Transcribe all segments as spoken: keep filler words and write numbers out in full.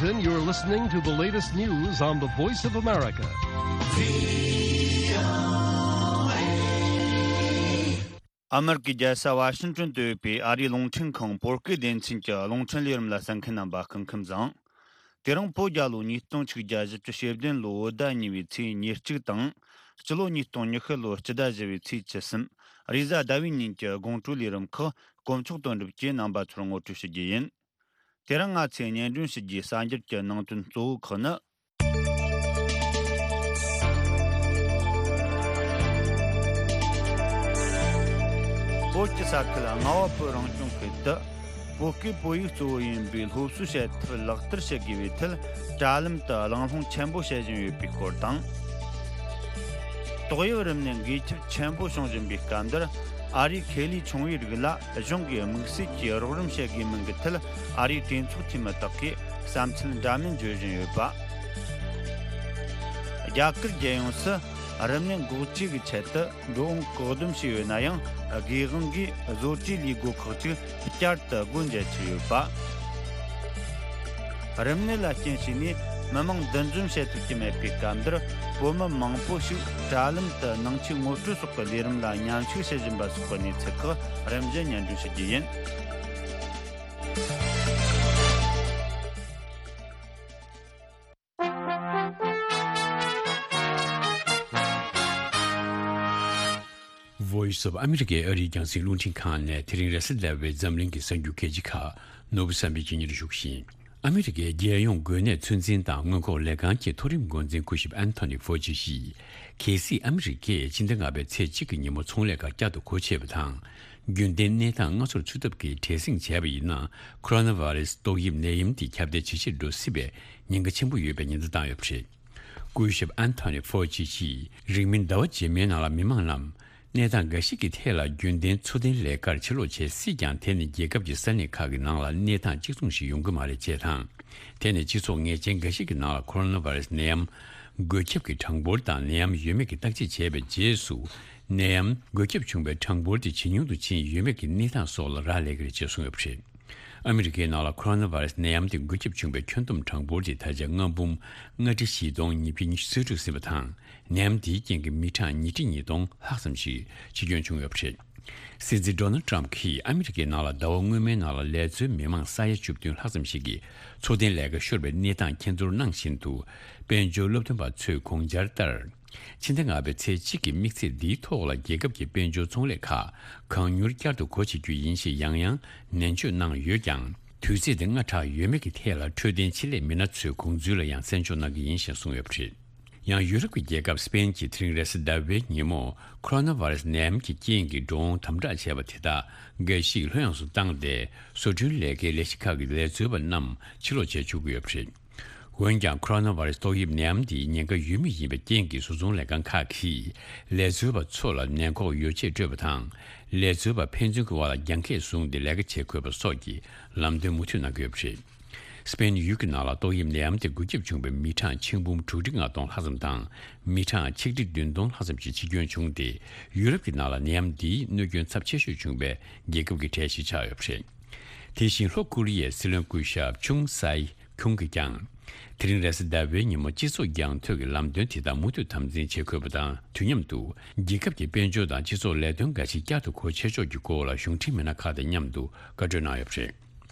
Then you're listening to the latest news on the Voice of America. ཨ་མེ་རི་ཀའི་རྒྱལ་ས་ཝ་ཤིང་ཏོན་དུ་ཡོད་པའི་ཨ་རིའི་རླུང་འཕྲིན་ཁང་བོད་སྐད་སྡེ་ཚན་གྱི་རླུང་འཕྲིན་ལས་རིམ་ལ་གསན་མཁན་རྣམ་པ་སྐུ་ཁམས་བཟང་། དེ་རིང་བོད་རྒྱལ་ལོ་ཉིས་སྟོང་ཆིག་བརྒྱ་བཞི་བཅུ་ཞེ་བདུན་ལོའི་ཟླ་གཉིས་པའི་ཚེས་ཉེར་གཅིག་དང་། སྤྱི་ལོ་ཉིས་སྟོང་ཉི་ཤུ་ལོའི་སྤྱི་ཟླ་བཞི་པའི་ཚེས་བཅུ་གསུམ། རེས་གཟའ་ཟླ་བའི་ཉིན་གྱི་དགོང་དྲོའི་ལས་རིམ་ཁག་དཀོན་མཆོག་དོན་གྲུབ་ཀྱིས་རྣམ་པ་ཚོར་ངོ་སྤྲོད་ཞུ་རྒྱུ་ཡིན། དེ་རིང་ང་ཚོས་སྙན་སྒྲོན་ཞུ་རྒྱུའི་གསར་འགྱུར་གྱི་ནང་དོན་གཙོ་བོ་ཁག་ནི། བོད་ཀྱི་ས་ཁུལ་རྔ་བ་བོད་རང་སྐྱོང་ཁུལ་དུ། བོད་སྐད་བོད་ཡིག་གཙོ་བོ་ཡིན་པའི་སློབ་གསོའི་བྱེད་ཐབས་ལག་བསྟར་བྱེད་དགོས་པའི་ཐད། དྲ་ལམ་དུ་གླེང་སློང་ཆེན་པོ་བྱེད་བཞིན་ཡོད་པའི་སྐོར་དང་། ཏོག་དབྱིབས་རིམས་ནད་འགོས་ཁྱབ་ཆེན་པོ་བྱུང་བཞིན་པའི་སྐབས་འདིར། ཨ་རིའི་ཁེ་ལས་ཆུང་བའི་རིགས་ལ་གཞུང་གིས་དམིགས་བསལ་གྱིས་རོགས་རམ་བྱེད་དགོས་མིན་གྱི་ཐད། ཨ་རིའི་གྲོས་ཚོགས་འཐུས་མི་དག་གིས་བསམ་ཚུལ་འདྲ་མིན་བརྗོད་བཞིན་ཡོད་པ། རྒྱ་གར་རྒྱལ་ཡོངས་སུ་རིམས་ནད་འགོག་བཅོས་ཀྱི་ཆེད་དུ་འགྲོ་འོང་བཀག་སྡོམ་བྱས་ཡོད་ན་ཡང་། དགོས་དབང་གིས་བཟོ་གྲྭའི་ལས་སྒོ་ཁག་ཅིག་བསྐྱར་དུ་སྒོ་འབྱེད་ཀྱི་ཡོད་པ། རིམས་ནད་ལ་རྐྱེན་བྱས་ནས་མི་མང་འདུ་འཛོམས་བྱེད་ཐུབ་ཀྱི་མེད་པའི་སྐབས་འདིར། བོད་མི་མང་པོ་ཞིག་དྲ་ལམ་དུ་ནང་ཆོས་ངོ་སྤྲོད་སོགས་ཀྱི་ལས་རིམ་ལ་མཉམ་ཞུགས་བྱེད་བཞིན་པ་སོགས་ཀྱི་གནས་ཚུལ་ཁག་རིམ་བཞིན་སྙན་སྒྲོན་ཞུ་རྒྱུ་ཡིན། Voice of America ཨ་རིའི་རྒྱང་སྲིང་རླུང་འཕྲིན་ཁང་ནས་དེ་རིང་རེས་གཟའ་ཟླ་བའི་འཛམ་གླིང་གི་གསར་འགྱུར་གལ་ཆེ་ཁག་ནོར་བུ་བསམ་འཕེལ་གྱིས་སྙན་སྒྲོན་ཞུ་གི་ཡིན། ཨ་མི་རི་ཀའི་རྒྱལ་ཡོངས་འགོས་ནད་ཚོད་འཛིན་དང་སྔོན་འགོག་ལས་ཁང་གི་མཐོ་རིམ་འགོ་འཛིན་སྐུ་ཞབས་ཨན་ཐོ་ནི་ཧྥོ་ཅི་ཡིས། གལ་སྲིད་ཨ་མི་རི་ཀས་ཕྱི་ཟླ་ལྔ་པའི་ཚེས་གཅིག་གི་ཉིན་མོ་ཚོང་ལས་ཁག་བསྐྱར་དུ་སྒོ་ཕྱེ་བ་དང་། རྒྱུན་ལྡན་གནས་སྟངས་སྔ་ཚོར་ཚུད་ཐབས་ཀྱི་བྲེལ་ཟིང་བྱས་པ་ཡིན་ན། ཁོ་རོ་ན་བྷ་རེ་སི་ཏོག་དབྱིབས་ནད་ཡམས་འདི་ཁྱབ་གདལ་ཇེ་ཆེར་འགྲོ་སྲིད་པའི་ཉེན་ཁ་ཆེན་པོ་ཡོད་པའི་ཉེན་བརྡ་བཏང་ཡོད་པ་རེད། སྐུ་ཞབས་ཨན་ཐོ་ནི་ཧྥོ་ཅི་ཡིས་རིང་མིན་ཟླ་བ་རྗེས་མའི་ནང་ལ་མི་མང་རྣམས་གནས་སྟངས་འགའ་ཞིག་གི་ཐད་ལ་རྒྱུན་ལྡན་འཚོ་རྟེན་ལས་ཀར་ཕྱིར་ལོག་བྱེད་སྲིད་ཀྱང་། དེ་ནི་རྒྱལ་ཁབ་ཀྱི་ས་གནས་ཁག་གི་ནང་ལ་གནས་སྟངས་གཅིག་མཚུངས་ཤིག་ཡོང་གི་མ་རེད་ཅེས་དང་། དེ་ནི་སྤྱི་ཚོགས་ངེས་ཅན་འགའ་ཞིག་གི་ནང་ལ་ཁོ་རོ་ན་བྷ་རེ་སི་ནད་ཡམས་འགོས་ཁྱབ་ཀྱི་གྲངས་འབོར་དང་། ནད་ཡམས་ཡོད་མེད་ཀྱི་བརྟག་དཔྱད་བྱས་པའི་རྗེས་སུ། ནད་ཡམས་འགོས་ཁྱབ་བྱུང་བའི་གྲངས་འབོར་དེ་ཇེ་ཉུང་དུ་ཕྱིན་ཡོད་མེད་ཀྱི་གནས་སྟངས་སོགས་ལ་རག་ལས་ཀྱི་རེད་ཅེས་གསུངས་ཡོད་པ་རེད། ཨ་མི་རི་ཀའི་ནང་ལ་ཁོ་རོ་ན་བྷ་རེ་སི་ནད་ཡམས་དེ་འགོས་ཁྱབ་བྱུང་བའི་ཁྱོན་བསྡོམས་གྲངས་འབོར་དེ་ད་ཆ་ལྔ་འབུམ་ལྔ་ཁྲི་བཞི་སྟོང་ཉིས་བརྒྱ་ཉི་ཤུ་རྩ་དྲུག་ཟིན་པ་དང་། ནད་ཡམས་དེའི་རྐྱེན་གྱིས་མི་གྲངས་ཉིས་ཁྲི་ཉིས་སྟོང་ལྷག་ཙམ་ཞིག་འཆི་སྐྱོན་བྱུང་ཡོད་པ་རེད། སྲིད་འཛིན་ཌོ་ནལ་ཊྲམ་གྱིས་ཨ་མི་རི་ཀའི་ནང་ལ་ཟླ་བ་སྔོན་མའི་ནང་ལ་ལས་བཟོའི་མི་མང་ས་ཡ་བཅུ་བདུན་ལྷག་ཙམ་ཞིག་གིས་འཚོ་རྟེན་ལས་ཀ་ཤོར་བའི་གནས་སྟངས་མཁྱེན་རྟོགས་གནང་བཞིན་དུ། དཔལ་འབྱོར་སློབ་སྟོན་པ་ཚོས་དགོངས་འཆར་ལྟར། ཕྱི་ཟླ་ལྔ་པའི་ཚེས་གཅིག་གི་དམིགས་ཚད་འདིའི་ཐོག་ལ་རྒྱལ་ཁབ་ཀྱི་དཔལ་འབྱོར་ཚོང་ལས་ཁག་གང་མྱུར་བསྐྱར་དུ་སྒོ་ཕྱེ་རྒྱུ་ཡིན་ཞེས་ཡང་ཡང་ནན་བརྗོད་གནང་ཡོད་ཀྱང་། དུས་ཚོད་དེ་སྔ་དྲགས་ཡོད་མེད་ཀྱི་ཐད་ལ་འཕྲོད་བསྟེན་ཆེད་ལས་མི་སྣ་ཚོའི་དགོངས་ཚུལ་ལ་ཡང་གསན་འཇོག་གནང་གི་ཡིན་ཞེས་གསུངས་ཡོད་པ་རེད། ཡང་ཡུ་རོབ་ཀྱི་རྒྱལ་ཁབ་སི་པེན་གྱིས་དེ་རིང་རེས་གཟའ་ཟླ་བའི་ཉིན་མོ་ཁོ་རོ་ན་བྷ་རེ་སི་ནད་ཡམས་ཀྱི་རྐྱེན་གྱིས་འགྲོ་འོང་དམ་དྲག་བྱས་པ་དེ་དག་འགའ་ཞིག་ལྷོད་ཡངས་སུ་བཏང་སྟེ། བཟོ་སྐྲུན་ལས་ཀའི་ལས་གཞི་ཁག་གི་ལས་བཟོ་པ་རྣམས་ཕྱིར་ལོག་བྱེད་བཅུག་གི་ཡོད་པ་རེད། འོན་ཀྱང་། ཁོ་རོ་ན་བྷ་རེ་སི་ཏོག་དབྱིབས་ནད་ཡམས་འདི་ཉེན་ཁ་ཡོད་མུས་ཡིན་པའི་རྐྱེན་གྱིས། བཟོ་ཚོང་ལས་ཁང་ཁག་གིས་ལས་བཟོ་བ་ཚོ་ལ་ནད་འགོག་ཡོ་བྱད་སྤྲོད་པ་དང་། ལས་བཟོ་བ་ཕན་ཚུན་གྱི་དབར་ལ་རྒྱང་ཁྱད་བཟུང་སྟེ་ལས་ཀ་བྱེད་དགོས་པ་སོགས་ཀྱི་ལམ་སྟོན་མུ་མཐུད་གནང་གི་ཡོད་པ་རེད། སི་པེན་ཡུལ་གྱི་ནང་ལ་ཏོག་དབྱིབས་ནད་ཡམས་དེ་འགོས་ཁྱབ་བྱུང་བའི་མི་གྲངས་ཆིག་འབུམ་དྲུག་ཁྲི་ལྔ་སྟོང་ལྷག་ཙམ་དང་། མི་གྲངས་ཆིག་ཁྲི་བདུན་སྟོང་ལྷག་ཙམ་ཞིག་འཆི་སྐྱོན་བྱུང་སྟེ། ཡུ་རོབ་ཀྱི་ནང་ལ་ནད་ཡམས་འདིའི་གནོད་སྐྱོན་ཚབས་ཆེ་ཤོས་བྱུང་བའི་རྒྱལ་ཁབ་ཀྱི་གྲས་ཤིག་ཆགས་ཡོད་པ་རེད། དེ་བཞིན་ལྷོ་ཀོ་རི་ཡའི་སྲིད་བློན་སྐུ་ཞབས་ཆུང་སའེ་ཁྱུང་གིས་ཀྱང་། དེ་རིང་རེས་གཟའ་ཟླ་བའི་ཉིན་མོ་སྤྱི་ཚོགས་རྒྱང་མཐོང་གི་ལམ་སྟོན་དེ་དག་མུ་མཐུད་དམ་འཛིན་བྱེད་དགོས་པ་དང་། དུས་མཉམ་དུ་རྒྱལ་ཁབ་ཀྱི་དཔལ་འབྱོར་དང་སྤྱི་ཚོགས་ལས་དོན་འགའ་ཞིག་བསྐྱར་དུ་སྒོ་ཕྱེ་ཕྱོགས་ཀྱི་སྐོར་ལ་གཞུང་འབྲེལ་མི་སྣ་ཁག་དང་མཉམ་དུ་བཀའ་གྲོས་གནང་ཡོད་པ་རེད།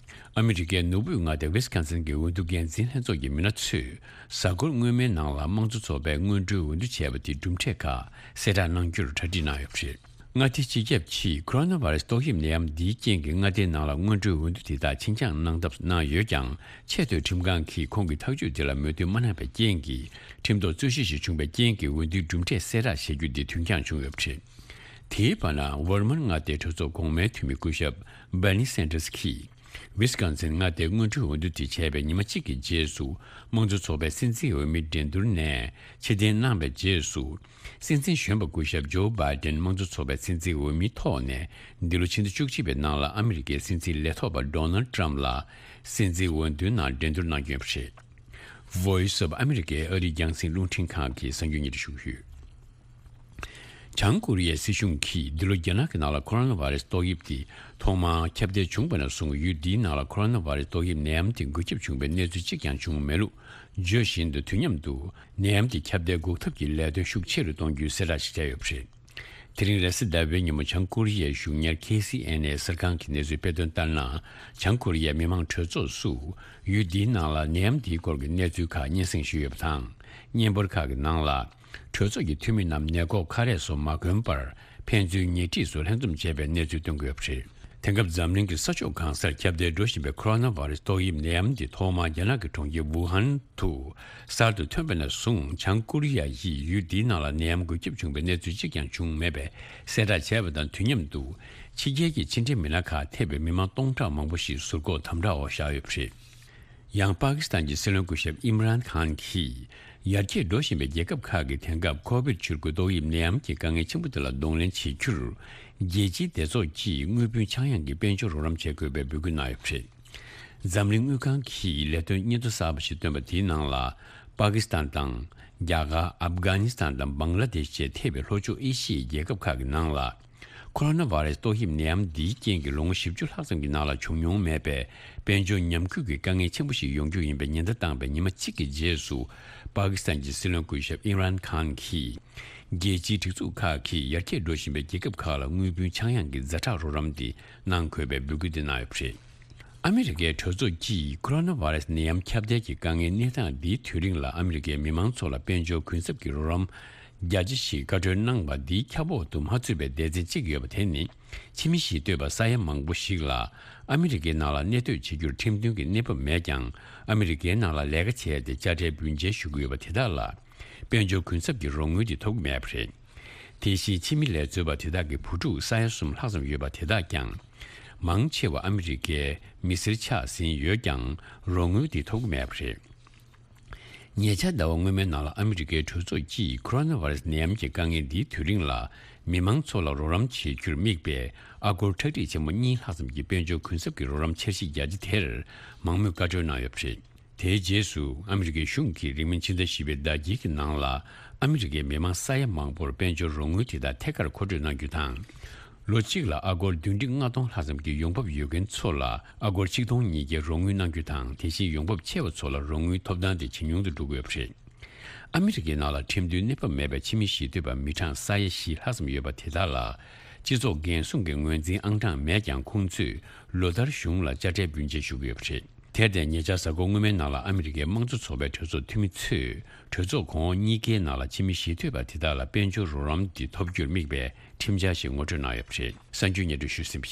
ཨ་མི་རི་ཀའི་ནོར་བུའི་མངའ་སྡེ་ཝི་སི་ཀོན་སིན་གྱི་འོས་བསྡུ་འགན་འཛིན་ལྷན་ཚོགས་ཀྱི་མི་སྣ་ཚོས་གཟའ་འཁོར་སྔོན་མའི་ནང་ལ་དམངས་གཙོ་ཚོགས་པའི་སྔོན་འགྲོའི་འོས་བསྡུ་བྱས་པ་དེའི་གྲུབ་འབྲས་ཁག་གསལ་བསྒྲགས་གནང་རྒྱུར་གྲ་སྒྲིག་གནང་ཡོད་པ་རེད། མངའ་སྡེ་སྤྱི་ཁྱབ་ཀྱིས་ཁོ་རོ་ན་བྷ་རེ་སི་ཏོག་དབྱིབས་ནད་ཡམས་འདིའི་རྐྱེན་གྱིས་མངའ་སྡེའི་ནང་ལ་སྔོན་འགྲོའི་འོས་བསྡུ་དེ་དག་ཕྱིར་འགྱངས་གནང་ཐབས་གནང་ཡོད་ཀྱང་། ཆེས་མཐོའི་ཁྲིམས་ཁང་གིས་ཁོང་གི་ཐག་གཅོད་དེ་ལ་མོས་མཐུན་མ་གནང་བའི་རྐྱེན་གྱིས། ཁྲིམས་ཐོག་རྩོད་གཞི་ཞིག་བྱུང་བའི་རྐྱེན་གྱིས་འོས་བསྡུའི་གྲུབ་འབྲས་གསལ་བསྒྲགས་བྱེད་རྒྱུ་འདི་དུས་འགྱངས་བྱུང་ཡོད་པ་རེད། དེའི་བར་ན། ཝར་མན་མངའ་སྡེའི་གྲོས་ཚོགས་གོང་མའི་འཐུས་མི་སྐུ་ཞབས་སྦར་ནི་སན་ཏྲེས་ཀྱིས། ཝི་སི་ཀོན་སིན་མངའ་སྡེའི་སྔོན་འགྲོའི་འོས་བསྡུ་དེ་བྱས་པའི་ཉི་མ་གཅིག་གི་རྗེས་སུ། དམངས་གཙོ་ཚོགས་པའི་སྲིད་འཛིན་འོས་མི་འགྲན་བསྡུར་ནས་ཕྱིར་འཐེན་གནང་བའི་རྗེས་སུ། སྲིད་འཛིན་གཞོན་པ་སྐུ་ཞབས་ཇོ་བྷའི་ཏན་དམངས་གཙོ་ཚོགས་པའི་སྲིད་འཛིན་འོས་མིའི་ཐོག་ནས། འདི་ལོ་ཕྱི་ཟླ་བཅུ་གཅིག་པའི་ནང་ལ་ཨ་མི་རི་ཀའི་སྲིད་འཛིན་ལས་ཐོག་པ་ཌོ་ནལ་ཏྲམ་ལ་སྲིད་འཛིན་འོས་བསྡུའི་ནང་འགྲན་བསྡུར་གནང་རྒྱུ་ཡིན་པ་རེད། Voice of America ཨ་རིའི་རྒྱང་སྲིང་རླུང་འཕྲིན་ཁང་གི་གསར་འགྱུར་སྙན་སྒྲོན་ཞུ་གི་ཡོད། བྱང་ཀོ་རི་ཡའི་སྲིད་གཞུང་གིས་འདི་ལོ་རྒྱ་ནག་གི་ནང་ལ་ཁོ་རོ་ན་བྷ་རེ་སི་ཏོག་དབྱིབས་དེ་ཐོག་མར་ཁྱབ་གདལ་བྱུང་བ་ནས་བཟུང་ཡུལ་འདིའི་ནང་ལ་ཁོ་རོ་ན་བྷ་རེ་སི་ཏོག་དབྱིབས་ནད་ཡམས་དེ་འགོས་ཁྱབ་བྱུང་བའི་གནས་ཚུལ་གཅིག་ཀྱང་བྱུང་མེད་ལུགས་བརྗོད་བཞིན་དུ། དུས་མཉམ་དུ་ནད་ཡམས་དེ་ཁྱབ་གདལ་འགོག་ཐབས་ཀྱི་ལས་དོན་ཤུགས་ཆེ་རུ་གཏོང་རྒྱུའི་གསལ་བསྒྲགས་ཤིག་བྱས་ཡོད་པ་རེད། དེ་རིང་རེས་གཟའ་ཟླ་བའི་ཉིན་མོ་བྱང་ཀོ་རི་ཡའི་གཞུང་གཉེར་ཁེ་སི་ཨེན་ཨེ་གསར་ཁང་གིས་གནས་ཚུལ་སྤེལ་དོན་ལྟར་ན། བྱང་ཀོ་རི་ཡའི་མི་མང་གྲོས་ཚོགས་སུ་ཡུལ་འདིའི་ནང་ལ་ནད་ཡམས་འདིའི་སྐོར་གྱི་གནས་ཚུལ་ཁག་སྙན་སེང་ཞུས་ཡོད་པ་དང་། བརྙན་པར་ཁག་གི་ནང་ལ། གྲོས་ཚོགས་ཀྱི་འཐུས་མི་རྣམས་ནད་འགོག་ཁ་རས་སོགས་མ་གོན་པར་ཕན་ཚུན་ཉེ་འཁྲིས་སུ་ལྷན་འཛོམས་བྱས་པའི་གནས་ཚུལ་སྟོན་གྱི་ཡོད་པ་རེད། དེང་སྐབས་འཛམ་གླིང་གི་ས་ཕྱོགས་གང་སར་ཁྱབ་གདལ་འགྲོ་བཞིན་པའི་ཁོ་རོ་ན་བྷ་རེ་སི་ཏོག་དབྱིབས་ནད་ཡམས་འདི་ཐོག་མར་རྒྱ་ནག་གི་གྲོང་ཁྱེར་ཝུ་ཧན་དུ་གསར་དུ་ཐོན་པ་ནས་བཟུང་། བྱང་ཀོ་རི་ཡ་ཡིས་ཡུལ་འདིའི་ནང་ལ་ནད་ཡམས་འགོས་ཁྱབ་བྱུང་བའི་གནས་ཚུལ་གཅིག་ཀྱང་བྱུང་མེད་པའི་གསལ་བསྒྲགས་བྱས་པ་དང་། དུས་མཉམ་དུ་ཕྱི་རྒྱལ་གྱི་ཕྱི་འབྲེལ་མི་སྣ་ཁག་ཐེ་བའི་མི་མང་སྟོང་ཕྲག་མང་པོ་ཞིག་ཟུར་འགོག་དམ་དྲག་འོག་བཞག་ཡོད་པ་རེད། ཡང་པ་ཀི་སི་ཐན་གྱི་སྲིད་བློན་སྐུ་ཞབས་ཨིམ་རཱན་ཁཱན་གྱིས། ཡར་རྒྱས་འགྲོ་བཞིན་པའི་རྒྱལ་ཁབ་ཁག་གིས་དེང་སྐབས་ཁོ་བིད་ཆུ་རྒོད་ཏོག་དབྱིབས་ནད་ཡམས་ཀྱི་དཀའ་ངལ་ཆེན་པོ་དེ་ལ་གདོང་ལེན་བྱེད་རྒྱུར། རྒྱལ་སྤྱིའི་སྡེ་ཚོགས་ཀྱིས་དངུལ་བུན་ཆག་ཡང་གི་དཔལ་འབྱོར་རོགས་རམ་བྱེད་དགོས་པའི་འབོད་སྐུལ་གནང་ཡོད་པ་རེད། འཛམ་གླིང་དངུལ་ཁང་གིས་ལས་དོན་སྙན་ཐོ་གསར་པ་ཞིག་བཏོན་པ་དེའི་ནང་ལ། པ་ཀི་སི་ཐན་དང་། རྒྱ་གར། ཨབ་གྷ་ནི་སི་ཐན་དང་། བང་ལ་དེཤ་བཅས་ཐེ་བའི་ལྷོ་ཕྱོགས་ཨེ་ཤི་ཡའི་རྒྱལ་ཁབ་ཁག་གི་ནང་ལ། ཁོ་རོ་ན་བྷ་རེ་སི་ཏོག་དབྱིབས་ནད་ཡམས་འདིའི་རྐྱེན་གྱིས་ལོ་ངོ་བཞི་བཅུ་ལྷག་ཙམ་གྱི་ནང་ལ་བྱུང་མྱོང་མེད་པའི་དཔལ་འབྱོར་ཉམས་རྒུད་ཀྱི་དཀའ་ངལ་ཆེན་པོ་ཞིག་ཡོང་རྒྱུ་ཡིན་པའི་ཉེན་བརྡ་བཏང་བའི་ཉི་མ་གཅིག་གི་རྗེས་སུ། པ་ཀི་སི་ཐན་གྱི་སྲིད་བློན་སྐུ་ཞབས་ཨིམ་རཱན་ཁཱན་གྱིས། རྒྱལ་སྤྱིའི་སྒྲིག་འཛུགས་ཁག་གིས་ཡར་རྒྱས་འགྲོ་བཞིན་པའི་རྒྱལ་ཁབ་ཁག་ལ་དངུལ་བུན་ཆག་ཡང་གི་ཛ་དྲག་རོགས་རམ་དེ་གནང་དགོས་པའི་འབོད་སྐུལ་དེ་གནང་ཡོད་པ་རེད། ཨ་མི་རི་ཀའི་གྲོས་ཚོགས་ཀྱིས་ཁོ་རོ་ན་བྷ་རེ་སི་ནད་ཡམས་ཁྱབ་གདལ་གྱི་དཀའ་ངལ་གནས་སྟངས་འདིའི་དུས་རིང་ལ་ཨ་མི་རི་ཀའི་མི་མང་ཚོ་ལ་དཔལ་འབྱོར་གུན་གསབ་ཀྱི་རོགས་རམ་རྒྱ་ཆེ་ཞིག་བཀའ་འཁྲོལ་གནང་བ་འདིའི་ཁྱབ་འོག་ཏུ་མ་ཚུད་པའི་སྡེ་ཚན་གཅིག་ཡོད་པ་དེ་ནི། ཕྱི་མི་ཞི་གཏོད་པ་ས་ཡ་མང་པོ་ཞིག་ལ་ཨ་མི་རི་ཀའི་ནང་ལ་གནས་སྡོད་བྱེད་རྒྱུར་ཁྲིམས་མཐུན་གྱི་གནས་བབ་མེད་ཀྱང་། ཨ་མི་རི་ཀའི་ནང་ལ་ལས་ཀ་བྱས་ཏེ་དཔྱ་ཁྲལ་བུན་འཇལ་ཞུ་གི་ཡོད་པ་དེ་དག་ལ། དཔལ་འབྱོར་གུན་གསབ་ཀྱི་རོགས་དངུལ་དེ་ཐོབ་ཀྱི་མེད་པ་རེད། དེ་བཞིན་ཕྱི་མི་ལས་འཛོལ་བ་དེ་དག་གི་བུ་ཕྲུག་ས་ཡ་གསུམ་ལྷག་ཙམ་ཡོད་པ་དེ་དག་ཀྱང་། མང་ཆེ་བ་ཨ་མི་རི་ཀའི་མི་སེར་ཆགས་ཟིན་ཡོད་ཀྱང་། རོགས་དངུལ་དེ་ཐོབ་ཀྱི་མེད་པ་རེད། ཉེ་ཆར་ཟླ་བ་སྔོན་མའི་ནང་ལ་ཨ་མི་རི་ཀའི་གྲོས་ཚོགས་ཀྱིས་ཁོ་རོ་ན་བྷ་རེ་སི་ནད་ཡམས་ཀྱི་དཀའ་ངལ་འདིའི་དུས་རིང་ལ། མི་མང་ཚོ་ལ་རོགས་རམ་བྱེད་རྒྱུར་དམིགས་པའི་ཨ་སྒོར་ཁྲག་ཁྲིག་ཆེན་པོ་གཉིས་ལྷག་ཙམ་གྱི་དཔལ་འབྱོར་གུན་གསབ་ཀྱི་རོགས་རམ་འཆར་གཞི་རྒྱ་ཆེ་དེར་མང་མོས་བཀའ་འཁྲོལ་གནང་ཡོད་པ་རེད། དེའི་རྗེས་སུ་ཨ་མི་རི་ཀའི་གཞུང་གིས་རིང་མིན་ཕྱི་ཟླ་བཞི་པའི་ཟླ་དཀྱིལ་གྱི་ནང་ལ། ཨ་མི་རི་ཀའི་མི་མང་ས་ཡ་མང་པོར་དཔལ་འབྱོར་རོགས་དངུལ་དེ་དག་ཐད་ཀར་མཁོ་སྤྲོད་གནང་རྒྱུ་དང་། ལོ་གཅིག་ལ་ཨ་སྒོར་བདུན་ཁྲི་ལྔ་སྟོང་ལྷག་ཙམ་གྱི་ཡོང་འབབ་ཡོད་མཁན་ཚོ་ལ་ཨ་སྒོར་ཆིག་སྟོང་ཉིས་བརྒྱའི་རོགས་དངུལ་གནང་རྒྱུ་དང་། དེ་བཞིན་ཡོང་འབབ་ཆེ་བ་ཚོ་ལ་རོགས་དངུལ་ཐོབ་ཐང་དེ་ཇེ་ཉུང་དུ་འགྲོ་གི་ཡོད་པ་རེད། ཨ་མི་རི་ཀའི་ནང་ལ་ཁྲིམས་མཐུན་གནས་བབ་མེད་པའི་ཕྱི་མི་ཞི་གཏོད་པ་མི་གྲངས་ས་ཡ་བཞི་ལྷག་ཙམ་ཡོད་པ་དེ་དག་ལ། སྤྱི་ཚོགས་འགན་སྲུང་གི་ངོས་འཛིན་ཨང་གྲངས་མེད་ཀྱང་། ཁོང་ཚོས་ལོ་ལྟར་གཞུང་ལ་དཔྱ་ཁྲལ་བུན་འཇལ་ཞུ་གི་ཡོད་པ་རེད། དེར་བརྟེན། ཉེ་ཆར་གཟའ་འཁོར་སྔོན་མའི་ནང་ལ་ཨ་མི་རི་ཀའི་དམངས་གཙོ་ཚོགས་པའི་གྲོས་ཚོགས་འཐུས་མི་ཚོས། གྲོས་ཚོགས་གོང་འོག་གཉིས་ཀའི་ནང་ལ་ཕྱི་མི་ཞི་གཏོད་པ་དེ་དག་ལ་དཔལ་འབྱོར་རོགས་རམ་དེ་ཐོབ་རྒྱུར་དམིགས་པའི་ཁྲིམས་འཆར་ཞིག་ངོ་སྤྲོད་གནང་ཡོད་པ་རེད། གསར་འགྱུར་སྙན་སྒྲོན་ཞུས་ཟིན་པ་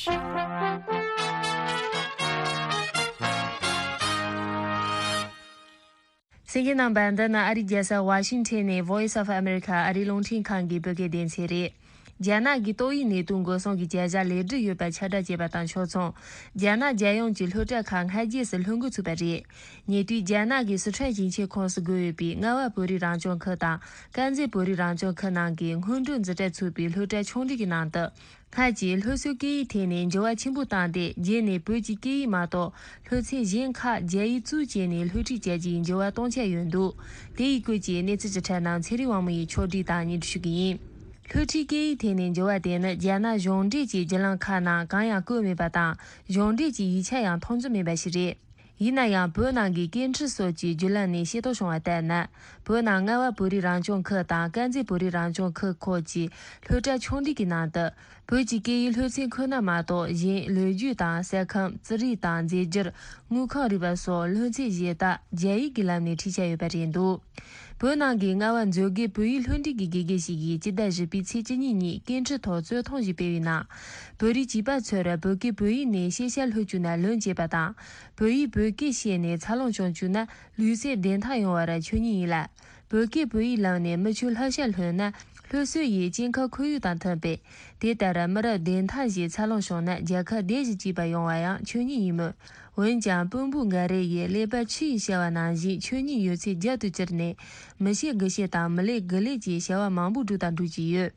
ཞིག་གསན་མཁན་རྣམ་པ། འདི་ནི་ཨ་རིའི་རྒྱལ་ས་ཝ་ཤིང་ཊོན་ནས་Voice of America ཨ་རིའི་རླུང་འཕྲིན་ཁང་གི་བོད་སྐད་སྡེ་ཚན་རེད། རྒྱ་ནག་གིས་ཏོག་དབྱིབས་ནད་དུག་འགོག་སྲུང་གི་བྱ་གཞག་ལེགས་འགྲུབ་ཡོད་པ་ཁྱབ་བསྒྲགས་བྱས་པ་དང་ཕྱོགས་མཚུངས། རྒྱ་ནག་རྒྱལ་ཡོངས་ཀྱི་སློབ་གྲྭ་ཁག་སྔ་རྗེས་སུ་ལྷུང་འགོ་ཚུགས་པ་རེད། ཉེ་དུས་རྒྱ་ནག་གི་སི་ཁྲོན་ཞིང་ཆེན་ཁོངས་སུ་བགོས་ཡོད་པའི་རྔ་བ་བོད་རིགས་རང་སྐྱོང་ཁུལ་དང་དཀར་མཛེས་བོད་རིགས་རང་སྐྱོང་ཁུལ་ནང་གི་སྔོན་འགྲོའི་འཛིན་གྲྭ་ཚུད་པའི་སློབ་གྲྭ་ཆུང་འབྲིང་གི་ནང་དུ། སྔར་གྱི་སློབ་གསོའི་སྐད་ཡིག་ཐད་ནས་འགྱུར་བ་ཆེན་པོ་བཏང་སྟེ། རྗེས་ནས་བོད་ཀྱི་སྐད་ཡིག་མ་གཏོགས་སློབ་ཚན་གཞན་ཁག་རྒྱ་ཡིག་བཙུགས་བྱས་ནས་སློབ་ཁྲིད་བྱ་རྒྱུའི་འགྱུར་བ་གཏོང་འཆར་ཡོད་འདུག་དེ་ཡི་སྐོར་གྱི་གནས་ཚུལ་ཅིག་ཁྲིད་གནང་ཚེ་རིང་དབང་མོ་ཡིས་ཕྱོགས་སྒྲིག་དང་སྙན་སྒྲོན་ཞུ་གི་ཡིན། སློབ་ཁྲིད་སྐད་ཡིག་ཐད་ནས་འགྱུར་བ་དེ་ནི་རྒྱ་ནག་གཞུང་འབྲེལ་གྱི་བརྒྱུད་ལམ་ཁག་ནང་གང་ཡང་བཀོད་མེད་པ་དང་། གཞུང་འབྲེལ་གྱི་ཡིག་ཆ་ཡང་མཐོང་ཚོར་མེད་པ་ཞིག་རེད། ཡིན་ན་ཡང་། བོད་ནང་གི་སྐད་འཕྲིན་སོགས་ཀྱི་བརྒྱུད་ལམ་ནས་ཤེས་རྟོགས་བྱུང་བ་ལྟར་ན། བོད་ནང་རྔ་བ་བོད་རིགས་རང་སྐྱོང་ཁུལ་དང་དཀར་མཛེས་བོད་རིགས་རང་སྐྱོང་ཁུལ་སྐོར་གྱི་སློབ་གྲྭ་ཆུང་འབྲིང་གི་ནང་དུ། བོད་ཀྱི་སྐད་ཡིག་སློབ་ཚན་ཁོ་ན་མ་གཏོགས། གཞན་ལོ་རྒྱུས་དང་ས་ཁམས། རྩིས་རིག་དང་རྫས་འགྱུར། དངུལ་ཁང་རིག་པ་སོགས་སློབ་ཚན་གཞན་དག་རྒྱ་ཡིག་གི་ལམ་ནས་ཁྲིད་འཆར་ཡོད་པ་རེད་འདུག་བོད་ནང་གི་རྔ་བ་མཛོད་དགེ་བོད་ཡིག་སློབ་འབྲིང་གི་དགེ་རྒན་ཞིག་གིས་སྤྱི་ཟླ་བཞི་པའི་ཚེས་བཅུ་གཉིས་ཉིན་སྐད་འཕྲིན་ཐོག་རྩོད་ཐུང་ཞིག་སྤེལ་བའི་ནང་། བོད་རིགས་བྱིས་པ་ཚོར་བོད་སྐད་བོད་ཡིག་ནས་ཤེས་བྱ་སློབ་བཅུག་ན་ལོན་བྱེད་པ་དང་། བོད་ཡིག་བོད་སྐད་བཤད་ནས་འཚར་ལོངས་བྱུང་བཅུག་ན་ལུས་རྩལ་བདེ་ཐང་ཡོང་བར་ཆོས་ཉིད་ཡིན་ལ། བོད་སྐད་བོད་ཡིག་ལམ་ནས་མི་ཆོས་བསླབ་བྱ་ལྷོད་ན་སློབ་གསོ་ཡིས་སྐྱེ་ཁམས་ཁོར་ཡུག་དང་མཐུན་པས། དེ་ལྟར་མི་རབས་བདེ་ཐང་ཞིག་འཚར་ལོངས་བྱུང་ན་རྒྱལ་ཁབ་བདེ་ཞིང་སྐྱིད་པ་ཡོང་བ་ཡང་ཆོས་ཉིད་ཡིན་མོད། འོན་ཀྱང་། དཔོན་པོ་འགའ་རེ་ཡིས་ཀླད་པ་ཆུ་ཡིས་བྱ་བ་ནང་བཞིན་ཆོས་ཉིད་ཡོད་ཚད་རྒྱབ་ཏུ་བསྐྱུར་ནས། མི་བྱེད་དགུ་བྱེད་དང་། མི་ལས་དགུ་ལས་ཀྱི་བྱ་བ་མང་པོ་བསྒྲུབས་དང་སྒྲུབ་ཀྱི་ཡོད།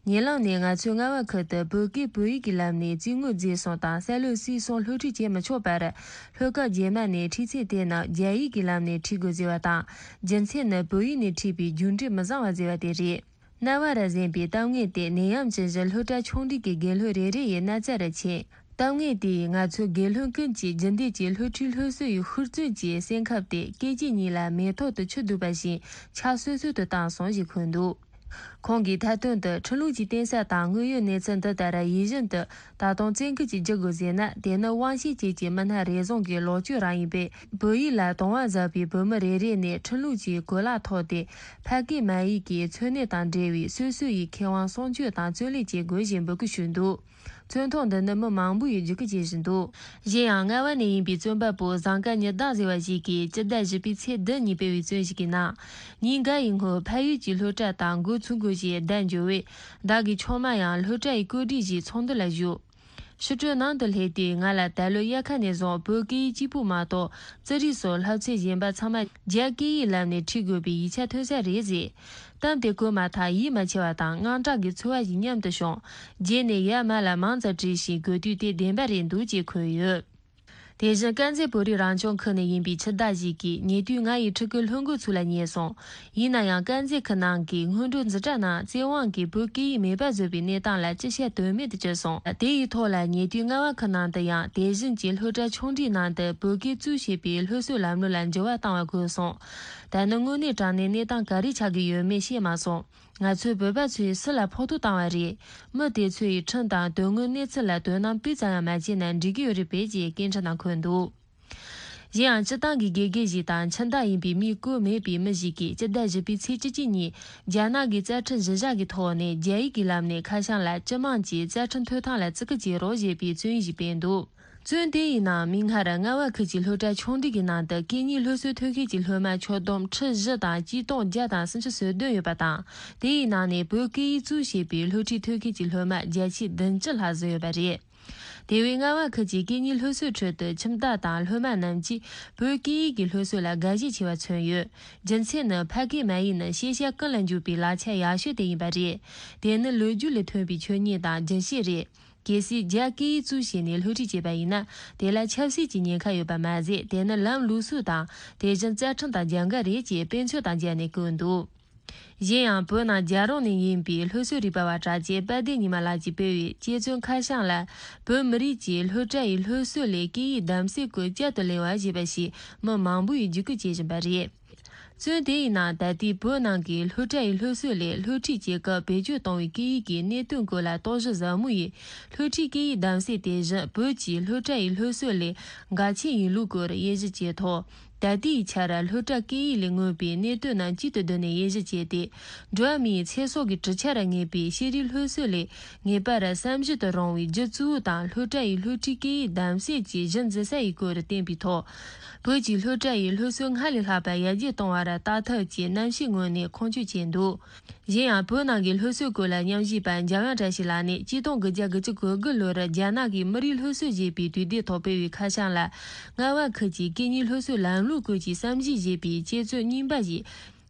ཉེ་ལམ་ནས་ང་ཚོའི་རྔ་བ་ཁུལ་དུ་བོད་སྐད་བོད་ཡིག་གི་ལམ་ནས་རྩིས་དངོས་རྫས་གསུམ་དང་ས་ལུག་སྲིད་གསུམ་སློབ་ཁྲིད་བྱེད་མི་ཆོག་པར། སློབ་སྐབས་རྗེས་མ་ནས་ཁྲིད་ཚན་དེ་རྣམས་རྒྱ་ཡིག་གི་ལམ་ནས་ཁྲིད་དགོས་ཟེར་བ་དང་། རྒྱུ་མཚན་ནི་བོད་ཡིག་ནས་ཁྲིད་པའི་རྒྱུགས་འབྲས་མི་བཟང་བ་ཟེར་བ་དེ་རེད། རྣ་བ་ར་གཟན་པའི་གཏམ་ངན་དེ་ནད་ཡམས་ཅན་བཞིན་སློབ་གྲྭ་ཆུང་འབྲིང་གི་དགེ་སློབ་རེ་རེ་ཡི་རྣ་རྩ་རུ་ཕྱིན། གཏམ་ངན་དེས་ང་ཚོ་དགེ་སློབ་ཀུན་གྱིས་རྒྱུན་ལྡན་གྱི་སློབ་ཁྲིད་སློབ་གསོ་ཡི་ཤུགས་བརྩོན་གྱི་སེམས་ཁམས་དེ་སྐད་ཅིག་ཉིད་ལ་མེ་ཏོག་ཏུ་ཆུ་ལྡུད་པ་བཞིན་ཆ་སོད་སོད་དུ་བཏང་སོང་ཞེས་འཁོད་འདུག་ཁོང་གིས་མཐའ་དོན་དུ་ཁྲིམས་ལུགས་ཀྱི་བརྟེན་ས་དང་དངོས་ཡོད་གནས་ཚུལ་འདི་ལྟར་ཡིད་བཞིན་དུ་ད་དུང་བཙན་སྐུལ་གྱིས་བསྒྱུར་དགོས་ཟེར་ན། དེ་ནི་དབང་ཤེད་ཅན་གྱི་མི་སྣ་རེ་ཟུང་གི་ལོག་སྤྱོད་རང་ཡིན་པས། བོད་ཡིག་ལ་དུང་བ་ཟབ་པའི་བོད་མི་རེ་རེ་ནས་ཁྲིམས་ལུགས་ཀྱི་གོ་ལག་ཐོག་སྟེ་ཕ་སྐད་མ་ཡིག་གི་འཚོ་གནས་དང་འབྲེལ་བའི་སོ་སོ་ཡི་ཁེ་དབང་སྲུང་སྐྱོབ་དང་བརྩོན་ལེན་བྱེད་དགོས་ཞེས་འབོད་སྐུལ་ཞུས་འདུག་བཙོན་ཐོག་འདི་ནི་མི་མང་པོ་ཡིས་བརྒྱུད་སྐུལ་བྱེད་བཞིན་འདུག་གཞན་ཡང་རྔ་བ་ནས་ཡིན་པའི་བཙོན་པ་པོ་བཟང་དཀར་ཉི་ཟླ་ཟེར་བ་ཞིག་གིས་སྤྱི་ཟླ་བཞི་པའི་ཚེས་བདུན་ཉིན་སྤེལ་བའི་བརྩོན་ཞིག་གི་ནང་། ཉིན་འགའ་ཡི་སྔོན་ཕ་ཡུལ་གྱི་སློབ་གྲྭ་དང་འགོ་ཚུགས་དགོས་ཞེས་བརྡ་འབྱོར་བས། བདག་གི་ཆུང་མ་ཡང་སློབ་གྲྭ་ཡི་བཀོད་སྒྲིག་གཞིར་ཚོགས་འདུ་ལ་ཞུགས། ཕྱི་དྲོའི་ནང་དུ་སླེབས་དུས་ང་ལ་ད་ལོའི་དབྱར་ཁ་ནས་བཟུང་བོད་སྐད་ཡིག་གཅིག་པུ་མ་གཏོགས་རྩིས་རིག་སོགས་བསླབ་ཚན་གཞན་པ་ཚང་མ་རྒྱ་སྐད་ཡིག་ལམ་ནས་ཁྲིད་དགོས་པའི་ཡིག་ཆ་ཐོན་ས་རེད་ཟེར། གཏམ་དེ་གོ་མ་ཐག་ཡིད་མ་ཆེས་པ་དང་དངངས་སྐྲག་གི་ཚོར་བ་ཞིག་མཉམ་དུ་བྱུང་། རྗེས་ནས་ཡར་མར་ལ་མང་ཙམ་དྲིས་ཤིང་གོ་དུས་དེ་བདེན་པ་རེད་འདུག་ཅེས་འཁོད་ཡོད། དེ་བཞིན་དཀར་མཛེས་བོད་རིགས་རང་སྐྱོང་ཁུལ་ནས་ཡིན་པའི་ཕྱི་ཟླ་ཞིག་གི་ཉེ་དུས་ང་ཡི་ཕྲུ་གུ་སློབ་འགོ་ཚུགས་ལ་ཉེ་སོང་། ཡིན་ན་ཡང་དཀར་མཛེས་ཁུལ་ནང་གི་སྔོན་འགྲོ་འཛིན་གྲྭ་ནང་བཙན་དབང་གིས་བོད་སྐད་ཡིག་མེད་པ་བཟོས་པའི་གནས་སྟངས་ལ་ཅི་བཤད་དོན་མེད་དུ་གྱུར་སོང་། དེ་ཡི་ཐོག་ལ་ཉེ་དུས་རྔ་བ་ཁུལ་ནང་དུ་ཡང་དེ་བཞིན་གྱི་སློབ་གྲྭ་ཆུང་འབྲིང་ནང་དུ་བོད་སྐད་བཙུགས་བྱས་པའི་སློབ་གསོའི་ལམ་ལུགས་ལ་འགྱུར་བ་བཏང་བ་དགོས་སོང་། ད་ནི་དངོས་གནས་དྲང་གནས་གནས་སྟངས་ག་རེ་ཆགས་ཀྱི་ཡོད་མེད་ཤེས་མ་སོང་། ང་ཚོའི་བོད་པ་ཚོས་སུ་ལ་ཕོག་ཐུག་བཏང་བ་རེད། མི་དེ་ཚོ་ཡིས་ཁྲིམས་དང་དོན་དངོས་གནས་ཚུལ་ལ་དོ་སྣང་སྤུས་ཙམ་ཡང་མ་བྱས་ན་འགྲིག་གི་ཡོད་རེད་པས་ཅེས་སྐད་འཕྲིན་ནང་འཁོད་འདུག་གཞན་ཡང་སྤྱི་བཏང་གི་དགེ་རྒན་ཞིག་དང་ཁྱིམ་བདག་ཡིན་པའི་མིང་བཀོད་མེད་པའི་མི་ཞིག་གིས་སྤྱི་ཟླ་བཞི་པའི་ཚེས་བཅུ་གཅིག་ཉིན་རྒྱ་ནག་གི་རྩ་ཁྲིམས་གཞི་བཞག་གི་ཐོག་ནས་རྒྱ་ཡིག་གི་ལམ་ནས་ཁ་བྱང་ལ་སྤྱི་དམངས་ཀྱི་རྩ་ཁྲིམས་ཐོབ་ཐང་ལ་བརྩི་བཀུར་བྱེད་རོགས་ཞེས་པའི་བརྩོན་ཡིག་ཞིག་སྤེལ་འདུག་བཙོན་དེ་ཡི་ནང་མིག་སྔར་རྔ་བ་ཁུལ་གྱི་སློབ་གྲྭ་ཆུང་འབྲིང་གི་ནང་དུ་སྐད་གཉིས་སློབ་གསོའི་ཐོན་ཁུལ་གྱི་སློབ་མ་ཁྱོན་བསྡོམས་ཁྲི་བཞི་དང་གཅིག་སྟོང་བརྒྱ་དང་སུམ་ཅུ་སོ་བདུན་ཡོད་པ་དང་། དེ་ཡི་ནང་ནས་བོད་སྐད་ཡིག་གཙོས་བྱས་པའི་སློབ་ཁྲིད་ཐོན་ཁུལ་གྱི་སློབ་མ་བརྒྱ་ཆ་བདུན་ཅུ་ལྷག་ཙམ་ཡོད་པ་རེད། དེ་བས་རྔ་བ་ཁུལ་གྱི་སྐད་གཉིས་སློབ་གསོའི་ཁྲོད་དུ་ཁྱིམ་བདག་དང་སློབ་མ་རྣམས་ཀྱིས་བོད་སྐད་ཡིག་གི་སློབ་གསོ་ལ་དགའ་ཞེན་ཆེ་བ་མཚོན་ཡོད། རྒྱུ་མཚན་ནི་ཕ་སྐད་མ་ཡིག་ནི་ཤེས་བྱ་ཀུན་ལ་འཇུག་པའི་ལག་ཆ་ཡག་ཤོས་དེ་ཡིན་པ་རེད། དེ་ནི་ལོ་རྒྱུས་ལས་ཐོན་པའི་ཆོས་ཉིད་དང་རྒྱུན་ཤེས་རེད། གལ་སྲིད་རྒྱ་སྐད་ཡིག་གཙོས་བྱས་ནས་སློབ་ཁྲིད་བྱས་པ་ཡིན་ན། དེ་ལ་ཆབ་སྲིད་ཀྱི་ཉེན་ཁ་ཡོད་པ་མ་ཟད། དེ་ནི་ལམ་ལུགས་སྲོལ་དང་དེ་བཞིན་རྩ་ཁྲིམས་དང་རྒྱབ་འགལ་རེད་ཅེས་དཔེ་མཚོན་དང་སྦྱར་ནས་བཀོད་འདུག་གཞན་ཡང་བོད་ནང་རྒྱལ་རོང་ནས་ཡིན་པའི་སློབ་གསོ་རིག་པ་བ་གྲགས་ཅན་དཔལ་ལྡན་ཉི་མ་ལགས་ཀྱིས་སྤེལ་བའི་དཔྱད་རྩོམ་ཁ་བྱང་ལ། བོད་མི་རིགས་ཀྱིས་སློབ་གྲྭ་ཡི་སློབ་གསོ་ལས་སྐད་ཡིག་གདམ་གསེས་སྐོར་བསྐྱར་དུ་གླེང་བ་ཞེས་པ་ཞིག་མི་མང་པོ་ཡིས་བརྒྱུད་སྐུལ་བྱེད་བཞིན་པ་རེད། བཙོན་དེ་ཡི་ནང་ད་ལྟའི་བོད་ནང་གི་སློབ་གྲྭ་ཡི་སློབ་གསོ་ལས་སློབ་ཁྲིད་བྱེད་སྐབས་བེད་སྤྱོད་གཏོང་བའི་སྐད་ཡིག་གི་གནད་དོན་སྐོར་ལ་རྟོག་ཞིབ་ཟབ་མོ་ཡིས། སློབ་ཁྲིད་སྐད་ཡིག་གདམ་གསེས་དེ་བཞིན་བོད་ཀྱི་སློབ་གྲྭ་ཡི་སློབ་གསོ་ལས་འགལ་ཆེ་ཡིན་ལུགས་སྐོར་དབྱེ་ཞིབ་བྱས་ཐོག་ད་ལྟའི་ཆར་སློབ་གྲྭ་སྐད་ཡིག་ལས་མངོན་པའི་གནད་དོན་རྣམས་གཅིག་ཏུ་བསྡུས་ནས་དབྱེ་ཞིབ་བྱས་ཏེ། འགྲོ་བ་མིའི་ཚེ་སྲོག་གི་གྲུ་ཆར་ངེས་པའི་ཤེས་རིག་སློབ་གསོ་ལས་ངེས་པར་བསམ་གཞིག་ཏུ་རུང་བའི་རྒྱུ་གཙོ་བོ་དང་སློབ་གྲྭ་ཡི་སློབ་ཁྲིད་སྐད་ཡིག་གདམ་གསེས་ཀྱི་གཞི་འཛིན་ས་ཡི་སྐོར་བསྟན་པའི་ཐོག་བོད་ཀྱི་སློབ་གྲྭ་ཡི་སློབ་གསོ་སྔར་ལས་ལྷག་པ་ཡར་རྒྱས་གཏོང་བར་ལྟ་ཐབས་ཀྱི་རྣམ་བཤད་ངོས་ནས་ཁུངས་སྐྱེལ་བྱས་འདུག་གཞན་ཡང་བོད་ནང་གི་སློབ་གསོའི་སྐོར་ལ་ཉམས་ཞིབ་པ་འཇམ་དབྱངས་བཀྲ་ཤིས་ལགས་ནས་གཅིག་སྟོང་དགུ་བརྒྱ་དགུ་བཅུ་གོ་དགུ་ལོར་རྒྱ་ནག་གི་མི་རིགས་སློབ་གསོ་ཞེས་པའི་དུས་དེབ་ཐོག་སྤེལ་བའི་ཁ་བྱང་ལ། རྔ་བ་ཁུལ་གྱི་སྐད་གཉིས་སློབ་གསོའི་ལམ་ལུགས་སྐོར་གྱི་བསམ་གཞིག་ཞེས་པའི་དཔྱད་རྩོམ་རྙིང་པ་ཞིག་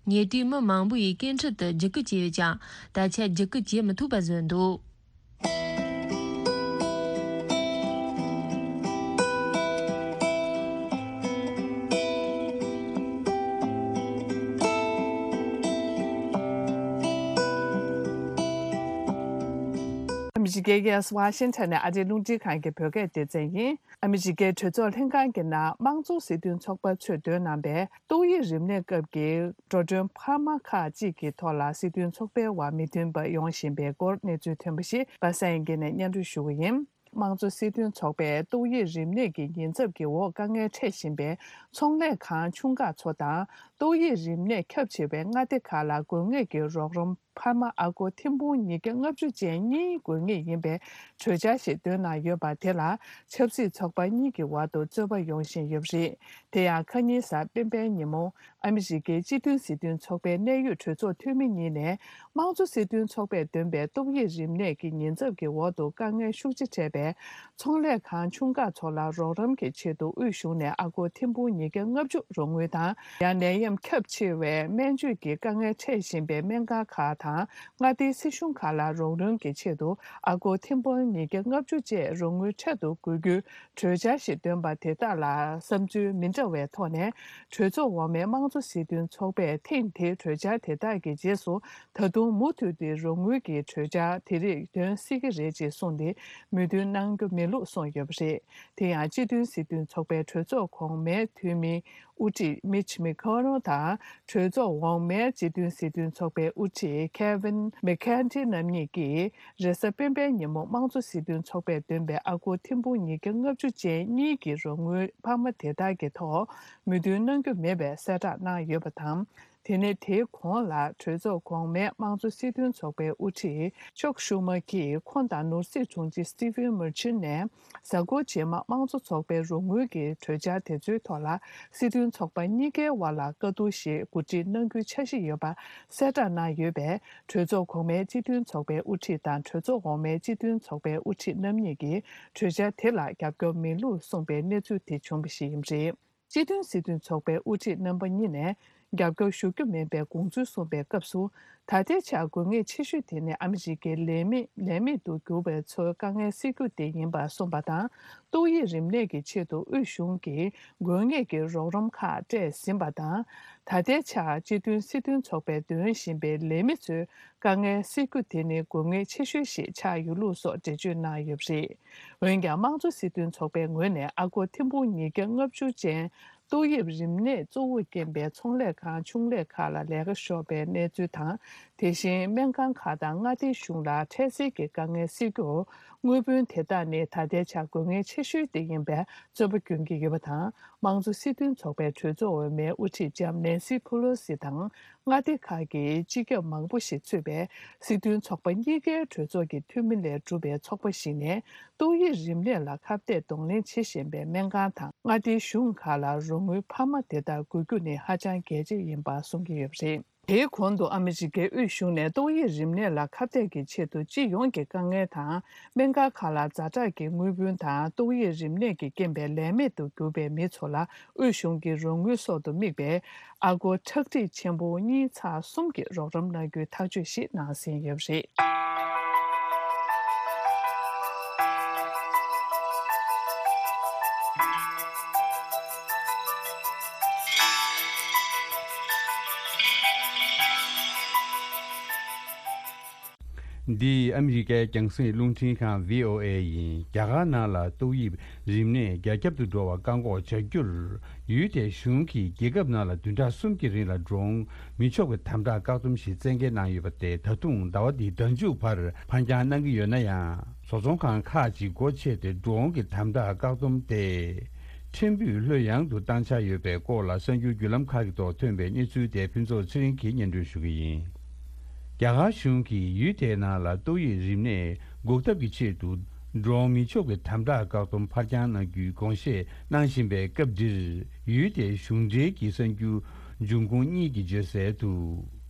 ཉེ་དུས་མི་མང་པོ་ཡིས་སྐད་འཕྲིན་དུ་བརྒྱུད་སྐུལ་བྱས་ཡོད་ཀྱང་། ད་ཆ་བརྒྱུད་སྐུལ་བྱེད་མི་ཐུབ་པ་བཟོས་འདུག་ཨ་མི་རི་ཀའི་རྒྱལ་ས་ཝ་ཤིང་ཊོན་ནས་ཨ་རིའི་རླུང་འཕྲིན་ཁང་གི་བོད་སྐད་སྡེ་ཚན་ཡིན། ཨ་མི་རི་ཀའི་གྲོས་ཚོགས་ལྷན་ཁང་གི་ནང་དམངས་གཙོ་སྲིད་དོན་ཚོགས་པ་ཚོས་འདོན་གནང་བའི་ཏོག་དབྱིབས་རིམས་ནད་སྐབས་ཀྱི་འགྲོ་གྲོན་འཕར་མ་ཁག་ཅིག་གི་ཐོག་ལ་སྲིད་དོན་ཚོགས་པའི་དབར་མི་མཐུན་པ་ཡོང་བཞིན་པའི་སྐོར་གནས་ཚུལ་ཐོན་པ་ཞིག་པ་སངས་དབྱངས་སྐྱིད་ནས་སྙན་སྒྲོན་ཞུ་གི་ཡིན། དམངས་གཙོ་སྲིད་དོན་ཚོགས་པས་ཏོག་དབྱིབས་རིམས་ནད་ཀྱི་ཉེན་ཚབས་ཀྱི་འོག་དཀའ་ངལ་འཕྲད་བཞིན་པའི་ཚོང་ལས་ཁང་ཆུང་ཁག་ཚོ་དང་ཏོག་དབྱིབས་རིམས་ནད་ཁྱབ་ཆེ་བའི་མངའ་སྡེ་ཁག་ལ་དགོས་ངེས་ཀྱི་རོགས་རམ། འཕར་མ་ཨ་སྒོར་ཐེར་འབུམ་ཉིས་བརྒྱ་ལྔ་བཅུ་ཅན་གཉིས་དགོས་ངེས་ཡིན་པའི་གྲོས་འཆར་ཞིག་བཏོན་གནང་ཡོད་པ་དེ་ལ་ཆབ་སྲིད་ཚོགས་པ་གཉིས་ཀྱི་བར་དུ་རྩོད་པ་ཡོང་བཞིན་ཡོད་པ་རེད། དེ་ཡང་ཁ་ཉིན་གཟའ་སྤེན་པའི་ཉིན་མོ་ཨ་མི་རི་ཀའི་སྤྱི་མཐུན་སྲིད་དོན་ཚོགས་པའི་གནད་ཡོད་གྲོས་ཚོགས་འཐུས་མི་གཉིས་ནས་དམངས་གཙོ་སྲིད་དོན་ཚོགས་པས་འདོན་པའི་ཏོག་དབྱིབས་རིམས་ནད་ཀྱི་ཉེན་ཚབས་ཀྱི་འོག་ཏུ་དཀའ་ངལ་ཤུགས་ཆེ་འཕྲད་པའི་ ཚོང་ལས་ཁང་ཆུང་ཁག་ཚོ་ལ་རོགས་རམ་གྱི་ཆེད་དུ་དབུས་གཞུང་ནས་ཨ་སྒོར་ཐེར་འབུམ་ཉིས་བརྒྱ་ལྔ་བཅུ་རོགས་དངུལ་དང་། ཡང་ནད་ཡམས་ཁྱབ་ཆེ་བའི་སྨན་བཅོས་ཀྱི་དཀའ་ངལ་འཕྲད་བཞིན་པའི་སྨན་ཁང་ཁག་དང་མངའ་སྡེའི་སྲིད་གཞུང་ཁག་ལ་རོགས་རམ་གྱི་ཆེད་དུ་ཨ་སྒོར་ཐེར་འབུམ་ཉིས་བརྒྱ་ལྔ་བཅུ་བཅས་རོགས་དངུལ་འཕྲལ་དུ་དགོས་རྒྱུའི་གྲོས་འཆར་ཞིག་བཏོན་པ་དེ་དག་ལ་བསམ་ཚུལ་མི་འདྲ་བའི་ཐོག་ནས། གྲོས་ཚོགས་འོག་མའི་དམངས་གཙོ་སྲིད་དོན་ཚོགས་པས་ཐེངས་འདིའི་གྲོས་འཆར་དེ་དག་གི་རྗེས་སུ། ད་དུང་མུ་མཐུད་དེ་རོགས་དངུལ་གྱི་གྲོས་འཆར་དེ་རིགས་འདོན་སྲིད་ཀྱི་རེད་ཅེས་གསུངས་ཏེ། མོས་མཐུན་གནང་རྒྱུ་མེད་ལུགས་གསུངས་ཡོད་པ་རེད། དེ་ཡང་སྤྱི་མཐུན་སྲིད་དོན་ཚོགས་པའི་གྲོས་ཚོགས་གོང་མའི་འཐུས་མི་དབུ་ཁྲིད་མིཆ་མེ་ཁོ་ནོ་དང་། གྲོས་ཚོགས་འོག་མའི་སྤྱི་མཐུན་སྲིད་དོན་ཚོགས་པའི་དབུ་ཁྲིད་ཁེ་ཝིན་མེ་ཁེན་ཏི་རྣམ་གཉིས་ཀྱིས། རེས་གཟའ་སྤེན་པའི་ཉིན་མོ་དམངས་གཙོ་སྲིད་དོན་ཚོགས་པས་འདོན་པའི་ཨ་སྒོར་ཐེར་འབུམ་ཉིས་བརྒྱ་ལྔ་བཅུ་ཅན་གཉིས་ཀྱི་རོགས་དངུལ་འཕར་མ་དེ་དག་གི་ཐོག་མོས་མཐུན་གནང་རྒྱུ་མེད་པའི་གསལ་བསྒྲགས་གནང་ཡོད་པ་དང་། དེ་ནས་དེའི་གོང་ལ་གྲོས་ཚོགས་གོང་མའི་དམངས་གཙོ་སྲིད་དོན་ཚོགས་པའི་དབུ་ཁྲིད་ཅོག་ཤུ་མ་གིས་ཁོང་དང་ནོར་སྲིད་དྲུང་ཆེ་སི་ཏི་ཝན་མུར་ཆིན་ནས། གཟའ་འཁོར་རྗེས་མ་དམངས་གཙོ་ཚོགས་པའི་རོགས་དངུལ་གྱི་གྲོས་འཆར་དེ་ཚོའི་ཐོག་ལ་སྲིད་དོན་ཚོགས་པ་གཉིས་ཀའི་དབར་ལ་བཀའ་བསྡུར་ཞིག་གོ་སྒྲིག་གནང་རྒྱུའི་འཆར་གཞི་ཡོད་པ་གསལ་བསྒྲགས་གནང་ཡོད་པས། གྲོས་ཚོགས་གོང་མའི་སྤྱི་མཐུན་ཚོགས་པའི་དབུ་ཁྲིད་དང་གྲོས་ཚོགས་འོག་མའི་སྤྱི་མཐུན་ཚོགས་པའི་དབུ་ཁྲིད་རྣམ་གཉིས་ཀྱིས་གྲོས་འཆར་དེ་ལ་རྒྱབ་སྐྱོར་མེད་ལུགས་གསུངས་པའི་གནས་ཚུལ་དེ་བྱུང་བ་ཞིག་ཡིན་པ་རེད། སྤྱི་མཐུན་སྲིད་དོན་ཚོགས་པའི་དབུ་ཁྲིད་རྣམ་པ་གཉིས་ནས་རྒྱབ་སྐྱོར་ཞུ་རྒྱུ་མིན་པའི་དགོངས་ཚུལ་གསུངས་པའི་སྐབས་སུ། ད་ལྟའི་ཆར་དགོས་ངེས་ཆེ་ཤོས་དེ་ནི་ཨ་མི་རི་ཀའི་ལས་མི་ལས་མེད་དུ་གྱུར་བའི་ཚོའི་དཀའ་ངལ་སེལ་རྒྱུ་དེ་ཡིན་པ་གསུངས་པ་དང་། ཏོག་དབྱིབས་རིམས་ནད་ཀྱི་ཆེད་དུ་དབུས་གཞུང་གིས་དགོས་ངེས་ཀྱི་རོགས་རམ་ཁག་སྤྲད་ཟིན་པ་དང་། ད་ལྟའི་ཆར་སྤྱི་མཐུན་སྲིད་དོན་ཚོགས་པས་འདོན་བཞིན་པའི་ལས་མི་ཚོའི་དཀའ་ངལ་སེལ་རྒྱུ་དེ་ནི་དགོས་ངེས་ཆེ་ཤོས་ཤིག་ཆགས་ཡོད་ལུགས་སོགས་འགྲེལ་བརྗོད་གནང་ཡོད་པ་རེད། འོན་ཀྱང་། དམངས་གཙོ་སྲིད་དོན་ཚོགས་པའི་ངོས་ནས་ཨ་སྒོར་ཐེར་འབུམ་ཉིས་བརྒྱ་ལྔ་བཅུ་ཅན་ཏོག་དབྱིབས་རིམས་ནད་གཙོ་བོར་རྐྱེན་པས་ཚོང་ལས་ཁང་ཆུང་ལས་ཁག་ལ་ལས་ཀ་ཤོར་བའི་གནས་ཚུལ་དང་། དེ་བཞིན་སྨན་ཁང་ཁག་དང་མངའ་སྡེའི་གཞུང་ལ་འཕྲལ་སེལ་གྱི་དཀའ་ངལ་སེལ་རྒྱུར། དངུལ་བུན་དེ་དག་ནི་ད་ལྟའི་ཆར་དགོས་ངེས་ཆེ་ཤོས་དེ་ཡིན་པའི་རྩོད་པ་སྐྱོན་གྱི་ཡོད་པ་དང་། དམངས་གཙོ་སྲིད་དོན་ཚོགས་པའི་གྲོས་ཚོགས་འོག་མའི་དབུ་ཁྲིད་ལྕམ་ནན་སི་ཕུ་ལོ་སི་དང་། མངའ་སྡེ་ཁག་གི་སྤྱི་ཁྱབ་མང་པོ་ཞིག་ཚུད་པའི་སྲིད་དོན་ཚོགས་པ་གཉིས་ཀའི་གྲོས་ཚོགས་ཀྱི་འཐུས་མི་ལས་གྲུབ་པའི་ཚོགས་པ་ཞིག་ནས། ཏོག་དབྱིབས་རིམས་ནད་ལ་ཁ་གཏད་གདོང་ལེན་བྱེད་བཞིན་པའི་སྨན་ཁང་དང་མངའ་སྡེའི་གཞུང་ཁག་ལ་རོགས་དངུལ་འཕར་མ་དེ་དག་དགོས་རྒྱུ་ནི་ཧ་ཅང་གལ་ཆེ་ཡིན་པ་གསུང་གི་ཡོད་པ་རེད། དེའི་གོང་དུ་ཨ་མི་རི་ཀའི་དབུས་གཞུང་ནས་ཏོག་དབྱིབས་རིམས་ནད་ལ་ཁ་གཏད་ཀྱི་ཆེད་དུ་སྤྱི་ཡོངས་ཀྱི་དཀའ་ངལ་དང་། སྨན་ཁང་ཁག་ལ་ཛ་དྲག་གི་དངུལ་བུན་དང་། ཏོག་དབྱིབས་རིམས་ནད་ཀྱི་རྐྱེན་པས་ལས་མེད་དུ་གྱུར་པའི་མི་ཚོ་ལ་དབུས་གཞུང་གི་རོགས་དངུལ་སོགས་དུ་དམིགས་པའི་ཨ་སྒོར་ཁྲག་ཁྲིག་ཆེན་པོ་གཉིས་ཚེག་གསུམ་གྱི་རོགས་རམ་གནང་རྒྱུའི་ཐག་གཅོད་ཞིག་གནང་ཟིན་ཡོད་པ་རེད། འདི་ཨ་མི་རི་ཀའི་རྒྱང་སྲིང་རླུང་འཕྲིན་ཁང་བྷི་ཨོ་ཨེ་ཡིན། རྒྱ་གར་ནང་ལ་ཏོག་དབྱིབས་རིམས་ནད་རྒྱ་ཁྱབ་ཏུ་འགྲོ་བར་བཀག་འགོག་བྱ་རྒྱུར། ཡུལ་དེའི་གཞུང་གིས་རྒྱལ་ཁབ་ནང་ལ་བདུན་ཕྲག་གསུམ་གྱི་རིང་ལ་འགྲོ་འོང་མི་ཆོག་པའི་དམ་དྲག་བཀག་སྡོམ་ཞིག་བཙན་འགེལ་གནང་ཡོད་པ་དེ་ད་དུང་ཟླ་བ་འདིའི་ཟླ་མཇུག་བར་ཕར་འགྱངས་གནང་གི་ཡོད་ན་ཡང་། བཟོ་ཚོང་ཁང་ཁག་ཅིག་སྒོ་ཕྱེ་སྟེ་འགྲོ་འོང་གི་དམ་དྲག་བཀག་སྡོམ་དེ་ཕྲན་བུ་ལྷོད་ཡངས་དུ་བཏང་འཆར་ཡོད་པའི་སྐོར་ལ་གསར་འགྱུར་བརྒྱུད་ལམ་ཁག་གི་ཐོག་ཐོན་པའི་གནས་ཚུལ་དེ་ཕུན་ཚོགས་ཚེ་རིང་གིས་སྙན་སྒྲོན་ཞུ་གི་ཡིན། རྒྱ་གར་གཞུང་གིས་ཡུལ་དེའི་ནང་ལ་ཏོག་དབྱིབས་རིམས་ནད་འགོག་ཐབས་ཀྱི་ཆེད་དུ་འགྲོ་འོང་མི་ཆོག་པའི་དམ་དྲག་བཀག་སྡོམ་ཕར་འགྱངས་གནང་རྒྱུའི་དགོངས་བཞེས་གནང་བཞིན་པའི་སྐབས་འདིར། ཡུལ་དེའི་གཞུང་འབྲེལ་གྱི་གསར་འགྱུར་འབྱུང་ཁུངས་གཉིས་ཀྱིས་བརྗོད་གསལ་དུ།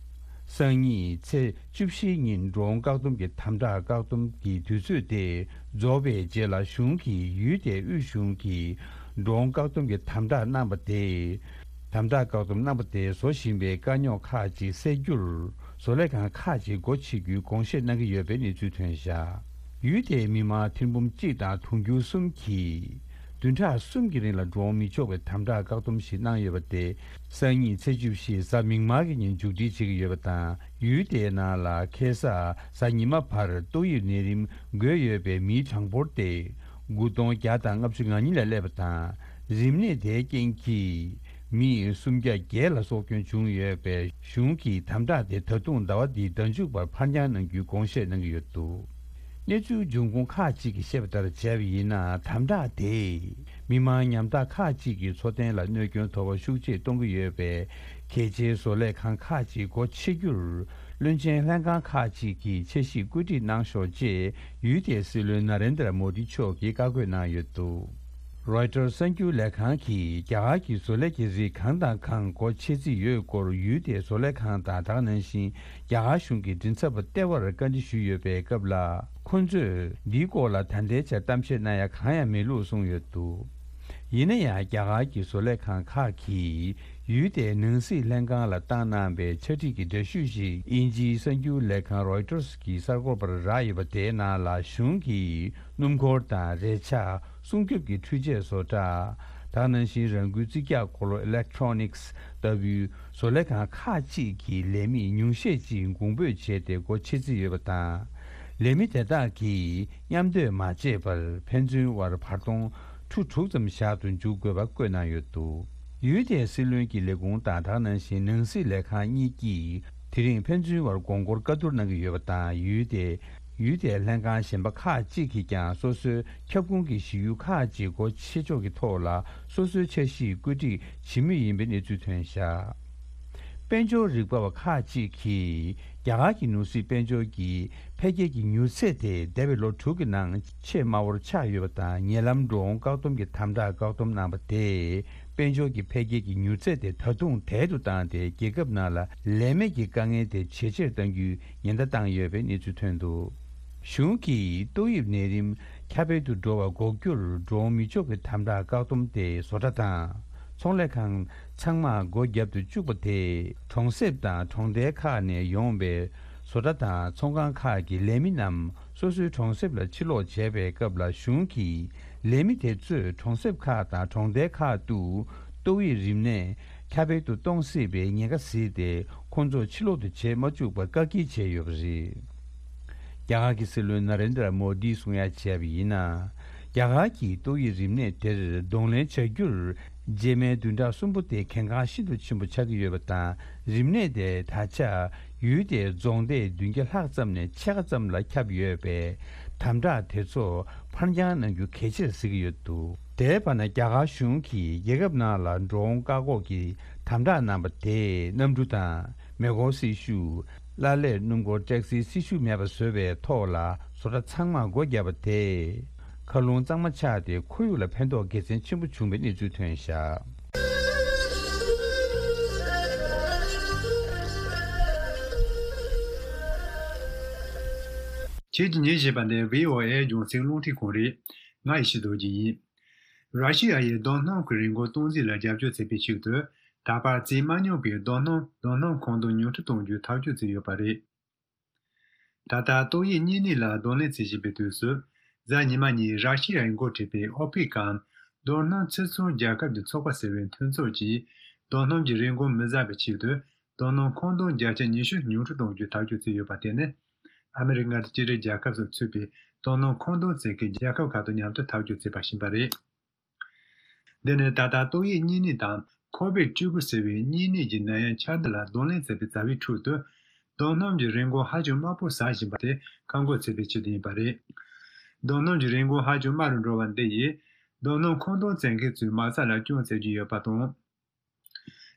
སང་ཉིན་ཚེས་བཅུ་བཞིའི་ཉིན་འགྲོ་འོང་བཀག་སྡོམ་གྱི་དམ་དྲག་བཀག་སྡོམ་གྱི་དུས་ཚོད་དེ་རྫོགས་པའི་རྗེས་ལ། གཞུང་གིས་ཡུལ་དེའི་དབུས་གཞུང་གིས་འགྲོ་འོང་བཀག་སྡོམ་གྱི་དམ་དྲག་གནང་བ་དེས། དམ་དྲག་བཀག་སྡོམ་གནང་བ་དེས་བཟོ་བཞིན་པའི་དཀའ་རྙོག་ཁག་ཅིག་སེལ་རྒྱུར། བཟོ་ལས་ཁང་ཁག་ཅིག་སྒོ་ཕྱེ་རྒྱུའི་དགོངས་བཞེས་གནང་གི་ཡོད་པའི་གནས་ཚུལ་ཐོན་བཞག་ཡུལ་དེའི་མི་མང་ཐེར་འབུམ་གཅིག་དང་དུང་ཕྱུར་གསུམ་གྱིས། བདུན་ཕྲག་གསུམ་གྱི་རིང་ལ་འགྲོ་འོང་མི་ཆོག་པའི་དམ་དྲག་བཀག་སྡོམ་ཞིག་གནང་ཡོད་པ་དེ། སང་ཉིན་ཚེས་བཅུ་བཞི་གཟའ་མིག་དམར་གྱི་ཉིན་མཇུག་སྒྲིལ་བྱེད་ཀྱི་ཡོད་པ་དང་། ཡུལ་དེའི་ནང་ལ་ཁ་སང་གཟའ་ཉི་མ་བར་ཏོག་དབྱིབས་ནད་རིམས་འགོས་ཡོད་པའི་མིའི་གྲངས་འབོར་དེ་དགུ་སྟོང་བརྒྱ་དང་ལྔ་བཅུ་ང་གཉིས་ལ་སླེབས་པ་དང་། རིམས་ནད་དེའི་རྐྱེན་གྱིས་མི་སུམ་བརྒྱ་བརྒྱད་ལ་སྲོག་སྐྱོན་བྱུང་ཡོད་པས། གཞུང་གིས་དམ་དྲག་དེ་ད་དུང་ཟླ་བ་འདིའི་ཟླ་མཇུག་བར་ཕར་འགྱངས་གནང་རྒྱུའི་དགོངས་བཞེས་གནང་གི་ཡོད་འདུག་གནས་ཚུལ་འབྱུང་ཁུངས་ཁག་ཅིག་གིས་བཤད་པ་ལྟར་བྱས་པ་ཡིན་ན། དམ་དྲག་དེས་མི་མང་ཉམ་ཐག་ཁག་ཅིག་གི་འཚོ་རྟེན་ལ་གནོད་སྐྱོན་དོ་ཕོག་ཤུགས་ཆེ་གཏོང་གི་ཡོད་པས། གལ་ཆེའི་བཟོ་ལས་ཁང་ཁག་ཅིག་སྒོ་ཕྱེ་རྒྱུར། བློན་ཆེན་ལྷན་ཁང་ཁག་ཅིག་གིས་འཆར་གཞི་བཀོད་སྒྲིག་གནང་ཤོག་ཅེས་ཡུལ་དེའི་སྲིད་བློན་ན་རེན་དྲ་མོ་དི་མཆོག་གིས་བཀའ་བཀོད་གནང་ཡོད་འདུག་རོའི་ཊར་གསར་འགྱུར་ལས་ཁང་གིས་རྒྱ་གར་གྱི་བཟོ་ལས་ཀྱི་རིགས་གང་དང་གང་སྒོ་ཕྱེ་རྩིས་ཡོད་སྐོར་ཡུལ་དེའི་བཟོ་ལས་ཁང་དང་དེ་ག་ནང་བཞིན་རྒྱ་གར་གཞུང་གི་མགྲིན་ཚབ་པ་ལྟེ་བར་བཀའ་འདྲི་ཞུས་ཡོད་པའི་སྐབས་ལ། ཁོ་ཚོས་འདིའི་སྐོར་ལ་ད་ལྟའི་ཆར་གཏམ་བཤད་གནང་ཡ་གང་ཡང་མེད་ལུགས་གསུངས་ཡོད་འདུག་ཡིན་ན་ཡང་རྒྱ་གར་གྱི་བཟོ་ལས་ཁང་ཁག་གིས་ཡུལ་དེའི་ནང་སྲིད་ལྷན་ཁང་ལ་བཏང་གནང་པའི་ཕྱག་བྲིས་ཀྱི་འདྲ་བཤུས་ཤིག་དབྱིན་ཇིའི་གསར་འགྱུར་ལས་ཁང་རོའི་ཊར་གྱི་གསར་འགོད་པར་རག་ཡོད་པ་དེའི་ནང་ལ། གཞུང་གིས་སྣུམ་འཁོར་དང་རས་ཆ། སྲུང་སྐྱོབ་ཀྱི་འཕྲུལ་ཆས་བཟོ་གྲྭ། དེ་ག་ནང་བཞིན་རང་འགུལ་རྩིས་རྒྱག་འཁོར་ལོ་Electronics ལྟ་བུའི་བཟོ་ལས་ཁང་ཁག་ཅིག་གི་ལས་མི་ཉུང་ཤས་ཅིག་གོང་འབོད་བྱས་ཏེ་སྒོ་ཕྱེ་རྩིས་ཡོད་པ་དང་། ལས་མི་དེ་དག་གིས་མཉམ་སྡོད་མ་བྱས་པར་ཕན་ཚུན་དབར་བར་སྟོང་ཁྲུ་དྲུག་ཙམ་བཞག་ཏུ་འཇུག་དགོས་པ་བཀོད་གནང་ཡོད་འདུག་ཡུལ་དེའི་སྲིད་བློན་གྱི་ལས་ཁུངས་དང་དེ་ག་ནང་བཞིན་ནང་སྲིད་ལས་ཁང་གཉིས་ཀྱིས་དེ་རིང་ཕན་ཚུན་དབར་དགོངས་སྐོར་བཀའ་བསྡུར་གནང་གི་ཡོད་པ་དང་། ཡུལ་དེ། ཡུལ་དེའི་ལྷན་ཁང་གཞན་པ་ཁག་ཅིག་གིས་ཀྱང་སོ་སོའི་ཁྱབ་ཁོངས་ཀྱི་གཞིས་ཡུལ་ཁག་ཅིག་སྒོ་ཕྱེ་ཕྱོགས་ཀྱི་ཐོག་ལ་སོ་སོའི་འཆར་གཞི་བཀོད་སྒྲིག་བྱེད་མུས་ཡིན་པའི་གནས་ཚུལ་ཐོན་བཞག་དཔལ་འབྱོར་རིག་པ་བ་ཁག་ཅིག་གིས་རྒྱ་གར་གྱི་ནོར་སྲིད་དཔལ་འབྱོར་གྱི་འཕེལ་རྒྱས་ཀྱི་མྱུར་ཚད་དེ་འདས་པའི་ལོ་དྲུག་གི་ནང་ཆེས་དམའ་བོར་ཆགས་ཡོད་པ་དང་། ཉེ་ལམ་འགྲོ་འོང་བཀག་སྡོམ་གྱི་དམ་དྲག་བཀག་སྡོམ་གནང་བ་དེས། དཔལ་འབྱོར་གྱི་འཕེལ་རྒྱས་ཀྱི་མྱུར་ཚད་དེ་ད་དུང་དལ་དུ་བཏང་སྟེ། རྒྱལ་ཁབ་ནང་ལ་ལས་མེད་ཀྱི་དཀའ་ངལ་དེ་ཇེ་ཆེར་གཏང་རྒྱུའི་ཉེན་བརྡ་བཏང་ཡོད་པའི་གནས་ཚུལ་ཐོན་འདུག་གཞུང་གིས་ཏོག་དབྱིབས་ནད་རིམས་ཁྱབ་སྤེལ་དུ་འགྲོ་བ་འགོག་རྒྱུར་འགྲོ་འོང་མི་ཆོག་གི་དམ་དྲག་བཀག་སྡོམ་དེ་བཟོ་གྲྭ་དང་ཚོང་ལས་ཁང་ཚང་མར་སྒོ་བརྒྱབ་ཏུ་བཅུག་པ་དེས། གྲོང་གསེབ་དང་གྲོང་རྡལ་ཁག་ནས་ཡོང་བའི་བཟོ་གྲྭ་དང་ཚོང་ཁང་ཁག་གི་ལས་མི་རྣམས། སོ་སོའི་གྲོང་གསེབ་ལ་ཕྱིར་ལོག་བྱས་པའི་སྐབས་ལ། གཞུང་གིས་ལས་མི་དེ་ཚོས་གྲོང་གསེབ་ཁག་དང་གྲོང་རྡལ་ཁག་ཏུ་ཏོག་དབྱིབས་རིམས་ནད་ཁྱབ་སྤེལ་དུ་གཏོང་སྲིད་པའི་ཉེན་ཁ་གཟིགས་ཏེ། ཁོང་ཚོ་ཕྱིར་ལོག་ཏུ་བྱེད་མ་བཅུག་པར་བཀག་སྐྱིལ་བྱས་ཡོད་པ་རེད། རྒྱ་གར་གྱི་སྲིད་བློན་ན་རེན་དྲ་མོ་དིས་གསུང་ཡ་བྱས་པ་ཡིན་ན། རྒྱ་གར་གྱིས་ཏོག་དབྱིབས་རིམས་ནད་དེར་གདོང་ལེན་བྱ་རྒྱུར། རྗེས་མའི་བདུན་ཕྲག་གསུམ་པོ་དེ་གལ་འགངས་ཤིན་ཏུ་ཆེན་པོ་ཆགས་ཀྱི་ཡོད་པ་དང་། རིམས་ནད་དེ་ད་ཆ་ཡུལ་དེའི་རྫོང་སྡེ་བདུན་བརྒྱ་ལྷག་ཙམ་ནས་ཕྱེད་ཀ་ཙམ་ལ་ཁྱབ་ཡོད་པས། དམ་དྲག་དེ་ཚོ་ཕར་འགྱངས་གནང་རྒྱུ་གལ་ཆེར་གཟིགས་ཀྱི་ཡོད་འདུག་དེའི་བར་ན། རྒྱ་གར་གཞུང་གིས་རྒྱལ་ཁབ་ནང་ལ་འགྲོ་འོང་བཀག་འགོག་གི་དམ་དྲག་གནང་བ་དེས། གནམ་གྲུ་དང་མེ་འཁོར་སྲི་ཞུ། གླ་ལེར་སྣུམ་འཁོར་ཊེག་སིའི་སྲི་ཞུ་མེད་པ་བཟོས་པའི་ཐོག་ལ། བཟོ་གྲྭ་ཚང་མར་སྒོ་བརྒྱབ་པ་དེས། མཁའ་རླུང་གཙང་མ་ཆགས་ཏེ། ཁོར་ཡུག་ལ་ཕན་ཐོགས་དགེ་མཚན་ཆེན་པོ་བྱུང་བའི་གནས་ཚུལ་ཐོན་བཞག་ཁྱེད་ཀྱིས་ཉན་བཞིན་པ་ནི་བྷི་ཨོ་ཨེ་རྒྱང་སྲིང་རླུང་འཕྲིན་ཁང་རེད། ང་ཡེ་ཤེས་རྡོ་རྗེ་ཡིན། ར་ཤི་ཡ་ཡིས་རྡོ་སྣུམ་གྱི་རིན་གོང་གཏོང་རྩིས་ལ་རྒྱབ་སྐྱོར་བྱེད་པའི་ཆེད་དུ། ད་བར་རྩིས་མ་མྱོང་པའི་རྡོ་སྣུམ། རྡོ་སྣུམ་མཁོ་འདོན་ཉུང་འཕྲི་གཏོང་རྒྱུའི་ཐག་གཅོད་བྱས་ཡོད་པ་རེད། ད་ལྟ་ཏོག་དབྱིབས་གཉན་ནད་ལ་གདོང་ལེན་བྱེད་བཞིན་པའི་དུས་སུ། གཟའ་ཉི་མ་ཉིན་ར་ཤི་ཡའི་འགོ་ཁྲིད་པའི་ཨོ་པེག་གམ། རྡོ་སྣུམ་ཕྱིར་ཚོང་རྒྱལ་ཁབ་ཀྱི་ཚོགས་པ་ཟེར་བའི་མཐུན་ཚོགས་ཀྱིས། རྡོ་སྣུམ་གྱི་རིན་གོང་མི་ཟ་བའི་ཆེད་དུ། རྡོ་སྣུམ་མཁོ་འདོན་བརྒྱ་ཆ་ཉི་ཤུ་ཉུང་འཕྲི་གཏོང་རྒྱུའི་ཐག་གཅོད་བྱས་ཡོད་པ་དེ་ནི། ཨ་མི་རི་ཀ་དང་སྤྱི་རིགས་རྒྱལ་ཁབ་སོགས་ཚུད་པའི་རྡོ་སྣུམ་མཁོ་འདོན་བྱེད་མཁན་རྒྱལ་ཁབ་ཁག་དང་མཉམ་དུ་ཐག་གཅོད་བྱས་པ་ཡིན་པ་རེད། འདི་ནི་ད་ལྟ་ཏོག་དབྱིབས་གཉན་ནད་དང་ཁོ་བིད་བཅུ་དགུ་ཟེར་བའི་གཉན་ནད་ཀྱི་ནད་ཡམས་ཆགས་འདི་ལ་གདོང་ལེན་བྱེད་པའི་བྱ་བའི་ཁྲོད་དུ། རྡོ་སྣུམ་གྱི་རིན་གོང་ཧ་ཅང་དམའ་པོ་ཟ་བཞིན་པ་དེ་བཀག་འགོག་བྱེད་པའི་ཆེད་དུ་ཡིན་པ་རེད། རྡོ་སྣུམ་གྱི་རིན་གོང་ཧ་ཅང་དམའ་རུ་འགྲོ་བ་འདི་ཡིས། རྡོ་སྣུམ་མཁོ་འདོན་བྱེད་མཁན་ཚོའི་མ་རྩ་ལ་སྐྱོན་བྱེད་ཀྱི་ཡོད་པ་དང་།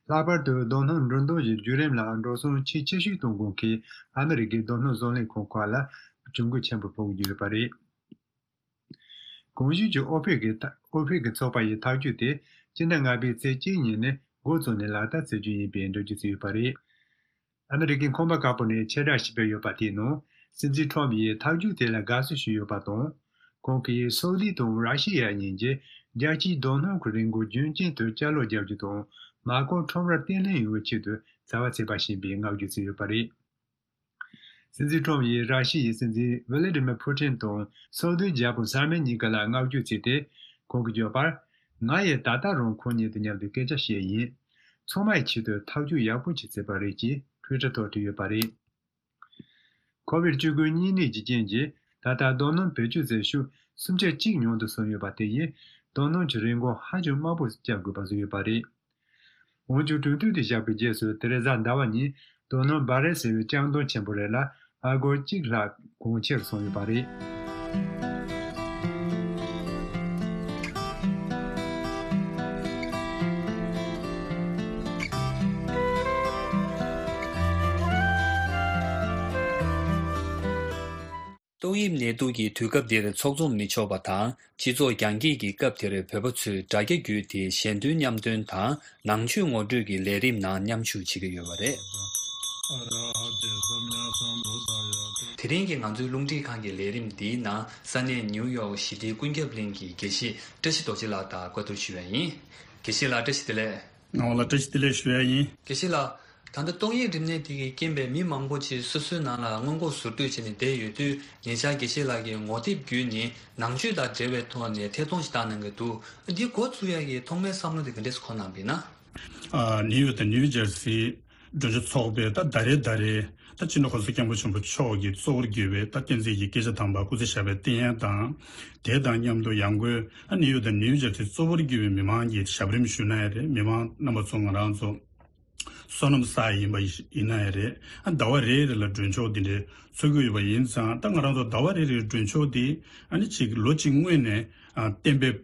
ལྷག་པར་དུ་རྡོ་སྣུམ་འགྲོ་འདོད་ཀྱི་བརྒྱུད་རིམ་ལ་འགྲོ་སོང་ཆེས་ཆེ་ཤོས་གཏོང་མཁན་གྱི་ཨ་མི་རི་ཀའི་རྡོ་སྣུམ་བཟོ་ལས་ཁང་ཁག་ལ་གྱོང་གུན་ཆེན་པོ་ཕོག་གི་ཡོད་པ་རེད། གོང་ཞུས་ཀྱི་ཨོ་ཕེག་གི་ཨོ་ཕེག་གི་ཚོགས་པ་ཡི་ཐག་གཅོད་དེ་སྤྱི་ཟླ་ལྔ་པའི་ཚེས་གཅིག་ཉིན་ནས་འགོ་བཙུགས་ནས་ལག་བསྟར་བྱེད་རྒྱུ་ཡིན་པའི་འགྲེལ་བརྗོད་བྱས་ཡོད་པ་རེད། ཨ་མི་རི་ཀའི་ཁང་པ་ཁག་པོ་ནས་ཕྱིར་བསྒྲགས་ཤིག་སྤེལ་ཡོད་པ་དེའི་ནང་། སྲིད་འཛིན་ཁྲོམ་ཡིས་ཐག་གཅོད་དེ་ལ་དགའ་བསུ་ཞུས་ཡོད་པ་དང་། ཁོང་གིས་སོ་ལི་དང་ར་ཤི་ཡ་གཉིས་ཀྱིས་རྒྱལ་སྤྱིའི་རྡོ་སྣུམ་གྱི་རིན་གོང་རྒྱུན་རྐྱེན་དུ་བཅའ་ལོག་རྒྱག་རྒྱུ་དང་། མ་རྐང་ཁྲོམ་ར་བརྟན་ལྷིང་ཡོང་བའི་ཆེད་དུ་བྱ་བ་བྱས་པ་ཞིག་ཡིན་པའི་བསྔགས་བརྗོད་བྱས་ཡོད་པ་རེད། སྲིད་འཛིན་ཁྲོམ་ཡིས་ར་ཤི་ཡའི་སྲིད་འཛིན་ཝི་ལི་ཏི་མེར་ཕུ་ཏིན་དང་སོ་བདུན་རྒྱལ་པོ་གསར་མ་གཉིས་ཀ་ལ་བསྔགས་བརྗོད་བྱས་ཏེ། ཁོང་གིས་བརྗོད་པར། ང་ཡིས་ད་ལྟ་རང་ཁོང་གཉིས་དང་མཉམ་དུ་སྐད་ཆ་བཤད་ཡིན། ཚང་མའི་ཆེད་དུ་ཐག་གཅོད་ཡག་པོ་ཞིག་བྱས་པ་རེད་ཅེས་ཊུའི་ཊར་ཐོག་བྲིས་ཡོད་པ་རེད། ཁོ་བིད་བཅུ་དགུ་གཉན་ནད་ཀྱི་རྐྱེན་གྱིས་ད་ལྟ་རྡོ་སྣུམ་བེད་སྤྱོད་བྱེད་ཤུགས་སུམ་ཆ་གཅིག་ཉུང་དུ་སོང་ཡོད་པ་དེ་ཡིས་རྡོ་སྣུམ་གྱི་རིན་གོང་ཧ་ཅང་དམའ་པོ་བཅག་དགོས་པ་བཟོས་ཡོད་པ་རེད། འོན་ཀྱང་གྲོས་མཐུན་དེ་བཞག་པའི་རྗེས་སུ་ཐེ་རེ་ཟ་ཟླ་བ་ཉིན་རྡོ་སྣུམ་བྷ་རེལ་ཟེར་བའི་ལྕགས་མདོང་ཆེན་པོ་རེ་ལ་ཨ་སྒོར་གཅིག་ལྷག་གོང་ཆེར་སོང་ཡོད་པ་རེད། ཏོག་དབྱིབས་ནད་དུག་གི་དུས་སྐབས་འདིར་ཚོགས་འཛོམས་མི་ཆོག་པ་དང་། སྤྱི་ཚོགས་རྒྱང་བཀྱེད་ཀྱི་སྐབས་དེར་བོད་པ་ཚོས་དྲ་རྒྱ་བརྒྱུད་དེ་ཞལ་འདོན་མཉམ་འདོན་དང་། ནང་ཆོས་ངོ་སྤྲོད་ཀྱི་ལས་རིམ་ནང་མཉམ་ཞུགས་བྱེད་ཀྱི་ཡོད་པ་རེད། དེ་རིང་གི་ང་ཚོའི་རླུང་འཕྲིན་ཁང་གི་ལས་རིམ་འདིའི་ནང་ས་གནས་ནིའུ་ཡོག་ཞི་བདེའི་ཀུན་ཁྱབ་གླིང་གི་དགེ་བཤེས་བཀྲ་ཤིས་རྡོ་རྗེ་ལགས་དང་བཀའ་བསྡུར་ཞུ་བ་ཡིན། དགེ་བཤེས་ལགས་བཀྲ་ཤིས་བདེ་ལེགས། ངག་དབང་ལགས་བཀྲ་ཤིས་བདེ་ལེགས་ཞུ་ཡ་ཡིན། དགེ་བཤེས་ལགས། ད་ལྟ་ཏོག་དབྱིབས་རིམས་ནད་དེ་གིས་རྐྱེན་པས་མི་མང་པོ་ཅིག་སོ་སོའི་ནང་ལ་སྔོན་འགོག་ཟུར་གཏོད་བྱས་ནས་བསྡད་ཡོད་དུས། ཉེ་ཆར་དགེ་བཤེས་ལགས་ཀྱིས་ངོ་དེབ་བརྒྱུད་ནས་ནང་ཆོས་དང་འབྲེལ་བའི་ཐོག་ནས་ཐད་གཏོང་ཞིག་བཏང་གནང་གི་འདུག་འདི་འགོ་བཙུགས་ཡ་གི་ཐོག་མའི་བསམ་བློ་དེ་ག་འདྲས་སུ་འཁོར་གནང་པ་ཡིན་ན། ཨ། ནིའུ་ཡོག་དང་ནིའུ་ཇར་སི། མགྲོན་ཆོས་ཚོགས་པས་ད་ཟླ་རེ་ཟླ་རེ་ད་སྤྱི་ནོར་གོང་ས་སྐྱབས་མགོན་ཆེན་པོ་མཆོག་གིས་གཙོ་བོར་གྱུར་པའི་ད་བསྟན་འཛིན་གྱི་སྐད་ཆ་དམ་པ་སྐུ་ཚེ་ཞབས་པད་བརྟན་ཡ་དང་། དེ་དང་མཉམ་དུ་ཡང་སྒོས་ཨ་ནིའུ་ཡོག་དང་ནིའུ་ཇར་སི་གཙོ་བོར་གྱུར་པའི་མི་མང་གི་ཞབས་རིམ་ཞུས་ན་ཡང་རེད། མི་མང་རྣམ་པ་ཚོ་ང་རང་ཚོ་བསོད་ནམས་བསགས་ཡིན་པ་ཡིན་ན་ཡང་རེད། ཨ་ཟླ་བ་རེ་རེ་ལ་མགྲོན་ཆོག་འདི་འདྲའི་འཚོགས་ཀྱི་ཡོད་པ་ཡིན་ཙང་། ད་ང་རང་ཚོ་ཟླ་བ་རེ་རེའི་མགྲོན་ཆོག་འདི་ཨ་ནི་ཅིག་ལོ་གཅིག་སྔོན་ནས་ཨ་གཏན་འབེབས་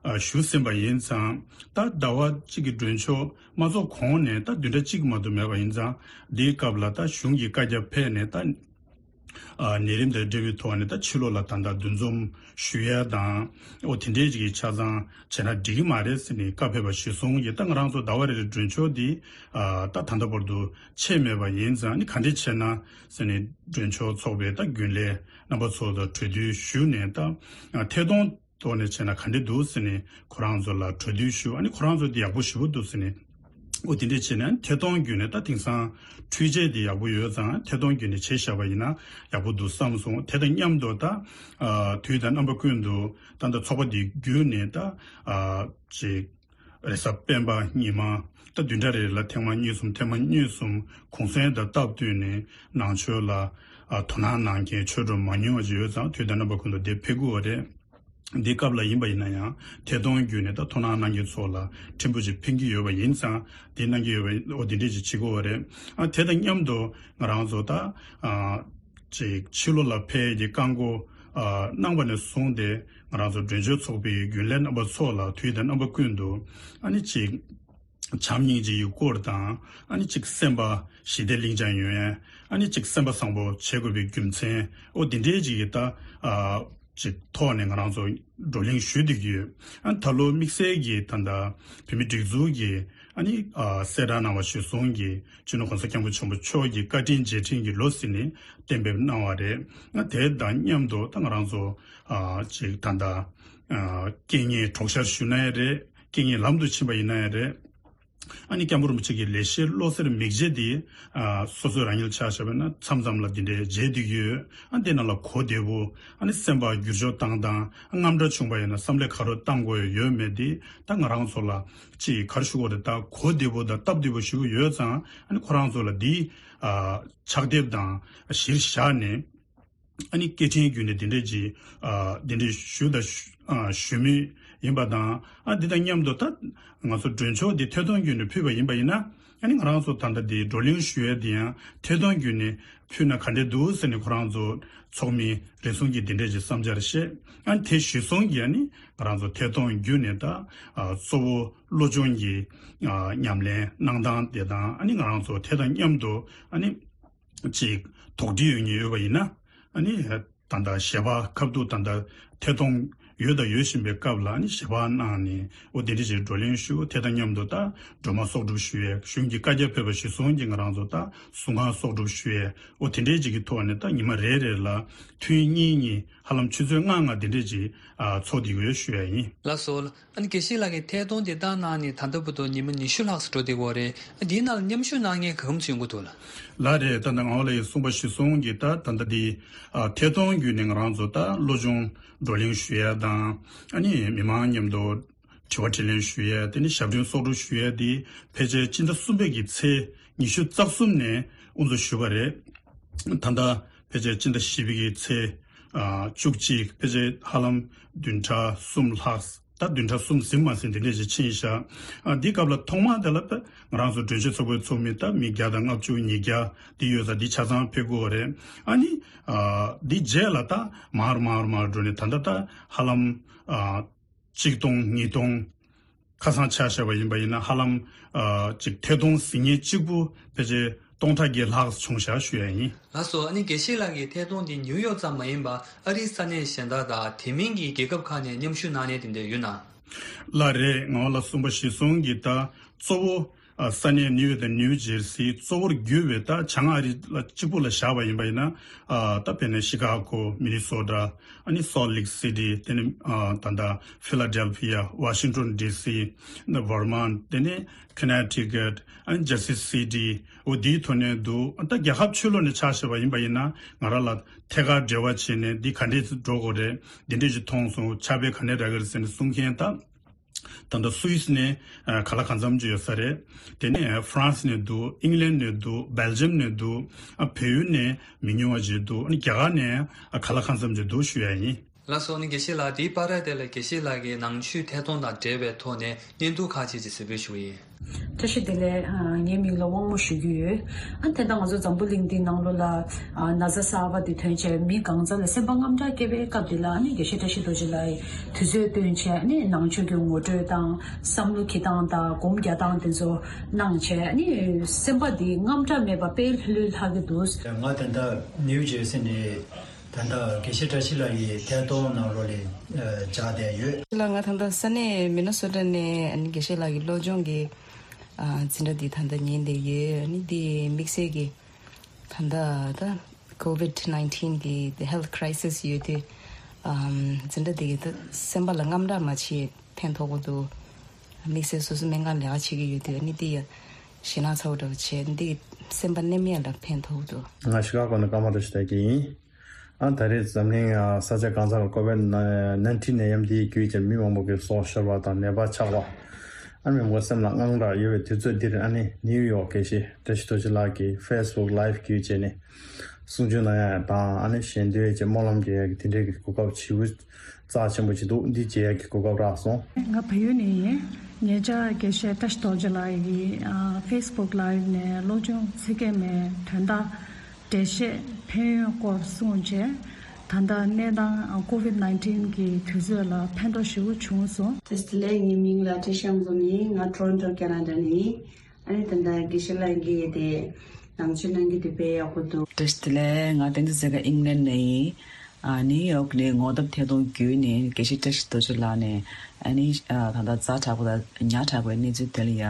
ཨ་ཞུས་ཟིན་པ་ཡིན་ཙང་། ད་ཟླ་བ་གཅིག་གི་མགྲོན་ཆོག་མ་ཚོགས་གོང་ནས་ད་བདུན་ཕྲག་གཅིག་མ་གཏོགས་མེད་པ་ཡིན་ཙང་། འདིའི་སྐབས་ལ་ད་གཞུང་གི་བཀའ་རྒྱ་ཕེབས་ནས་ད་ཨ་ནད་རིམས་དང་འབྲེལ་བའི་ཐོག་ནས་ད་ཕྱི་ལོགས་ལ་ད་ལྟ་འདུ་འཛོམས་ཞུ་ཡ་དང་། འོ་དེ་འདྲའི་ཅིག་གི་ཆ་ཚང་བྱས་ན་འགྲིག་གི་མ་རེད་ཟེར་ནས་བཀའ་ཕེབས་པ་གཞིར་བཟུང་གིས། ད་ང་རང་ཚོ་ཟླ་བ་རེ་རེའི་མགྲོན་ཆོག་འདི་ཨ་ད་ད་ལྟ་བར་དུ་ཆད་མེད་པ་ཡིན་ཙང་། ཨ་ནི་ག་འདྲས་བྱས་ན་ཟེར་ནས་མགྲོན་ཆོག་ཚོགས་པའི་ད་རྒྱུན་ལས་རྣམ་པ་ཚོ་དང་གྲོས་བསྡུར་ཞུས་ནས། ད་ཨ་ཐད་གཏོང་ཐོག་ནས་བྱས་ན་ག་འདྲས་འདུག་ཟེར་ནས་ཁོ་རང་ཚོ་ལ་གྲོས་བསྡུར་ཞུ། ཨ་ནི་ཁོ་རང་ཚོ་འདི་ཡག་པོ་ཞེ་པོ་འདུག་ཟེར་ནས། འོ་དེ་འདྲས་བྱས་ནས་ཐད་གཏོང་བརྒྱུད་ནས། ད་དེང་སང་འཕྲུལ་ཆས་འདི་ཡག་པོ་ཡོད་ཙང་ཐད་གཏོང་བརྒྱུད་ནས་བྱས་བཞག་པ་ཡིན་ན་ཡག་པོ་འདུག་བསམ་སོང་། དེ་དང་མཉམ་དུ་ད་ཨ་དུས་དང་རྣམ་པ་ཀུན་ཏུ་ད་ལྟ་ཚོགས་པ་འདི་བརྒྱུད་ནས་ད་ཨ་ཅིག་རེས་གཟའ་སྤེན་པ་ཉི་མ་ད་བདུན་ཕྲག་རེ་ལ་ཐེངས་མ་གཉིས་གསུམ་ཐེངས་མ་གཉིས་གསུམ་གུང་སེང་དང་སྟབས་བསྟུན་ནས་ནང་ཆོས་ལ་ཨ་དོ་སྣང་གནང་མཁན་ཆོས་གྲོགས་མང་ཉུང་བ་ཅིག་ཡོད་ཙང་། དུས་དང་རྣམ་པ་ཀུན་ཏུ་འདིར་ཕེབས་དགོས་པ་རེད། འདི་སྐབས་ལ་ཡིན་པ་ཡིན་ན་ཡང་ཐད་གཏོང་བརྒྱུད་ནས་ད་དོ་སྣང་གནང་མཁན་ཚོ་ལ་ཕྲན་བུ་ཅིག་ཕན་གྱི་ཡོད་པ་ཡིན་ཙང་། འདི་གནང་གི་ཡོད་པ། འོ་འདི་འདྲས་ཅིག་བྱེད་དགོས་པ་རེད། ཨ་དེ་དང་མཉམ་དུ་ང་རང་ཚོ་ད་ཨ་ཅིག་ཕྱི་ལོགས་ལ་ཕེབས་ཀྱི་བཀག་འགོག་ཨ་གནང་བ་ནས་བཟུང་སྟེ། ང་རང་ཚོ་མགྲོན་ཆོས་ཚོགས་པའི་རྒྱུན་ལས་རྣམ་པ་ཚོ་ལ་དུས་དང་རྣམ་པ་ཀུན་ཏུ་ཨ་ནི་ཅིག་བྱམས་སྙིང་རྗེ་ཡི་སྐོར་དང་། ཨ་ནི་ཅིག་སེམས་པ་ཞི་བདེ་ལིང་ཅང་ཡོང་ཡ། ཨ་ནི་ཅིག་སེམས་པ་བཟང་པོ་བྱེད་དགོས་པའི་རྒྱུ་མཚན། འོ་འདི་འདྲའི་ཅིག་གི་ད་ཨ་ཅིག་ཐོག་ནས་ང་རང་ཚོ་བགྲོ་གླེང་ཞུ་བསྡད་ཀྱི་ཡོད། ཨ་ད་ལོ་དམིགས་བསལ་གྱི་ད་ལྟ་བོད་མི་སྒྲིག་འཛུགས་ཀྱི་ཨ་ནི་ཨ་གསལ་བསྒྲགས་གནང་བ་གཞིར་བཟུང་གིས་སྤྱི་ནོར་གོང་ས་སྐྱབས་མགོན་ཆེན་པོ་མཆོག་གི་བཀའ་དྲིན་རྗེས་དྲན་གྱི་ལོ་ཟེར་ནས་གཏན་འབེབས་གནང་བ་རེད། ཨ་དེ་དང་མཉམ་དུ་ད་ང་རང་ཚོ་ཨ་ཅིག་ད་ལྟ་ཨ་རྐྱེན་ངན་གྲོགས་ཤར་ཞུ་ན་ཡང་རེད། རྐྱེན་ངན་ལམ་དུ་ཕྱིན་པ་ཡིན་ན་ཡང་རེད། ཨ་ནི་སྐྱབས་མགོན་རིན་པོ་ཆེ་གི་ལེགས་བཤད་བློ་གསར་མིག་འབྱེད་འདི་ཨ་སོ་སོའི་རང་ཉིད་ཆ་བཞག་པ་ན་མཚམས་མཚམས་ལ་འདི་འདྲའི་མཇལ་བསྡད་ཀྱི་ཡོད། ཨ་འདི་ནང་ལ་གོ་བདེ་པོ། ཨ་ནི་སེམས་པ་འགྱུར་ཕྱོགས་བཏང་སྟངས། ཨ་དངངས་སྐྲག་བྱུང་པ་ཡིན་ན་བསམ་བློ་ག་རེ་བཏང་དགོས་ཡོད་མེད་འདི་ད་ང་རང་ཚོ་ལ་ཅིག་ག་རེ་ཞུ་དགོས་རེད། ད་གོ་བདེ་པོ་དང་སྟབས་བདེ་པོ་ཞུ་གི་ཡོད་ཙང་། ཨ་ནི་ཁོ་རང་ཚོ་ལ་འདི་ཨ་ཕྱག་དེབ་དང་གཞིར་བཞག་ནས། ཨ་ནི་སྐད་འཕྲིན་བརྒྱུད་ནས་འདི་འདྲས་ཀྱི་ཨ་འདི་འདྲས་ཞུ་དང་ཞུ་ཨ་ཞུ་མུས་ཡིན་པ་དང་། ཨ་འདི་དང་མཉམ་དུ་ད་ང་ཚོ་མགྲོན་ཆོག་འདི་ཐད་གཏོང་བརྒྱུད་ནས་ཕུལ་བ་ཡིན་པ་ཡིན་ན། ཨ་ནི་ང་རང་ཚོ་ད་ལྟ་འདི་བགྲོ་གླེང་ཞུ་ཡས་འདི་ཡང་ཐད་གཏོང་བརྒྱུད་ནས་ཕུལ་ན་ག་འདྲས་འདུག་ཟེར་ནས་ཁོ་རང་ཚོ་ཚོགས་མི་རེ་ཟུང་གིས་འདི་འདྲས་ཀྱི་བསམ་འཆར་བཤད། ཨ་ནི་དེ་གཞིར་བཟུང་གིས་ཨ་ནི་ང་རང་ཚོ་ཐད་གཏོང་བརྒྱུད་ནས་ད་ཨ་གཙོ་བོ་བློ་སྦྱོང་གི་ཨ་ཉམས་ལེན་གནང་སྟངས་དེ་དང་། ཨ་ནི་ང་རང་ཚོ་དེ་དང་མཉམ་དུ་ཨ་ནི་ཅིག་དོགས་འདྲི་ཡོད་མཁན་ཡོད་པ་ཡིན་ན། ཨ་ནི་ད་ལྟ་ཞལ་པར་ཁ་ཐུག་ད་ལྟ་ཐད་གཏོང་ཡོད་དང་ཡོད་བཞིན་པའི་སྐབས་ལ། ཨ་ནི་ཞལ་པར་གནང་ནས། འོ་དེ་འདྲ་ཞིག་བགྲོ་གླེང་ཞུ། དེ་དང་མཉམ་དུ་ད་སྒྲོལ་མ་གསོག་སྒྲུབ་ཞུ་ཡས། གཞུང་གི་བཀའ་རྒྱ་ཕེབས་པ་གཞིར་བཟུང་གིས་ང་རང་ཚོ་ད་གཟུངས་སྔགས་གསོག་སྒྲུབ་ཞུ་ཡས། འོ་དེ་འདྲའི་ཅིག་གི་ཐོག་ནས་ད་ཉི་མ་རེ་རེ་ལ་ཐུན་གཉིས་གཉིས། ཧ་ལམ་ཆུ་ཚོད་ལྔ་ལྔ་དེ་འདྲས་ཅིག་ཨ་ཚོགས་བསྡད་ཀྱི་ཡོད་ཞུ་ཡ་ཡིན། ལགས་སོ། ཨ་ནི་དགེ་བཤེས་ལགས་ཀྱིས་ཐད་གཏོང་དེ་དག་གནང་ནས་ད་ལྟ་བར་དུ་ཉི་མ་ཉི་ཤུ་ལྷག་ཙམ་འགྲོ་བསྡད་ཀྱི་ཡོད་རེད། ཨ་དེའི་ནང་ལ་མཉམ་ཞུགས་གནང་མཁན་གང་འཚམ་ཡོང་གི་འདུག་ལགས། ལགས་རེད། ད་ལྟ་ངག་དབང་ལགས་ཀྱིས་གསུངས་པ་གཞིར་བཟུང་གིས་ད་ད་ལྟ་འདི་ཨ་ཐད་གཏོང་བརྒྱུད་ནས་ང་རང་ཚོ་ད་བློ་སྦྱོང་བགྲོ་གླེང་ཞུ་ཡ་དང་། ཨ་ནི་མི་མང་མཉམ་དུ་དྲི་བ་དྲིས་ལན་ཞུ་ཡ། དེ་ནས་ཞབས་འདྲེན་གསོག་སྒྲུབ་ཞུ་ཡ་དེ་ཕལ་ཆེར་སྤྱི་ཟླ་གསུམ་པའི་གི་ཚེས་ཉི་ཤུ་རྩ་གསུམ་ནས་དབུ་འཛུགས་ཞུས་པ་རེད། ད་ལྟ་ཕལ་ཆེར་སྤྱི་ཟླ་བཞི་པའི་གི་ཚེས་ཨ་བཅུ་གཅིག་ཕལ་ཆེར་ཧ་ལམ་བདུན་ཕྲག་གསུམ་ལྷག་ད་བདུན་ཕྲག་གསུམ་ཟིན་མ་ཟིན་དེ་འདྲས་ཞིག་ཕྱིན་ཤག་ཨ་འདི་སྐབས་ལ་ཐོག་མ་དེ་ལ་ད་ང་རང་ཚོ་མགྲོན་ཆེན་ཚོགས་པའི་ཚོགས་མི་ད་མི་བརྒྱ་དང་ལྔ་བཅུ་ཉིས་བརྒྱ་འདི་ཡོད་ས་འདི་ཆ་ཚང་ཕེབས་དགོས་པ་རེད། ཨ་ནི་ཨ་འདི་རྗེས་ལ་ད་མར་མར་མར་འགྲོ་ནས་ད་ལྟ་ད་ཧ་ལམ་ཨ་གཅིག་སྟོང་ཉིས་སྟོང་ཁ་སང་ཆ་བཞག་པ་ཡིན་པ་ཡིན་ན་ཧ་ལམ་ཨ་ཅིག་ཐད་གཏོང་ཟིན་མཁན་གཅིག་པུ་ཕལ་ཆེར་ སྟོང་ཕྲག་བརྒྱད་ལྷག་བྱུང་བཞག་ཞུ་ཡ་ཡིན། ལགས་སོ། ཨ་ནི་དགེ་བཤེས་ལགས་ཀྱི་ཐད་གཏོང་འདི་ནིའུ་ཡོག་ཙམ་མ་ཡིན་པར་ཨ་རིའི་ས་གནས་གཞན་དག་དང་དེ་མིན་གྱི་རྒྱལ་ཁབ་ཁག་ནས་མཉམ་ཞུགས་གནང་མཁན་དེ་འདྲ་ཡོད་ན། ལགས་རེད། ང་ལ་གསུངས་པ་གཞིར་བཟུང་གིས་ད་གཙོ་བོ་ཨ་ས་གནས་ནིའུ་ཡོག་དང་ནིའུ་ཇེར་སི་གཙོ་བོར་གྱུར་བའི་ད་བྱང་ཨ་རི་ལ་གཅིག་པུ་ལ་བཞག་པ་ཡིན་པ་ཡིན་ན། ཨ་ད་དཔེར་ན་ཤི་ཀ་གོ། མི་ནི་སོ་ཊ། ཨ་ནི་སོལ་ལེག་སི་ཊི། དེ་ནི་ཨ་ད་ལྟ་ཕི་ལ་ཌེལ་ཕི་ཡ། ཝ་ཤིང་ཊོན་ཌི་སི། ན་ཝར་མོན། དེ་ནི་ཁོ་ནེ་ཊི་ཀཊ། ཨ་ནི་ཇར་སི་སི་ཊི། འོ་དེའི་ཐོག་ནས་འདུག་ད་རྒྱལ་ཁབ་ཕྱི་ལོགས་ནས་ཕྱག་བཞེས་པ་ཡིན་པ་ཡིན་ན་ང་རང་ལ་ཐད་ཀར་འབྲེལ་བ་བྱས་ནས་འདི་ག་འདྲས་འགྲོ་དགོས་རེད། འདི་འདྲས་ཞིག་མཐོང་སོང་། ཕྱག་དཔེ་ག་འདྲས་རག་གི་རེད་ཟེར་ནས་གསུང་མཁན་ད། ད་ལྟ་སུད་སི་ནས་ཨ་ག་ལ་གང་འཚམ་ཅིག་ཡོད་ས་རེད། དེ་ནས་ཧྥ་རན་སི་ནས་འདུག་ཨིང་ལན་ནས་འདུག་བྷེལ་ཇམ་ནས་འདུག་ཨ་བལ་ཡུལ་ནས་མི་ཉུང་བ་ཅིག་འདུག་ཨ་ནི་རྒྱ་གར་ནས་ཨ་ག་ལ་གང་འཚམ་ཅིག་འདུག་ཞུ་ཡ་ཡིན། ལགས་སོ། ཨ་ནི་དགེ་བཤེས་ལགས། དེའི་བར་དེ་ལ་དགེ་བཤེས་ལགས་ཀྱི་ནང་ཆོས་ཐད་གཏོང་དང་འབྲེལ་བའི་ཐོག་ནས་བརྙན་ཐུང་ཁག་ཅིག་ཅིག་གཟིགས་འབུལ་ཞུ་གི་ཡིན། བཀྲ་ཤིས་བདེ་ལེགས། ཨ་ངའི་མིང་ལ་དབང་མོ་ཞུ་གི་ཡོད། ཨ་དེ་ལྟར་ང་ཚོ་འཛམ་བུ་གླིང་འདིའི་ནང་ལོགས་ལ་ཨ་ན་ཚ་གསར་པ་འདི་ཐོན་བྱས་མི་གང་ཚང་ལ་སེམས་པ་དངངས་སྐྲག་སྐྱེ་བའི་སྐབས་འདི་ལ། ཨ་ནི་དགེ་བཤེས་བཀྲ་ཤིས་རྡོ་རྗེ་ལགས་ཀྱིས་དུས་ཚོད་བཏོན་བྱས། ཨ་ནི་ནང་ཆོས་ཀྱི་ངོ་སྤྲོད་དང་བསམ་བློ་འཁྱེར་སྟངས་དང་སྒོམ་རྒྱག་སྟངས་དེ་ཚོ་གནང་བྱས། ཨ་ནི་སེམས་པ་འདི་དངངས་སྐྲག་མེད་པ་དཔེ་ལྷོད་ལྷོད་ལྷག་གི་འདུག་ང་ད་ལྟ་ནིའུ་ཇེར་སི་ནས་ད་ལྟ་དགེ་བཤེས་བཀྲ་ཤིས་ལགས་ཀྱི་ཐད་གཏོང་ནང་ལོགས་ལ་ཨ་བཅར་བསྡད་ཡོད། ལགས། ང་ད་ལྟ་ས་གནས་མི་ནི་སོ་ཊ་ནས་ཨ་ནི་དགེ་བཤེས་ལགས་ཀྱི་སློབ་སྦྱོང་གི་ཨ་འཛིན་གྲྭ་འདི་ད་ལྟ་ཉན་བསྡད་ཡོད། ཨ་ནི་འདི་དམིགས་བསལ་གྱི་ད་ལྟ་ད་ཀོ་ཝིཌ་ནའིན་ཊིན་གི་ཧེལ་ཐི་ཁ་རའི་སི་སི་ཡོད་དུས། ཨམ་འཛིན་གྲྭ་འདི་གིས་ད་སེམས་པ་ལ་དངངས་སྐྲག་མ་བྱེད་ཕན་ཐོགས་པོ་འདུག་དམིགས་བསལ་སོ་སོ་སྨན་ཁང་ལས་ཀ་བྱེད་ཀྱི་ཡོད་དུས། ཨ་ནི་འདི་ཡ་ཞེད་སྣང་ཚ་པོ་འདྲ་བོ་བྱས། འདི་སེམས་པ་མནར་མེད་ལ་ཕན་ཐོགས་པོ་འདུག་ང་ཤི་ཀ་གོ་ནས་ཀརྨ་བཀྲ་ཤིས་དར་རྒྱས་ཡིན། ཨ་ད་རེས་འཛམ་གླིང་ཨ་ས་ཆ་གང་སར་ཀོ་ཝིཌ་ནའིན་ཊིན་ནད་ཡམས་འདིའི་བརྒྱུད་ཀྱིས་མི་མང་པོ་གི་སྲོག་ཤོར་བ་དང་ནད་པ་ཆགས་པ། ཨ་མི་མང་པོ་སེམས་ལ་དངངས་སྐྲག་ཡོད་པའི་དུས་ཚོད་འདིར། ཨ་ནི་ནིའུ་ཡོག་དགེ་བཤེས་བཀྲ་ཤིས་རྡོ་རྗེ་ལགས་ཀྱིས་ཕེ་སི་བུག་ལའིབ་བརྒྱུད་བྱས་ནས་གསུང་ཆོས་གནང་ཡ་དང་། ཨ་ནི་ཞལ་འདོན་བྱས་སྨོན་ལམ་རྒྱག་ཡ་གི་དེ་འདྲའི་གི་གོ་སྐབས་ཇེ་རྩ་ཆེན་པོ་ཅིག་འདུག་འདི་མཇལ་ཡ་གི་གོ་སྐབས་རག་སོང་། ང་བལ་ཡུལ་ནས་ཡིན། ཉེ་ཆར་དགེ་བཤེས་བཀྲ་ཤིས་རྡོ་རྗེ་ལགས་ཀྱིས་ཨ་ཕེ་སི་བུག་ལའིབ་ནས་སློབ་སྦྱོང་ཚིག་སྐྱེལ་མའི་དོན་དག་འགྲེལ་བཤད་ཕན་ཡོན་སྐོར་གསུངས་བྱས། ད་ལྟ་གནས་སྟངས་ཀོ་ཝིཌ་ནའིན་ཊིན་གྱི་དུས་ཚོད་ལ་ཕན་ཐོགས་ཞེ་པོ་བྱུང་སོང་། བཀྲ་ཤིས་བདེ་ལེགས། ངའི་མིང་ལ་བཀྲ་ཤིས་ལྷ་འཛོམས་ཡིན། ང་ཊོ་རོན་ཊོ་ཁེ་ན་ཌ་ནས་ཡིན། ཨ་ནི་ད་ལྟ་དགེ་བཤེས་ལགས་ཀྱིས་དེ་ནང་ཆོས་གནང་རྒྱུ་དེ་དཔེ་ཡག་པོ་འདུག་བཀྲ་ཤིས་བདེ་ལེགས། ང་བསྟན་འཛིན་ཚེ་དཀར་ཨིང་ལན་ནས་ཡིན། ཨ་ནིའུ་ཡོག་ནས་ངོ་དེབ་ཐད་གཏོང་བརྒྱུད་ནས་དགེ་བཤེས་བཀྲ་ཤིས་རྡོ་རྗེ་ལགས་ནས། ཨ་ནི་ཨ་ད་ལྟ་ཛ་དྲག་པོ་དང་ཉག་ཕྲ་བའི་གནས་ཚུལ་དེ་ལ་ཡ་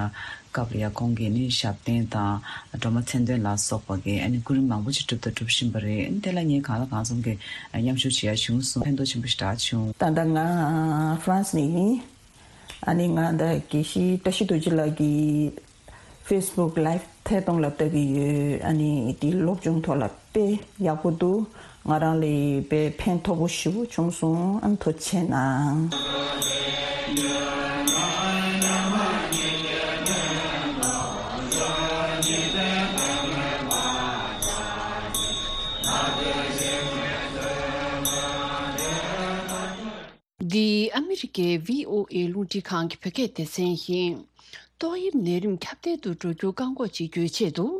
སྐབས་ལ་ཡ་ཁོང་གིས་ནི་ཞབས་བརྟན་དང་སྒྲོལ་མ་མཚན་འདོན་ལ་སོགས་པ་གི་ཨ་ནི་སྐུ་རིམ་མང་པོ་ཅིག་བསྒྲུབས་དང་སྒྲུབ་བཞིན་པ་རེད། དེ་ལ་ངས་གང་ལ་གང་འཚམ་གི་མཉམ་ཞུགས་བྱེད་ཡ་བྱུང་སོང་། ཕན་ཐོགས་ཆེན་པོ་ཞེ་དྲག་བྱུང་། ད་ལྟ་ང་ཧྥ་རན་སི་ནས་ཡིན། ཨ་ནི་ང་ད་དགེ་བཤེས་བཀྲ་ཤིས་རྡོ་རྗེ་ལགས་ཀྱི་ཕེ་སི་བུག་ལའིབ་ཐད་གཏོང་ལ་ལྟ་གི་ཡོད། ཨ་ནི་དེ་སློབ་སྦྱོང་ཐོག་ལ་དཔེ་ཡག་པོ་འདུག་ང་རང་ལ་དཔེ་ཕན་ཐོགས་པོ་ཞེ་པོ་བྱུང་སོང་། ཨ་ནི་ཐུགས་རྗེ་གནང་། འདི་ཨ་མི་རི་ཀའི་བྷི་ཨོ་ཨེ་རླུང་འཕྲིན་ཁང་གི་བོད་སྐད་སྡེ་ཚན་ཡིན། ཏོག་དབྱིབས་ནད་རིམས་ཁྱབ་གདལ་དུ་འགྲོ་རྒྱུ་བཀག་འགོག་བྱེད་རྒྱུའི་ཆེད་དུ།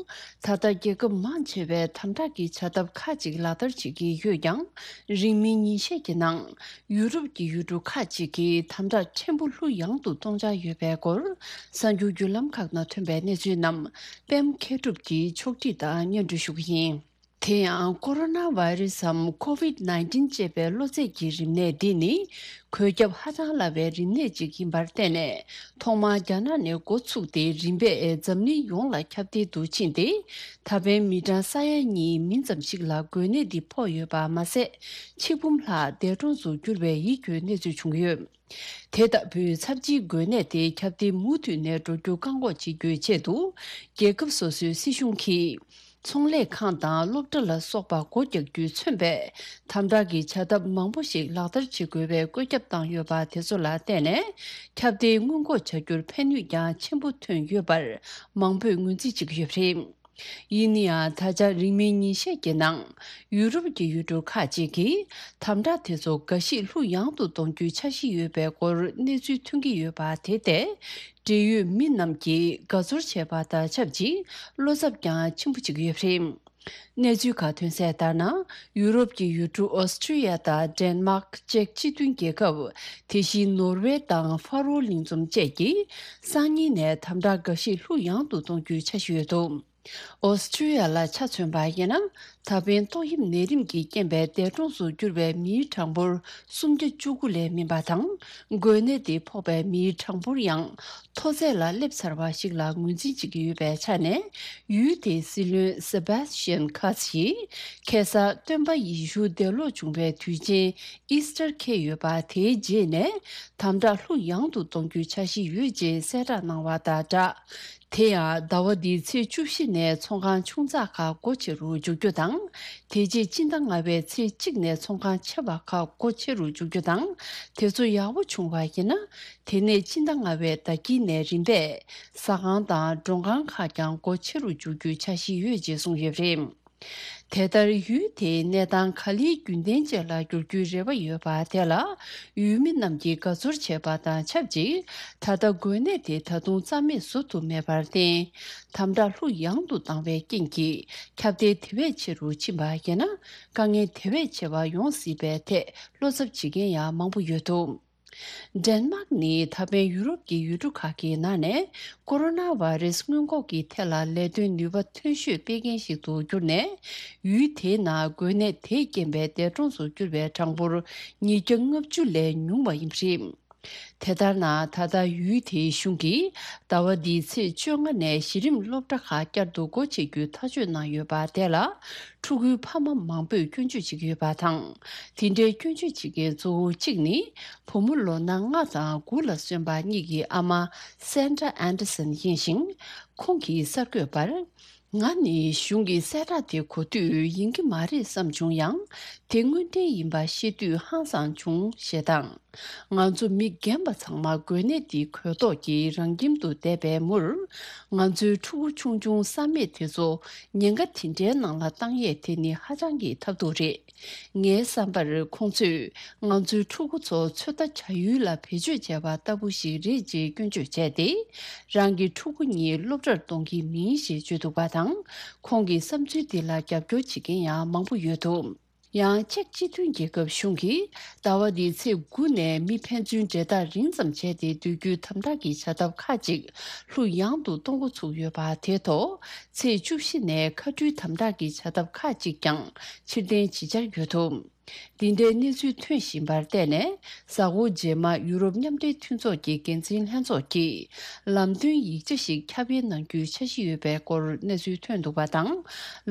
ད་ལྟ་རྒྱལ་ཁབ་མང་ཆེ་བས་དམ་དྲག་གི་བྱ་ཐབས་ཁག་ཅིག་ལག་བསྟར་བྱེད་ཀྱི་ཡོད་ཀྱང་། རིང་མིན་ཉིན་ཤས་ཀྱི་ནང་ཡུ་རོབ་ཀྱི་ཡུལ་གྲུ་ཁག་ཅིག་གིས་དམ་དྲག་ཕྲན་བུ་ལྷུ་ཡངས་དུ་གཏོང་འཆར་ཡོད་པའི་སྐོར། གསར་འགྱུར་བརྒྱུད་ལམ་ཁག་ནང་ཐོན་པའི་གནས་ཚུལ་རྣམས་པད་མ་མཁས་གྲུབ་ཀྱིས་ཕྱོགས་སྒྲིག་དང་སྙན་སྒྲོན་ཞུ་གི་ཡིན། དེ་ཡང་ཀོ་རོ་ན་བྷའི་རེ་སི་སམ་ཀོ་ཝིཌ་ནའིན་ཊིན་ཅེས་པའི་གློ་ཚད་ཀྱི་རིམས་ནད་འདི་ནི་འགོས་ཁྱབ་ཧ་ཅང་སླ་བའི་རིམས་ནད་ཅིག་ཡིན་པར་བརྟེན་ནས། ཐོག་མར་རྒྱ་ནག་ནས་འགོ་ཚུགས་ཏེ་རིམ་པས་འཛམ་གླིང་ཡོངས་ལ་ཁྱབ་གདལ་དུ་ཕྱིན་ཏེ། ད་ཕན་མི་གྲངས་ས་ཡ་གཉིས་མིན་ཙམ་ཞིག་ལ་འགོས་ནད་འདི་ཕོག་ཡོད་པ་མ་ཟད། ཆིག་འབུམ་ལྷག་འདས་གྲོངས་སུ་གྱུར་བའི་ཡིད་སྐྱོའི་གནས་ཚུལ་བྱུང་ཡོད། དེ་ལྟ་བུའི་ཚབས་ཆེའི་འགོས་ནད་དེ་ཁྱབ་གདལ་མུ་མཐུད་ནས་འགྲོ་རྒྱུ་བཀག་འགོག་བྱེད་རྒྱུའི་ཆེད་དུ། རྒྱལ་ཁབ་སོ་སོའི་སྲིད་གཞུང་གིས། ཚོང་ལས་ཁང་དང་སློབ་གྲྭ་ལ་སོགས་པ་སྒོ་རྒྱག་རྒྱུས་མཚོན་པའི་དམ་དྲག་གི་བྱ་ཐབས་མང་པོ་ཞིག་ལག་བསྟར་བྱེད་དགོས་པའི་བཀོད་ཁྱབ་བཏང་ཡོད་པ་དེ་ཚོ་ལ་བརྟེན་ནས། ཁྱབ་གདལ་སྔོན་འགོག་བྱ་རྒྱུར་ཕན་ནུས་ཀྱང་ཆེན་པོ་ཐོན་ཡོད་པར་མང་པོས་ངོས་འཛིན་བྱེད་ཀྱི་ཡོད་པ་རེད། ཡིན་ན་ཡང་། ད་ཆ་རིང་མིན་ཉིན་ཤས་ཀྱི་ནང་ཡུ་རོབ་ཀྱི་ཡུལ་གྲུ་ཁག་ཅིག་གིས་དམ་དྲག་དེ་ཚོ་འགའ་ཞིག་ལྷུ་ཡངས་དུ་གཏོང་རྒྱུའི་འཆར་གཞི་ཡོད་པའི་སྐོར་གནས་ཚུལ་ཐོན་གྱི་ཡོད་པ། དེ་ལྟས་འབྲེལ་ཡོད་མི་རྣམས་ཀྱིས་དགའ་ཚོར་བྱས་པ་དང་ཆབས་ཅིག་བློ་འཚབ་ཀྱང་ཆེན་པོ་བྱེད་ཀྱི་ཡོད་པ་རེད། གནས་ཚུལ་ཁག་ཐོན་གསལ་ལྟར་ན། ཡུ་རོབ་ཀྱི་ཡུལ་གྲུ་ཨོ་སི་ཊྲི་ཡ་དང་ཌེན་མཱག་ཅེཀ་སྤྱི་མཐུན་རྒྱལ་ཁབ། དེ་བཞིན་ནོར་ཝེ་དང་ཧྥ་རོ་གླིང་འཛོམས་བཅས་ཀྱིས་སང་ཉིན་ནས་དམ་དྲག་འགའ་ཞིག་ལྷུ་ཡངས་དུ་གཏོང་རྒྱུའི་འཆར་གཞི་ཡོད་འདུག་ཨོ་སི་ཀྲི་ཡ་ལ་ཆ་མཚོན་པ་ཡིན་ན། ད་ཕན་ཏོག་དབྱིབས་ནད་རིམས་ཀྱི་རྐྱེན་པས་འདས་གྲོངས་སུ་གྱུར་བའི་མིའི་གྲངས་འབོར་སུམ་བརྒྱ་བཅུ་དགུ་ལས་མིན་པ་དང་། འགོས་ནད་དེ་ཕོག་པའི་མིའི་གྲངས་འབོར་ཡང་མཐོ་ཚད་ལ་སླེབས་ཚར་བ་ཞིག་ལ་ངོས་འཛིན་བྱེད་ཀྱི་ཡོད་པའི་ཆ་ནས། ཡུལ་དེའི་སྲིད་བློན་སེ་བྷ་སི་ཅན་ཁ་ཚི་ཡིས། ཁ་སང་སྟོན་པ་ཡེ་ཤུ་འདས་ལོག་བྱུང་བའི་དུས་ཆེན་ཨིས་ཊར་འཁེལ་ཡོད་པ། དེའི་རྗེས་ནས་དམ་དྲག་ལྷུག་ཡངས་དུ་གཏོང་རྒྱུའི་འཆར་གཞི་ཡོད་ཅེས་གསལ་བསྒྲགས་གནང་བ་དང་སྦྲགས། དེ་ཡང་ཟླ་བ་འདིའི་ཚེས་བཅུ་བཞི་ནས་ཚོང་ཁང་ཆུང་ཙག་ཁག་སྒོ་ཕྱེ་རུ་འཇུག་རྒྱུ་དང་། དེ་རྗེས་སྤྱི་ཟླ་ལྔ་པའི་ཚེས་གཅིག་ནས་ཚོང་ཁང་ཆེ་བ་ཁག་སྒོ་ཕྱེ་རུ་འཇུག་རྒྱུ་དང་། དེ་ཚོ་ཡག་པོ་བྱུང་བ་ཡིན་ན། དེ་ནས་སྤྱི་ཟླ་ལྔ་པའི་ཟླ་དཀྱིལ་ནས་རིམ་པས་ཟ་ཁང་དང་མགྲོན་ཁང་ཁག་ཀྱང་སྒོ་ཕྱེ་རུ་འཇུག་རྒྱུའི་འཆར་གཞི་ཡོད་ཅེས་གསུངས་ཡོད་པ་རེད། དེ་ལྟར་ཡུལ་དེའི་གནས་སྟངས་ག་ལེར་རྒྱུན་ལྡན་ཅན་ལ་འགྱུར་རྒྱུའི་རེ་བ་ཡོད་པ་དེ་ལ། ཡུལ་མི་རྣམས་ཀྱིས་དགའ་ཚོར་བྱས་པ་དང་ཆབས་ཅིག་ད་ལྟ་འགོས་ནད་དེ་ད་དུང་རྩ་མེད་བཟོ་ཐུབ་མེད་པར་བརྟེན། དམ་དྲག་ལྷུག་ཡངས་དུ་བཏང་བའི་རྐྱེན་གྱིས། ཁྱབ་གདལ་དེ་བས་ཆེ་རུ་ཕྱིན་པ་ཡིན་ན། དཀའ་ངལ་དེ་བས་ཆེ་བ་ཡོང་སྲིད་པའི་ཐད་བློ་འཚབ་བྱེད་མཁན་ཡང་མང་པོ་ཡོད་འདུག་ཌེན་མཱག་ནི་ད་ཕན་ཡུ་རོབ་ཀྱི་ཡུལ་གྲུ་ཁག་གི་ནང་ནས་ཀོ་རོ་ན་བྷ་རེ་སི་སྔོན་འགོག་གི་ཐད་ལ་ལས་དོན་ནུས་པ་ཐོན་ཤོས་སྤེལ་མཁན་ཞིག་ཏུ་གྱུར་ནས། ཡུལ་དེའི་ནང་འགོས་ནད་དེའི་རྐྱེན་པས་འདས་གྲོངས་སུ་གྱུར་བའི་གྲངས་འབོར་ཉིས་བརྒྱ་ལྔ་བཅུ་ལས་ཉུང་བ་ཡིན་པ་རེད། དེ་ལྟར་ན། ད་ལྟ་ཡུལ་དེའི་གཞུང་གིས་ཟླ་བ་འདིའི་ཚེས་བཅོ་ལྔ་ནས་གཞི་རིམ་སློབ་གྲྭ་ཁག་བསྐྱར་དུ་སྒོ་ཕྱེ་རྒྱུའི་ཐག་གཅོད་གནང་ཡོད་པ་དེ་ལ། ཕྲུ་གུའི་ཕ་མ་མང་པོས་སྐྱོན་བརྗོད་བྱེད་ཀྱི་ཡོད་པ་དང་། དེ་འདྲའི་སྐྱོན་བརྗོད་བྱེད་མཁན་གཙོ་བོ་གཅིག་ནི། བུ་མོ་ལོ་ན་ལྔ་དང་དགུ་ལ་སོན་པ་གཉིས་ཀྱི་ཨ་མ་སན་ཏྲ་ཨན་ཏེ་སན་ཡིན་ཞིང་། ཁོང་གིས་གསར་འགོད་པར། ང་ནི་གཞུང་གི་གསལ་བསྒྲགས་དེ་གོ་དུས་ཡིན་གྱི་མ་རེད་བསམ་བྱུང་ཡང་། དེ་དངོས་འབྲེལ་ཡིན་པ་ཤེས་དུས་ཧང་སངས་བྱུང་ཞེས་དང་། ང་ཚོ་མི་རྒན་པ་ཚང་མ་འགོས་ནད་འདིའི་གོས་ཐོག་གི་རང་ཁྱིམ་དུ་བསྡད་པའི་མུར། ང་ཚོའི་ཕྲུ་གུ་ཆུང་ཆུང་བསམ་མེད་དེ་ཚོ་ཉེན་ཁ་དེ་འདྲའི་ནང་ལ་བཏང་ཡས་དེ་ནི་ཧ་ཅང་གི་ཐབས་སྡུག་རེད། ངའི་བསམ་པར་ཁོང་ཚོས་ང་ཚོའི་ཕྲུ་གུ་ཚོ་ཚོད་ལྟ་བྱ་ཡུལ་ལ་བེད་སྤྱོད་བྱས་པ་ལྟ་བུ་ཞིག་རེད་ཅེས་སྐྱོན་བརྗོད་བྱས་ཏེ། རང་གི་ཕྲུ་གུ་གཉིས་སློབ་གྲྭར་གཏོང་གི་མིན་ཞེས་བརྗོད་འདུག་པ་དང་། ཁོང་གི་བསམ་ཚུལ་འདི་ལ་རྒྱབ་སྐྱོར་བྱེད་མཁན་ཡང་མང་པོ་ཡོད་འདུག་ཡང་ཅེཀ་སྤྱི་མཐུན་རྒྱལ་ཁབ་གཞུང་གིས་ཟླ་བ་འདིའི་ཚེས་དགུ་ནས་མི་ཕན་ཚུན་འབྲེལ་ཐག་རིང་ཙམ་བྱས་ཏེ་སྡོད་རྒྱུའི་དམ་དྲག་གི་བྱ་ཐབས་ཁག་ཅིག་ལྷུག་ཡངས་དུ་གཏོང་འགོ་ཚུགས་ཡོད་པ་དེ་ཐོག་ཚེས་བཅུ་བཞི་ནས་མཁའ་འགྲུལ་དམ་དྲག་གི་བྱ་ཐབས་ཁག་ཅིག་ཀྱང་ཕྱིར་འཐེན་བྱེད་འཆར་ཡོད་འདུག་འདི་འདྲའི་གནས་ཚུལ་ཐོན་བཞིན་པར་བརྟེན་ནས། གཟའ་འཁོར་རྗེས་མ་ཡུ་རོབ་མཉམ་འབྲེལ་མཐུན་ཚོགས་ཀྱི་འགན་འཛིན་ལྷན་ཚོགས་ཀྱིས་ལམ་སྟོན་ཡིག་ཆ་ཞིག་ཁྱབ་སྤེལ་གནང་རྒྱུའི་འཆར་གཞི་ཡོད་པའི་སྐོར་གནས་ཚུལ་ཐོན་འདུག་པ་དང་།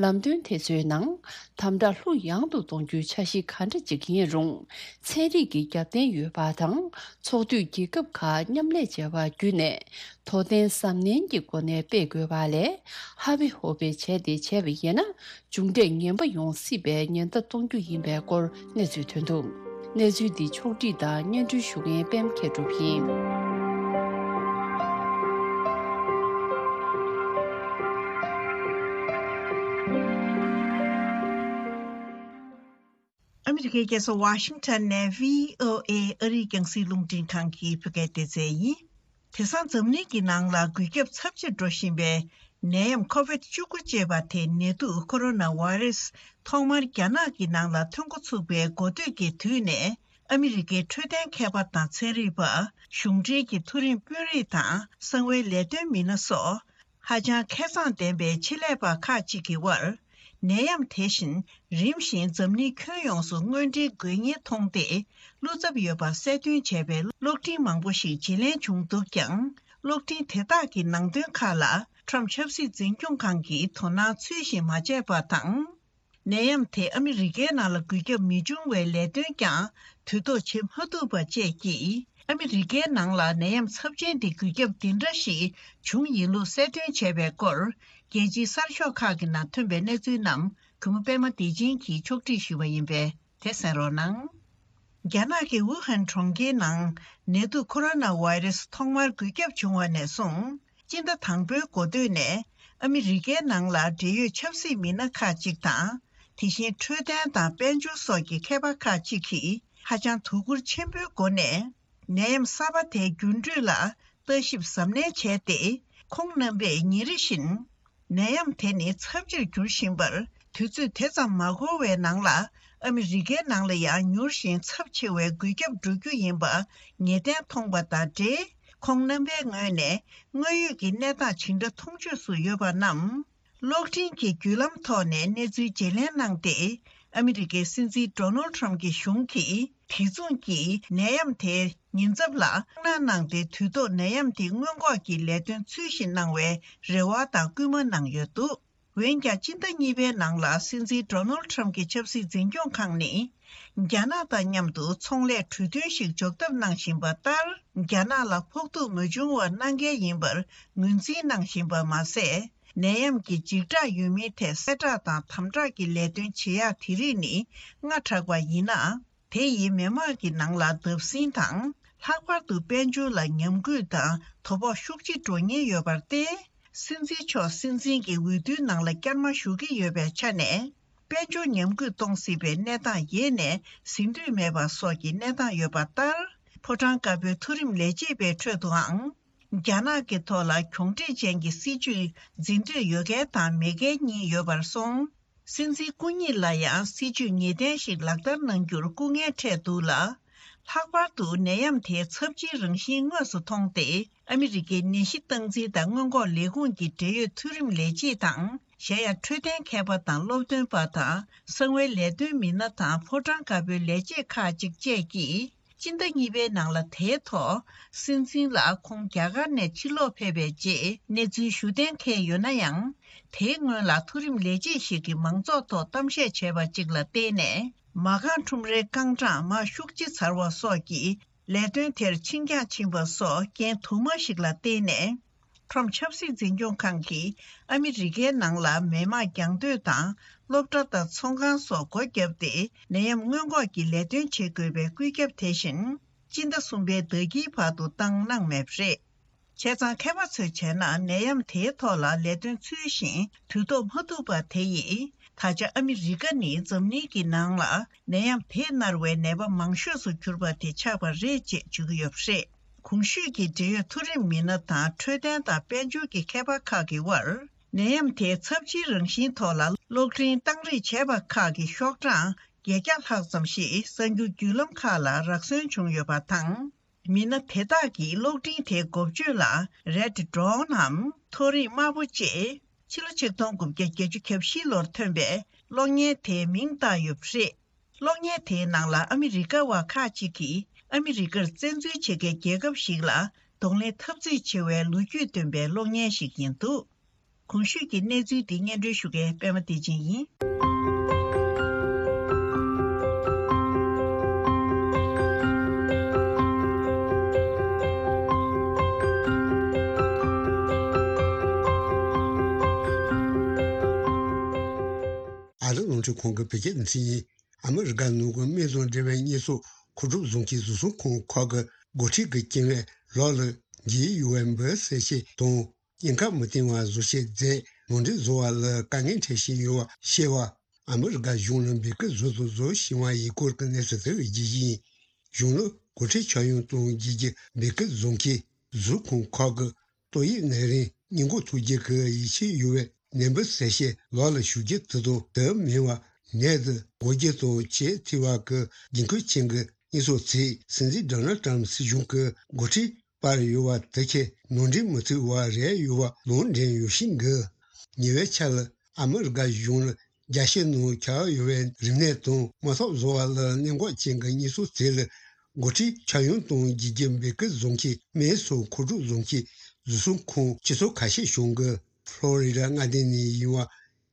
ལམ་སྟོན་དེ་ཚོའི་ནང་དམ་དྲག་ལྷུག་ཡངས་དུ་གཏོང་རྒྱུའི་འཆར་གཞི་ག་འདྲ་ཅིག་ཡིན་རུང་། ཚན་རིག་གི་རྒྱབ་རྟེན་ཡོད་པ་དང་། ཚོགས་འཐུས་རྒྱལ་ཁབ་ཁག་མཉམ་ལས་བྱས་པ་བརྒྱུད་ནས། དོ་བརྟན་གཟབ་ནན་གྱི་སྒོ་ནས་སྤེལ་དགོས་པ་ལས། ཧ་བེ་ཧོ་བེ་བྱས་ཏེ་བྱས་པ་ཡིན་ན། མཇུག་འབྲས་ངན་པ་ཡོང་སྲིད་པའི་ཉེན་བརྡ་གཏོང་རྒྱུ་ཡིན་པའི་སྐོར་གནས་ཚུལ་ཐོན་འདུག་གནས་ཚུལ་འདི་ཕྱོགས་བསྒྲིགས་དང་སྙན་སྒྲོན་ཞུ་མཁན་པད་མ་མཁས་གྲུབ་ཡིན། ཨ་མི་རི་ཀའི་རྒྱལ་ས་ཝ་ཤིང་ཊོན་ནས་བྷི་ཨོ་ཨེ་ཨ་རིའི་རྒྱང་སྲིང་རླུང་འཕྲིན་ཁང་གི་བོད་སྐད་སྡེ་ཚན་ཡིན། དེང་སང་འཛམ་གླིང་གི་ནང་ལ་འགོས་ཁྱབ་ཚབས་ཆེར་འགྲོ་བཞིན་པའི་ནད་ཡམས་ཁོ་བིད་བཅུ་དགུ་ཅེས་པ་དེ་ནད་དུག་ཁོ་རོ་ན་བྷ་རེ་སི་ཐོག་མར་རྒྱ་ནག་གི་ནང་ལ་ཐོན་འགོ་ཚུགས་པའི་འགོ་སྟོད་ཀྱི་དུས་ནས། ཨ་མི་རི་ཀའི་འཕྲོད་བསྟེན་མཁས་པ་དང་ཚན་རིག་པ། གཞུང་འབྲེལ་གྱི་མཐོ་རིམ་དཔོན་རིགས་དང་གསང་བའི་ལས་དོན་མི་སྣ་སོགས། ཧ་ཅང་མཁས་མཛངས་ལྡན་པའི་ཆེད་ལས་པ་ཁག་ཅིག་གི་དབར། ནད་ཡམས་དེ་བཞིན་རིམ་བཞིན་འཛམ་གླིང་ཁྱོན་ཡོངས་སུ་དངོས་འབྲེལ་འགོས་ཉེན་མཐོང་སྟེ། བློ་འཚབ་ཡོད་པ་གསལ་སྟོན་བྱས་པའི་གློག་འཕྲིན་མང་པོ་ཞིག་བརྗེ་ལེན་བྱུང་འདུག་ཀྱང་། གློག་འཕྲིན་དེ་དག་གི་ནང་དོན་ཁག་ལ་ཁྲོམ་ཆབ་སྲིད་འཛིན་སྐྱོང་ཁང་གིitོ་སྣང་ཚུལ་བཞིན་མ་བྱས་པ་དང་། ནད་ཡམས་དེ་ཨ་མི་རི་ཀའི་ནང་ལ་འགོས་ཁྱབ་མི་འབྱུང་བའི་ལས་དོན་ཀྱང་དུས་ཐོག་བྱེད་མ་ཐུབ་པ་བཅས་ཀྱིས། ཨ་མི་རི་ཀའི་ནང་ལ་ནད་ཡམས་ཚབས་ཆེན་འདི་འགོས་ཁྱབ་འདི་འདྲ་ཞིག་བྱུང་ཡིན་ལུགས་གསལ་སྟོན་བྱས་པའི་སྐོར། རྒྱལ་སྤྱིའི་གསར་ཤོག་ཁག་གི་ནང་ཐོན་པའི་གནས་ཚུལ་རྣམས་གུས་མོ་པད་མ་བདེ་ཆེན་གྱིས་ཕྱོགས་སྒྲིག་ཞུས་པ་ཡིན་པས། དེ་གསན་རོགས་གནང་། རྒྱ་ནག་གི་ཝུ་ཧན་གྲོང་ཁྱེར་ནང་ནད་དུག་ཁོ་རོ་ན་བྷ་རེ་སི་ཐོག་མར་འགོས་ཁྱབ་བྱུང་བ་ནས་བཟུང་། སྤྱི་ཟླ་དང་པོའི་འགོ་སྟོད་ནས་ཨ་མི་རི་ཀའི་ནང་ལ་འབྲེལ་ཡོད་ཆབ་སྲིད་མི་སྣ་ཁག་ཅིག་དང་། དེ་བཞིན་འཕྲོད་བསྟེན་དང་དཔལ་འབྱོར་སོགས་ཀྱི་མཁས་པ་ཁག་ཅིག་གིས་ཧ་ཅང་དོ་ཁུར་ཆེན་པོའི་སྒོ་ནས། ནད་ཡམས་གསར་པ་དེའི་འགྱུར་འགྲོས་ལ་ལྟ་ཞིབ་གཟབ་ནན་བྱས་ཏེ། ཁོང་རྣམ་པས་ཉིན་རེ་བཞིན་ནད་ཡམས་དེ་ནི་ཚབས་ཆེར་འགྱུར་བཞིན་པར། དུས་ཚོད་དེ་ཙམ་མ་འགོར་བའི་ནང་ལ་ཨ་མི་རི་ཀའི་ནང་ལ་ཡང་མྱུར་ཞིང་ཚབས་ཆེ་བའི་འགོས་ཁྱབ་འགྲོ་རྒྱུ་ཡིན་པ་ངེས་གཏན་མཐོང་པ་དང་འབྲེལ། ཁོང་རྣམ་པའི་ངོས་ནས་དངོས་ཡོད་ཀྱི་གནས་སྟངས་ཇི་འདྲ་མཐོང་ཆོས་སུ་ཡོད་པ་རྣམས། གློག་འཕྲིན་གྱི་བརྒྱུད་ལམ་ཐོག་ནས་གནས་ཚུལ་བརྗེ་ལེན་གནང་སྟེ། ཨ་མི་རི་ཀའི་སྲིད་འཛིན་ཌོ་ནལ་ཊམ་གྱི་གཞུང་གིས་དེ་མཚུངས་ཀྱིས་ནད་ཡམས་དེའི་ཉེན་ཚབས་ལ་ཁག་གནང་སྟེ། དུས་ཐོག་ནད་ཡམས་དེ་སྔོན་འགོག་གི་ལས་དོན་ཚུལ་བཞིན་གནང་བའི་རེ་བ་དང་སྐུལ་མ་གནང་ཡོད་འདུག་འོན་ཀྱང་། སྤྱི་ཟླ་གཉིས་པའི་ནང་ལ་སྲིད་འཛིན་ཌོ་ནལ་ཊམ་གྱི་ཆབ་སྲིད་འཛིན་སྐྱོང་ཁང་ནས། རྒྱ་ནག་དང་མཉམ་དུ་ཚོང་ལས་གྲོས་མཐུན་ཞིག་འཇོག་ཐབས་གནང་བཞིན་པ་ལྟར། རྒྱ་ནག་ལ་ཕོག་ཐུག་མ་བྱུང་བར་གནང་གལ་ཡིན་པར་ངོས་འཛིན་གནང་བཞིན་པ་མ་ཟད། ནད་ཡམས་ཀྱི་འཇིགས་སྐྲག་ཡོད་མིན་ཐད་གསལ་བསྒྲགས་དང་དམ་དྲག་གི་ལས་དོན་བྱེད་ཡག་དེ་རིགས་ནི་སྔ་དྲགས་པ་ཡིན་ན། དེ་ཡིས་མི་དམངས་ཀྱི་ནང་ལ་བརྡབ་གསིག་དང་། ལྷག་པར་དུ་དཔལ་འབྱོར་ལ་ཉམས་རྒུད་དང་དོ་ཕོག་ཤུགས་ཆེ་འགྲོ་ཉེན་ཡོད་པར་བརྟེན། སྲིད་འཛིན་མཆོག་སྲིད་འཛིན་གྱི་འོས་བསྡུའི་ནང་ལ་བསྐྱར་མ་ཞུགས་ཀྱི་ཡོད་པའི་ཆ་ནས། དཔལ་འབྱོར་ཉམས་རྒུད་གཏོང་སྲིད་པའི་གནས་སྟངས་ཡེ་ནས་ཟིན་འདོད་མེད་པ་སོགས་ཀྱི་གནས་སྟངས་ཡོད་པ་ལྟར། ཕོ་བྲང་དཀར་པོའི་མཐོ་རིམ་ལས་བྱེད་པའི་ཁྲོད་དུའང་། རྒྱ་ནག་གི་ཐོག་ལ་གྱོང་འབྲས་ཅན་གྱི་སྲིད་ཇུས་འཛིན་འདོད་ཡོད་མཁན་དང་མེད་མཁན་གཉིས་ཡོད་པར་སོང་། སྲིད་འཛིན་སྐུ་ཉིད་ལ་ཡང་སྲིད་ཇུས་ངེས་གཏན་ཞིག་ལག་བསྟར་གནང་རྒྱུར་སྐུ་ངལ་འཕྲད་འདུག་ལ། ལྷག་པར་དུ་ནད་ཡམས་དེའི་ཚབས་ཆེའི་རང་བཞིན་དངོས་སུ་མཐོང་སྟེ། ཨ་མི་རི་ཀའི་ནད་གཞི་སྟངས་འཛིན་དང་སྔོན་འགོག་ལས་ཁུངས་ཀྱི་འབྲེལ་ཡོད་མཐོ་རིམ་ལས་བྱེད་དང་། གཞན་ཡང་འཕྲོད་བསྟེན་མཁས་པ་དང་སློབ་སྟོན་པ་དང་། གསང་བའི་ལས་དོན་མི་སྣ་དང་ཕོ་བྲང་དཀར་པོའི་ལས་བྱེད་ཁག་ཅིག་བཅས་ཀྱིས། སྤྱི་ཟླ་གཉིས་པའི་ནང་ལ་དེའི་ཐོག་སྲིད་འཛིན་ལ་ཁོང་རྒྱ་གར་ནས་ཕྱིར་ལོག་ཕེབས་པའི་རྗེས་གནས་ཚུལ་ཞུ་གཏན་འཁེལ་ཡོད་ན་ཡང་། དེའི་སྔོན་ལ་མཐོ་རིམ་ལས་བྱེད་ཞིག་གིས་མང་ཚོགས་ཐོག་གཏམ་བཤད་བྱས་པ་གཅིག་ལ་བརྟེན་ནས། མ་རྐང་ཁྲོམ་རའི་རྐང་གྲངས་མར་ཤུགས་ཆེ་ཚར་བ་སོགས་ཀྱིས་ལས་དོན་དེར་འཆིང་རྒྱ་ཕྱིན་པ་སོགས་རྐྱེན་དུ་མ་ཞིག་ལ་བརྟེན་ནས། ཁྲོམ་ཆབ་སྲིད་འཛིན་སྐྱོང་ཁང་གིས་ཨ་མི་རི་ཀའི་ནང་ལ་མི་མང་རྒྱང་སྡོད་དང་སློབ་གྲྭ་དང་ཚོང་ཁང་སོགས་སྒོ་བརྒྱབ་སྟེ་ནད་ཡམས་སྔོན་འགོག་གི་ལས་དོན་བྱེད་དགོས་པའི་བཀོད་ཁྱབ་དེ་བཞིན་སྤྱི་ཟླ་གསུམ་པའི་ཟླ་དཀྱིལ་བར་དུ་བཏང་གནང་མེད་པ་རེད། བྱས་ཙང་མཁས་པ་ཚོས་བྱས་ན་ནད་ཡམས་དེའི་ཐོག་ལ་ལས་དོན་ཚུལ་བཞིན་དུས་ཐོག་མ་ཐུབ་པ་དེ་ཡིས། ད་ཆ་ཨ་མི་རི་ཀ་ནི་འཛམ་གླིང་གི་ནང་ལ་ནད་ཡམས་དེས་མནར་བའི་ནད་པ་མང་ཤོས་སུ་གྱུར་པ་དེ་ཆགས་པ་རེད་ཅེས་བརྗོད་ཀྱི་ཡོད་པ་རེད། གོང་ཞུས་ཀྱི་འབྲེལ་ཡོད་མཐོ་རིམ་མི་སྣ་དང་འཕྲོད་བསྟེན་དང་དཔལ་འབྱོར་གྱི་མཁས་པ་ཁག་གི་དབར། ནད་ཡམས་དེའི་ཚབས་ཆེའི་རང་བཞིན་ཐོག་ལ་གློག་འཕྲིན་བཏང་རེས་བྱས་པ་ཁག་གི་ཤོག་གྲངས་བརྒྱད་བརྒྱ་ལྷག་ཙམ་ཞིག་གསར་འགྱུར་བརྒྱུད་ལམ་ཁག་ལ་རག་སོན་བྱུང་ཡོད་པ་དང་། མི་སྣ་དེ་དག་གིས་གློག་འཕྲིན་དེའི་འགོ་བརྗོད་ལ་Red Dawn་འམ་མཐོ་རིས་དམར་པོ་ཅེས། ཕྱི་ལོ་ཆིག་སྟོང་དགུ་བརྒྱ་བརྒྱད་ཅུ་གྱ་བཞི་ལོར་ཐོན་པའི་གློག་བརྙན་དེའི་མིང་བཏགས་ཡོད་པ་རེད། གློག་བརྙན་དེའི་ནང་ལ་ཨ་མི་རི་ཀ་བ་ཁག་ཅིག་གིས་ཨ་མི་རི་ཀར་བཙན་འཛུལ་བྱེད་མཁན་རྒྱལ་ཁབ་ཞིག་ལ་གདོང་ལེན་འཐབ་རྩོད་བྱེད་པའི་ལོ་རྒྱུས་སྟོན་པའི་གློག་བརྙན་ཞིག་ཡིན་འདུག་གོང་ཞུས་ཀྱི་གནས་ཚུལ་འདི་སྙན་སྒྲོན་ཞུ་མཁན་པད་མ་བདེ་ཆེན་ཡིན། ཨ་རི་རླུང་འཕྲིན་ཁང་གི་བོད་སྐད་སྡེ་ཚན་ཡིན། ཨ་མི་རི་ཀ་ནང་གི་སྨན་དང་འབྲེལ་བའི་དངོས་ཟོག་མཁོ་སྒྲུབ་ཟོན་གྱི་རྫོང་ཁོངས་ཁག་གི་འགོ་ཁྲིད་ཀྱི་སྐྱེ་དམན་ལག་ལ་འགྱེལ་ཡོད་པའི་འབུ་བསད་བྱས་དང་། ཉེན་ཁ་མི་བཏང་བ་བཟོ་བྱེད་རྫས་ནང་འདྲེན་བཟོ་བ་ལ་དཀའ་ངལ་འཕྲད་བཞིན་ཡོད་པ་ཤེས་པ། ཨ་མི་རི་ཀ་གཞུང་ནས་འབོད་སྐུལ་བཟོ་དང་བཟོ་བཞིན་པ་ཡི་སྐོར་གྱི་གནས་ཚུལ་དེ་རྒྱས་ཡིན། གཞུང་ནས་འགོ་ཁྲིད་ཆ་ཡང་དང་རྒྱལ་གྱི་འབོད་སྐུལ་བཟོ་མཁན་གཟུགས་ཁོང་ཁག་གི་ཏོག་དབྱིབས་ནད་རིམས་སྔོན་འགོག་ཐུགས་རྗེ་གི་ཡིད་ཆེས་ཡོད་པའི་ནད་འབུ་བསད་བྱེད་ལག་ལ་ཞུགས་རྒྱུ་དེ་དང་དེ་མིན་པ་ནད་དུ་འགོས་རྒྱུ་དང་བཅས་ཐེ་བ་གི་འགན་ཁུར་ཅན་གྱི་དངོས་ཟོག་ཚིག་སྲིད་འཛིན་ཌོ་ནལ་ཊམ་སྲིད་གཞུང་གི་འགོ་ཁྲིད་པར་ཡོད་པ་དེ་ཁས་ནང་འདྲེན་མི་ཐུབ་པ་རེད་ཡོད་པ་ལུང་འདྲེན་ཡོད་བཞིན་གི། ཉེ་བའི་ཆར་ལ་ཨ་མི་རི་ཀ་གཞུང་ལ་རྒྱལ་སྤྱི་ནང་ཁྱབ་ཡོད་པའི་རིམས་ནད་དང་དམག་འཐབ་བཟོ་བ་ལ་གནད་འགག་ཅན་གྱི་དངོས་ཟོག་དེ་ལ་འགོ་ཁྲིད་ཆ་ཡང་དང་རྒྱལ་གྱི་འབོད་སྐུལ་བཟོ་མཁན་སྨན་སོགས་མཁོ་སྒྲུབ་བཟོ་མཁན་རྫོང་ཁོངས་སྤྱི་ཚོགས་ཁ་ཤས་བྱུང་གི། ཕློ་རི་ཌ་མངའ་སྡེ་ནས་ཡིན་པ་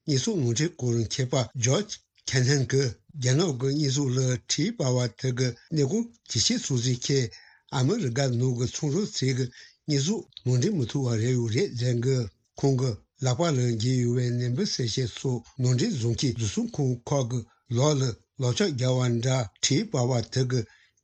དངོས་ཟོག་ནང་འདྲེན་སྐོར་མཁས་པ་ཇོརྗ་ཁེ་ནན་གྱིས་རྒྱ་ནག་གི་དངོས་ཟོག་ལ་དྲེག་པ་བ་དེ་གི་ནད་གོང་ཇེ་ཆེར་སོང་ཚུལ་ཁྱེད་ཨ་མི་རི་ཀ་ནང་གི་ཚོང་ཟོག་ཚིག་གི་དངོས་ཟོག་ནང་འདྲེན་མི་ཐུབ་པ་རེད་ཡོད་རེད་ཟེར་གི། ཁོང་གིས་ལག་པ་ལ་འགྱེལ་ཡོད་པའི་ནད་འབུ་བསད་བྱེད་སོགས་ནང་འདྲེན་བཟོ་མཁན་རྫོང་ཁོངས་ཁག་གི་ལག་ལ་ལག་ཆ་རྒྱག་པ་འདྲ་དྲེག་པ་བ་དེ་གི་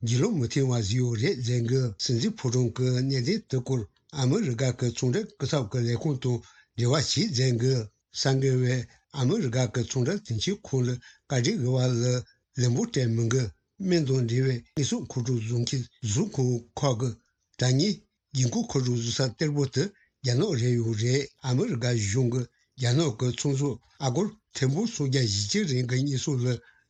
འགྱེལ་ལོ་མི་ཐེངས་བ་ཟིག་ཡོད་རེད་ཟེར་གི། སྲིད་འཛིན་ཕོ་བྲང་གི་གནད་དོན་དེ་སྐོར་ཨ་མི་རི་ཀ་གི་ཚོང་འབྲེལ་སྐུ་ཚབ་ཀྱི་ལས་ཁུངས་དང་འབྲེལ་བ་བྱས་ཟེར་གི། གསར་འགོད་པས་ཨ་མི་རི་ཀ་གི་ཚོང་འབྲེལ་དོན་གཅོད་ཁང་ལ་བཀའ་འདྲི་ཞུས་པ་ལ་ལན་པོ་སྤྲད་མི་འདུག་སྨན་དང་འབྲེལ་བའི་དངོས་ཟོག་མཁོ་སྒྲུབ་བཟོ་མཁན་རྫོང་ཁོངས་ཁག་གི་དྲ་བརྙན་འགན་ཁུར་མཁོ་སྒྲུབ་བཟོ་ས་གཏེར་པོ་དེ་རྒྱ་ནག་རེད་ཡོད་རེད། ཨ་མི་རི་ཀ་གཞུང་གིས་རྒྱ་ནག་གི་ཚོང་ཟོག་ཨ་སྒོར་ཐེར་འབུམ་སུམ་བརྒྱ་བཞི་བཅུ་རིང་གི་དངོས་ཟོག་ལ་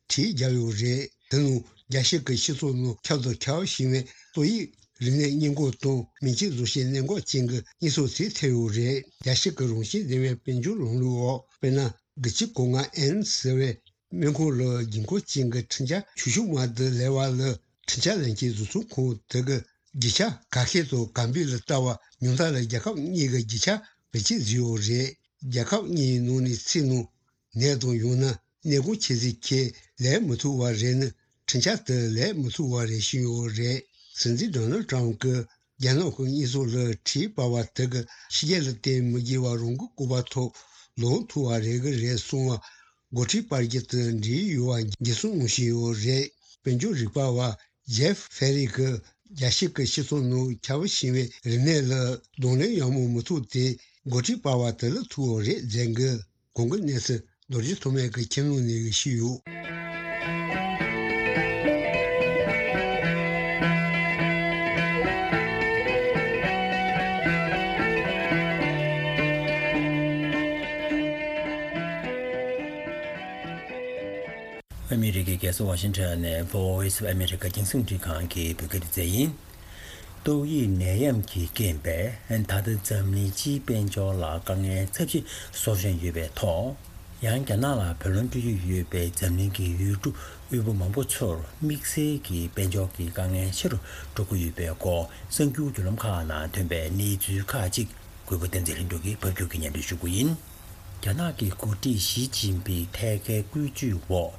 དྲེག་བརྒྱབ་ཡོད་རེད། དེ་ནང་རྒྱལ་སྤྱི་གི་སྤྱི་ཚོགས་ནང་ཁྱབ་དང་ཁྱབ་བཞིན་པའི་ཏོག་དབྱིབས་ རིག་གནས་སྙན་ཁོག་དང་མི་ཆེས་བཟོ་ཤེས་གནད་འགག་ཅན་གྱི་རྙེད་སོ་ཚིག་ཐེབས་ཡོད་རེད། རྒྱལ་སྤྱི་གི་རང་བཞིན་ལྡན་པའི་དཔལ་འབྱོར་ལམ་ལུགས་འོག་དཔེར་ན་དགུ་གཅིག་གོ་ལྔ་ཨེན་ཟེར་བའི་སྨན་ཁང་ལ་རྒྱུན་འཁོར་ཅན་གྱི་འཕྲིན་བཅར་ཆུ་ཤུགས་མར་དུ་ལེན་པ་ལ་འཕྲིན་བཅར་ལེན་མཁན་བཟོ་ཚོང་ཁང་དེ་གི་རྒྱུ་ཆ་ག་ཤེད་དང་ག་འབིགས་ལ་ལྟ་བ་ཉུང་མཐའ་ལ་རྒྱལ་ཁབ་གཉིས་ཀྱི་རྒྱུ་ཆ་བེད་སྤྱོད་བཟོས་ཡོད་རེད། རྒྱལ་ཁབ་གཉིས་ནང་ནས་ཚིག་ནང་ནད་དང་ཡང་ན་ནད་གོང་ཆེ་ཚེ་ཁྱེད་ལས་མི་ཐུབ་པ་རེད་ནི་འཕྲིན་བཅར་དེ་ལས་མི་ཐུབ་པ་རེད་བཤད་ཡོད་རེད། སྲིད་འཛིན་ཌོ་ནལ་ཊམ་གྱིས་རྒྱ་ནག་གི་རྙེད་སོ་ལ་འཕྲིན་སྤར་བ་དེ་གི་ཕྱི་རྒྱལ་ལ་བརྟེན་མི་དགོས་པར་རང་གི་སྐོར་བ་ཐོག་ལོག་ཐུབ་པ་རེད་གི་རེད་གསུངས་པ། འགོ་ཁྲིད་སྤར་རྒྱུ་དེ་འགྲིག་ཡོད་པ་འགྱུར་སོང་ངོ་ཤེས་ཡོད་རེད། དཔལ་འབྱོར་རིག་པ་བ་ཇེབ་ཧྥེ་རི་གིས་རྒྱལ་སྤྱི་གི་སྤྱི་ཚོགས་ནང་ཁྱབ་ཞེན་པའི་རིག་གནས་ལ་གདོང་ལེན་ཡག་མོ་མི་ཐུབ་སྟེ་འགོ་ཁྲིད་སྤར་བ་དེ་ལ་ཐུག་ཡོད་རེད་ཟེར་གི། གོང་གི་གནས་ཚུལ་རྡོ་རྗེ་ཐོགས་མེད་ཀྱིས་ཁྱིམ་ལུང་ནས་ཞུས་ཡོད། ཨ་མི་རི་ཀའི་རྒྱལ་ས་ཝ་ཤིང་ཊོན་ནས་Voice of America་རྒྱང་སྲིང་རླུང་འཕྲིན་ཁང་གི་བོད་སྐད་སྡེ་ཚན་ཡིན། ཏོག་དབྱིབས་ནད་ཡམས་ཀྱི་རྐྱེན་པས་ད་ལྟ་འཛམ་གླིང་སྤྱིའི་དཔལ་འབྱོར་ལ་དཀའ་ངལ་ཚབས་ཆེ་བཟོ་བཞིན་ཡོད་པའི་ཐོག་ཡང་རྒྱ་ནག་ལ་བུ་ལོན་སྤྲོད་ཀྱི་ཡོད་པའི་འཛམ་གླིང་གི་ཡུལ་གྲུ་དབུལ་པོ་མང་པོ་ཚོར་དམིགས་བསལ་གྱི་དཔལ་འབྱོར་གྱི་དཀའ་ངལ་ཆེ་རུ་འགྲོ་གི་ཡོད་པའི་སྐོར་གསར་འགྱུར་བརྒྱུད་ལམ་ཁག་ནང་ཐོན་པའི་གནས་ཚུལ་ཁག་ཅིག་གུས་པ་བསྟན་འཛིན་ལྷུན་གྲུབ་ཀྱིས་ཕབ་སྒྱུར་གྱིས་སྙན་སྒྲོན་ཞུ་རྒྱུ་ཡིན། རྒྱ་ནག་གི་འགོ་ཁྲིད་ཞི་ཅིན་ཕིང་ཐད་ཀའི་བཀོད་ཇུས་འོག་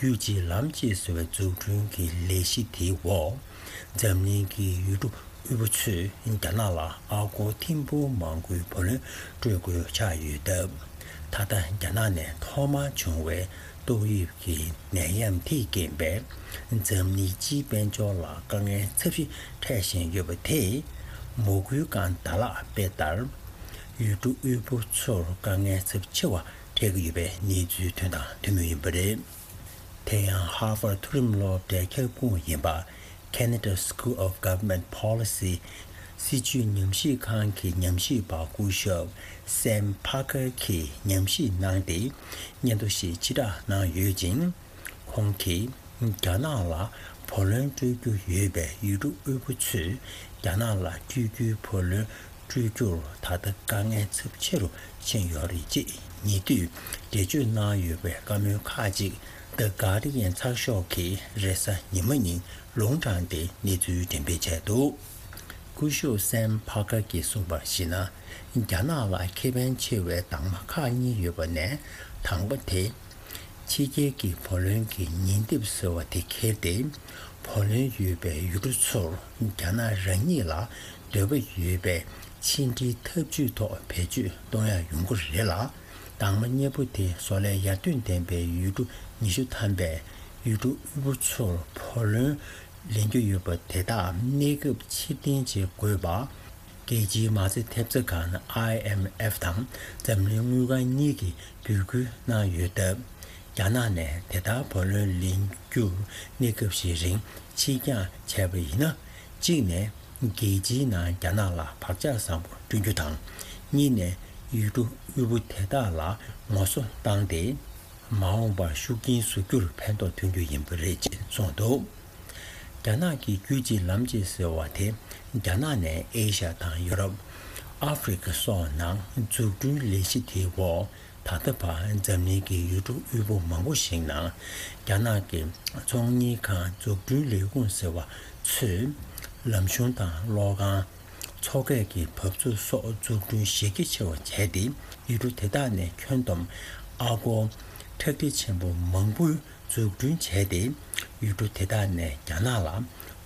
རྒྱུད་གཅིག་ལམ་གཅིག་ཟེར་བའི་འཛུགས་སྐྲུན་གྱི་ལས་གཞི་དེའི་འོག་འཛམ་གླིང་གི་ཡུལ་གྲུ་དབུལ་པོ་ཚོས་རྒྱ་ནག་ལ་ཨ་སྒོར་ཐེར་འབུམ་མང་པོའི་བུ་ལོན་སྤྲོད་དགོས་ཆགས་ཡོད་སྟབས། ད་ལྟ་རྒྱ་ནག་ནས་ཐོག་མར་བྱུང་བའི་ཏོག་དབྱིབས་ཀྱི་ནད་ཡམས་དེའི་རྐྱེན་པས་འཛམ་གླིང་སྤྱིའི་དཔལ་འབྱོར་ལ་དཀའ་ངལ་ཚབས་ཆེ་འཕྲད་བཞིན་ཡོད་པ་དེས་མོ་གུའི་སྒང་ད་ལག་དཔེ་ལྟར། ཡུལ་གྲུ་དབུལ་པོ་ཚོར་དཀའ་ངལ་ཚབས་ཆེ་བ་འཕྲད་ཀྱི་ཡོད་པའི་གནས་ཚུལ་ཐོན་དང་ཐོན་མུས་ཡིན་པ་རེད། དེ་ཡང་ཧར་ཝར་མཐོ་རིམ་སློབ་གྲྭའི་ཁྱབ་ཁོངས་ཡིན་པ་Canada School of Government Policy སྲིད་ཇུས་ཉམས་ཞིབ་ཁང་གི་ཉམས་ཞིབ་པ་སྐུ་ཞབས་Sam Parker གྱིས་ཉམས་ཞིབ་གནང་སྟེ་སྙན་ཐོ་ཞིག་ཕྱིར་བསྒྲགས་གནང་ཡོད་ཅིང་། ཁོང་གིས་རྒྱ་ནག་ལ་བུ་ལོན་སྤྲོད་རྒྱུ་ཡོད་པའི་ཡུལ་གྲུ་དབུལ་པོ་ཚོས་རྒྱ་ནག་ལ་སྤྲོད་རྒྱུའི་བུ་ལོན་སྤྲོད་རྒྱུར་ད་ལྟ་དཀའ་ངལ་ཚབས་ཆེ་རུ་ཕྱིན་ཡོད་རེད་ཅེས་ཉེ་དུས་འགྲེལ་བརྗོད་གནང་ཡོད་པའི་བཀའ་མོལ་ཁག་ཅིག་The Guardian ཚགས་ཤོག་གིས་རེས་གཟའ་ཉི་མ་ཉིན་ལུང་དྲངས་ཏེ་གནས་ཚུལ་འགྲེམས་སྤེལ་བྱས་འདུག་སྐུ་ཞབས་Sam Parker གྱིས་གསུངས་པར་གཞིགས་ན། རྒྱ་ནག་ལ་ཁེ་ཕན་ཆེ་བའི་དྭངས་མ་ཁག་གཉིས་ཡོད་པ་ནས་དང་པོ་དེ། ཕྱི་རྒྱལ་གྱི་བུ་ལོན་གྱི་ཉིན་དེབ་ཟེར་བ་དེ་འཁྱེར་ཏེ། བུ་ལོན་ཡོད་པའི་ཡུལ་གྲུ་ཚོར་རྒྱ་ནག་རང་ཉིད་ལ་འདོད་པ་ཡོད་པའི་ཕྱི་འབྲེལ་ཐབས་ཇུས་ཐོག་བེད་སྤྱོད་གཏོང་ཡ་ཡོང་གི་རེད་ལ། དྭངས་མ་གཉིས་པོ་དེ་བཟོ་ལས་ཡར་ཐོན་ལྡན་པའི་ཡུལ་གྲུ་ཉི་ཤུ་ཐམ་པས་ཡུལ་གྲུ་དབུལ་པོ་ཚོར་བུ་ལོན་ལེན་རྒྱུ་ཡོད་པ་དེ་དག་གནས་སྐབས་ཕྱིར་འཐེན་བྱེད་དགོས་པ། རྒྱལ་སྤྱིའི་མ་རྩ་ཐེབས་རྩ་ཁང་ཨའི་ཨེམ་ཨེཕ་དང་འཛམ་གླིང་དངུལ་ཁང་གཉིས་ཀྱིས་འབོད་སྐུལ་གནང་ཡོད་སྟབས། རྒྱ་ནག་ནས་དེ་ལྟར་བུ་ལོན་ལེན་རྒྱུར་གནས་སྐབས་ཤིག་རིང་ཕྱིར་འགྱངས་བྱས་པ་ཡིན་ན། གཅིག་ནས་རྒྱལ་སྤྱིའི་ནང་རྒྱ་ནག་ལ་བག་ཆགས་བཟང་པོ་བསྐྲུན་རྒྱུ་དང་། གཉིས་ནས་ཡུལ་གྲུ་དབུལ་པོ་དེ་དག་ལ་ངོ་སོ་བཏང་སྟེ། མ་འོངས་པར་ཤུགས་རྐྱེན་བཟོ་རྒྱུར་ཕན་ཐོགས་ཐོན་རྒྱུ་ཡིན་པ་རེད་ཅེས་གསུངས་འདུག་རྒྱ་ནག་གི་རྒྱུད་གཅིག་ལམ་གཅིག་ཟེར་བ་དེ་རྒྱ་ནག་ནས་ཨེ་ཤ་ཡ་དང་ཡོ་རོབ། ཨ་ཧྥེ་རི་ཁ་སོགས་ནང་འཛུགས་སྐྲུན་ལས་གཞི་དེའི་འོག་ད་ལྟ་བར་འཛམ་གླིང་གི་ཡུལ་གྲུ་དབུལ་པོ་མང་པོ་ཞིག་ནང་རྒྱ་ནག་གི་ཚོང་གཉེར་ཁང་འཛུགས་སྐྲུན་ལས་ཁུངས་ཟེར་བ་ཚོས་ལམ་གཞུང་དང་གློག་ཁང་། མཚོ་སྐས་ཀྱི་འབབ་ཚུགས་སོགས་འཛུགས་སྐྲུན་གཞི་རྒྱ་ཆེ་བ་བྱས་ཏེ་ཡུལ་གྲུ་དེ་དག་ནས་ཁྱོན་བསྡོམས་ཨ་སྒོར་ཁྲག་ཁྲིག་ཆེན་པོ་མང་པོའི་འཛུགས་སྐྲུན་བྱས་ཏེ། ཡུལ་གྲུ་དེ་དག་ནས་རྒྱ་ནག་ལ་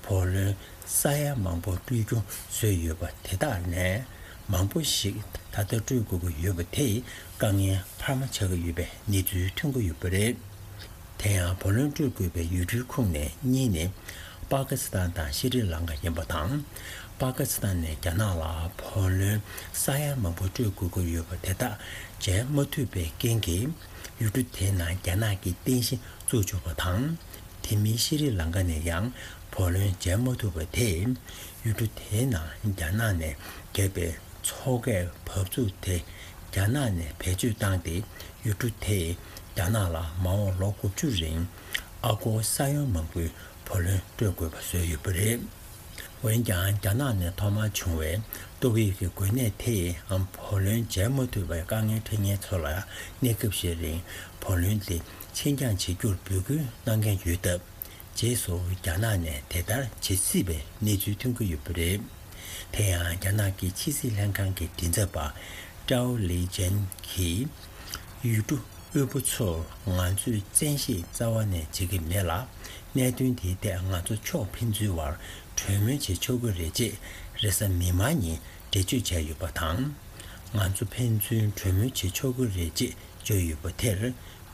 བུ་ལོན་ས་ཡ་མང་པོ་སྤྲོད་རྒྱུ་བཟོས་ཡོད་པ་དེ་དག་ནས་མང་པོ་ཞིག་ད་ལྟ་སྤྲོད་དགོས་ཀྱི་ཡོད་པ་དེས་དཀའ་ངལ་འཕར་མ་ཆགས་ཀྱི་ཡོད་པའི་གནས་ཚུལ་ཐོན་གྱི་ཡོད་པ་རེད། དེ་ཡང་བུ་ལོན་སྤྲོད་དགོས་པའི་ཡུལ་གྲུའི་ཁོངས་ནས་གཉིས་ནི་པ་ཀི་སི་ཐན་དང་ཤྲི་ལང་ཀ་ཡིན་པ་དང་། པ་ཀི་སི་ཐན་ནས་རྒྱ་ནག་ལ་བུ་ལོན་ས་ཡ་མང་པོ་སྤྲོད་དགོས་ཀྱི་ཡོད་པ་དེ་དག་འཇལ་མ་ཐུབ་པའི་རྐྱེན་གྱིས། ཡུལ་གྲུ་དེའི་ནང་རྒྱ་ནག་གི་རྟེན་གཞི་བཙུགས་བཅུག་པ་དང་། དེ་མིན་ཤྲི་ལང་ཀ་ནས་ཡང་བུ་ལོན་འཇལ་མ་ཐུབ་པ་དེས་ཡུལ་གྲུ་དེའི་ནང་རྒྱ་ནག་ནས་བརྒྱབ་པའི་མཚོ་སྐས་བབས་ཚུགས་དེ་རྒྱ་ནག་ནས་བེད་སྤྱོད་བཏང་སྟེ་ཡུལ་གྲུ་དེས་རྒྱ་ནག་ལ་མ་འོངས་ལོ་དགུ་བཅུ་རིང་ཨ་སྒོར་ས་ཡོམ་མང་པོའི་བུ་ལོན་སྤྲོད་དགོས་པ་བཟོས་ཡོད་པ་རེད། འོན་ཀྱང་རྒྱ་ནག་ནས་ཐོག་མར་བྱུང་བའི་ཏོག་དབྱིབས་ཀྱི་འགོས་ནད་དེས་བུ་ལོན་འཇལ་མ་ཐུབ་པའི་དཀའ་ངལ་འཕྲད་མཁན་ཚོ་ལ་གནས་སྐབས་ཤིག་རིང་བུ་ལོན་དེ་ཕྱིར་འགྱངས་བྱེད་རྒྱུར་འབོད་སྐུལ་གནང་མཁན་ཡོད་སྟབས། རྗེས་སུ་རྒྱ་ནག་ནས་དེ་ལྟར་བྱེད་སྲིད་པའི་གནས་ཚུལ་ཐོན་གྱི་ཡོད་པ་རེད། དེ་ཡང་རྒྱ་ནག་གི་ཕྱི་སྲིད་ལྷན་ཁང་གི་མགྲིན་ཚབ་པ་ཀྲའོ་ལི་ཅན་གྱིས། ཡུལ་གྲུ་དབུལ་པོ་ཚོར་ང་ཚོས་བཙན་ཤེད་རྩ་བ་ནས་བྱེད་ཀྱི་མེད་ལ། གནད་དོན་དེའི་ཐད་ང་ཚོ་ཕྱོགས་ཕན་ཚུན་བར་གྲོས་མོལ་བྱེད་ཆོག་གི་རེད་ཅེས་རེས་གཟའ་མིག་དམར་ཉིན་འགྲེལ་བརྗོད་བྱས་ཡོད་པ་དང་། ང་ཚོ་ཕན་ཚུན་གྲོས་མོལ་བྱེད་ཆོག་གི་རེད་ཅེས་བརྗོད་ཡོད་པ་དེར་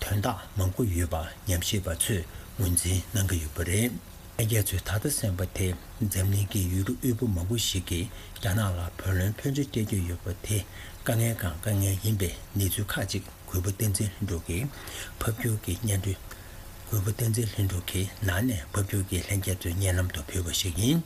དོན་དག་མང་པོ་ཡོད་པ་ཉམས་ཞིབ་པ་ཚོས་ངོས་འཛིན་གནང་གི་ཡོད་པ་རེད། ལྷན་རྒྱས་ཚོས་ད་ལྟ་གསན་པ་དེ་འཛམ་གླིང་གི་ཡུལ་གྲུ་དབུལ་པོ་མང་པོ་ཞིག་གིས་རྒྱ་ནག་ལ་བུ་ལོན་ཕོན་ཆེ་སྤྲད་ཀྱི་ཡོད་པ་དེ་དཀའ་ངལ་གང་དཀའ་ངལ་ཡིན་པའི་གནས་ཚུལ་ཁག་ཅིག་གུས་པ་བསྟན་འཛིན་ལྷུན་གྲུབ་ཀྱིས་ཕབ་སྒྱུར་གྱི་སྙན་སྒྲོན། གུས་པ་བསྟན་འཛིན་ལྷུན་གྲུབ་ཀྱིས་ནང་ནས་ཕབ་སྒྱུར་གྱིས་ལྷན་རྒྱས་ཚོའི་སྙན་ལམ་དུ་ཕུལ་བ་ཞིག་ཡིན།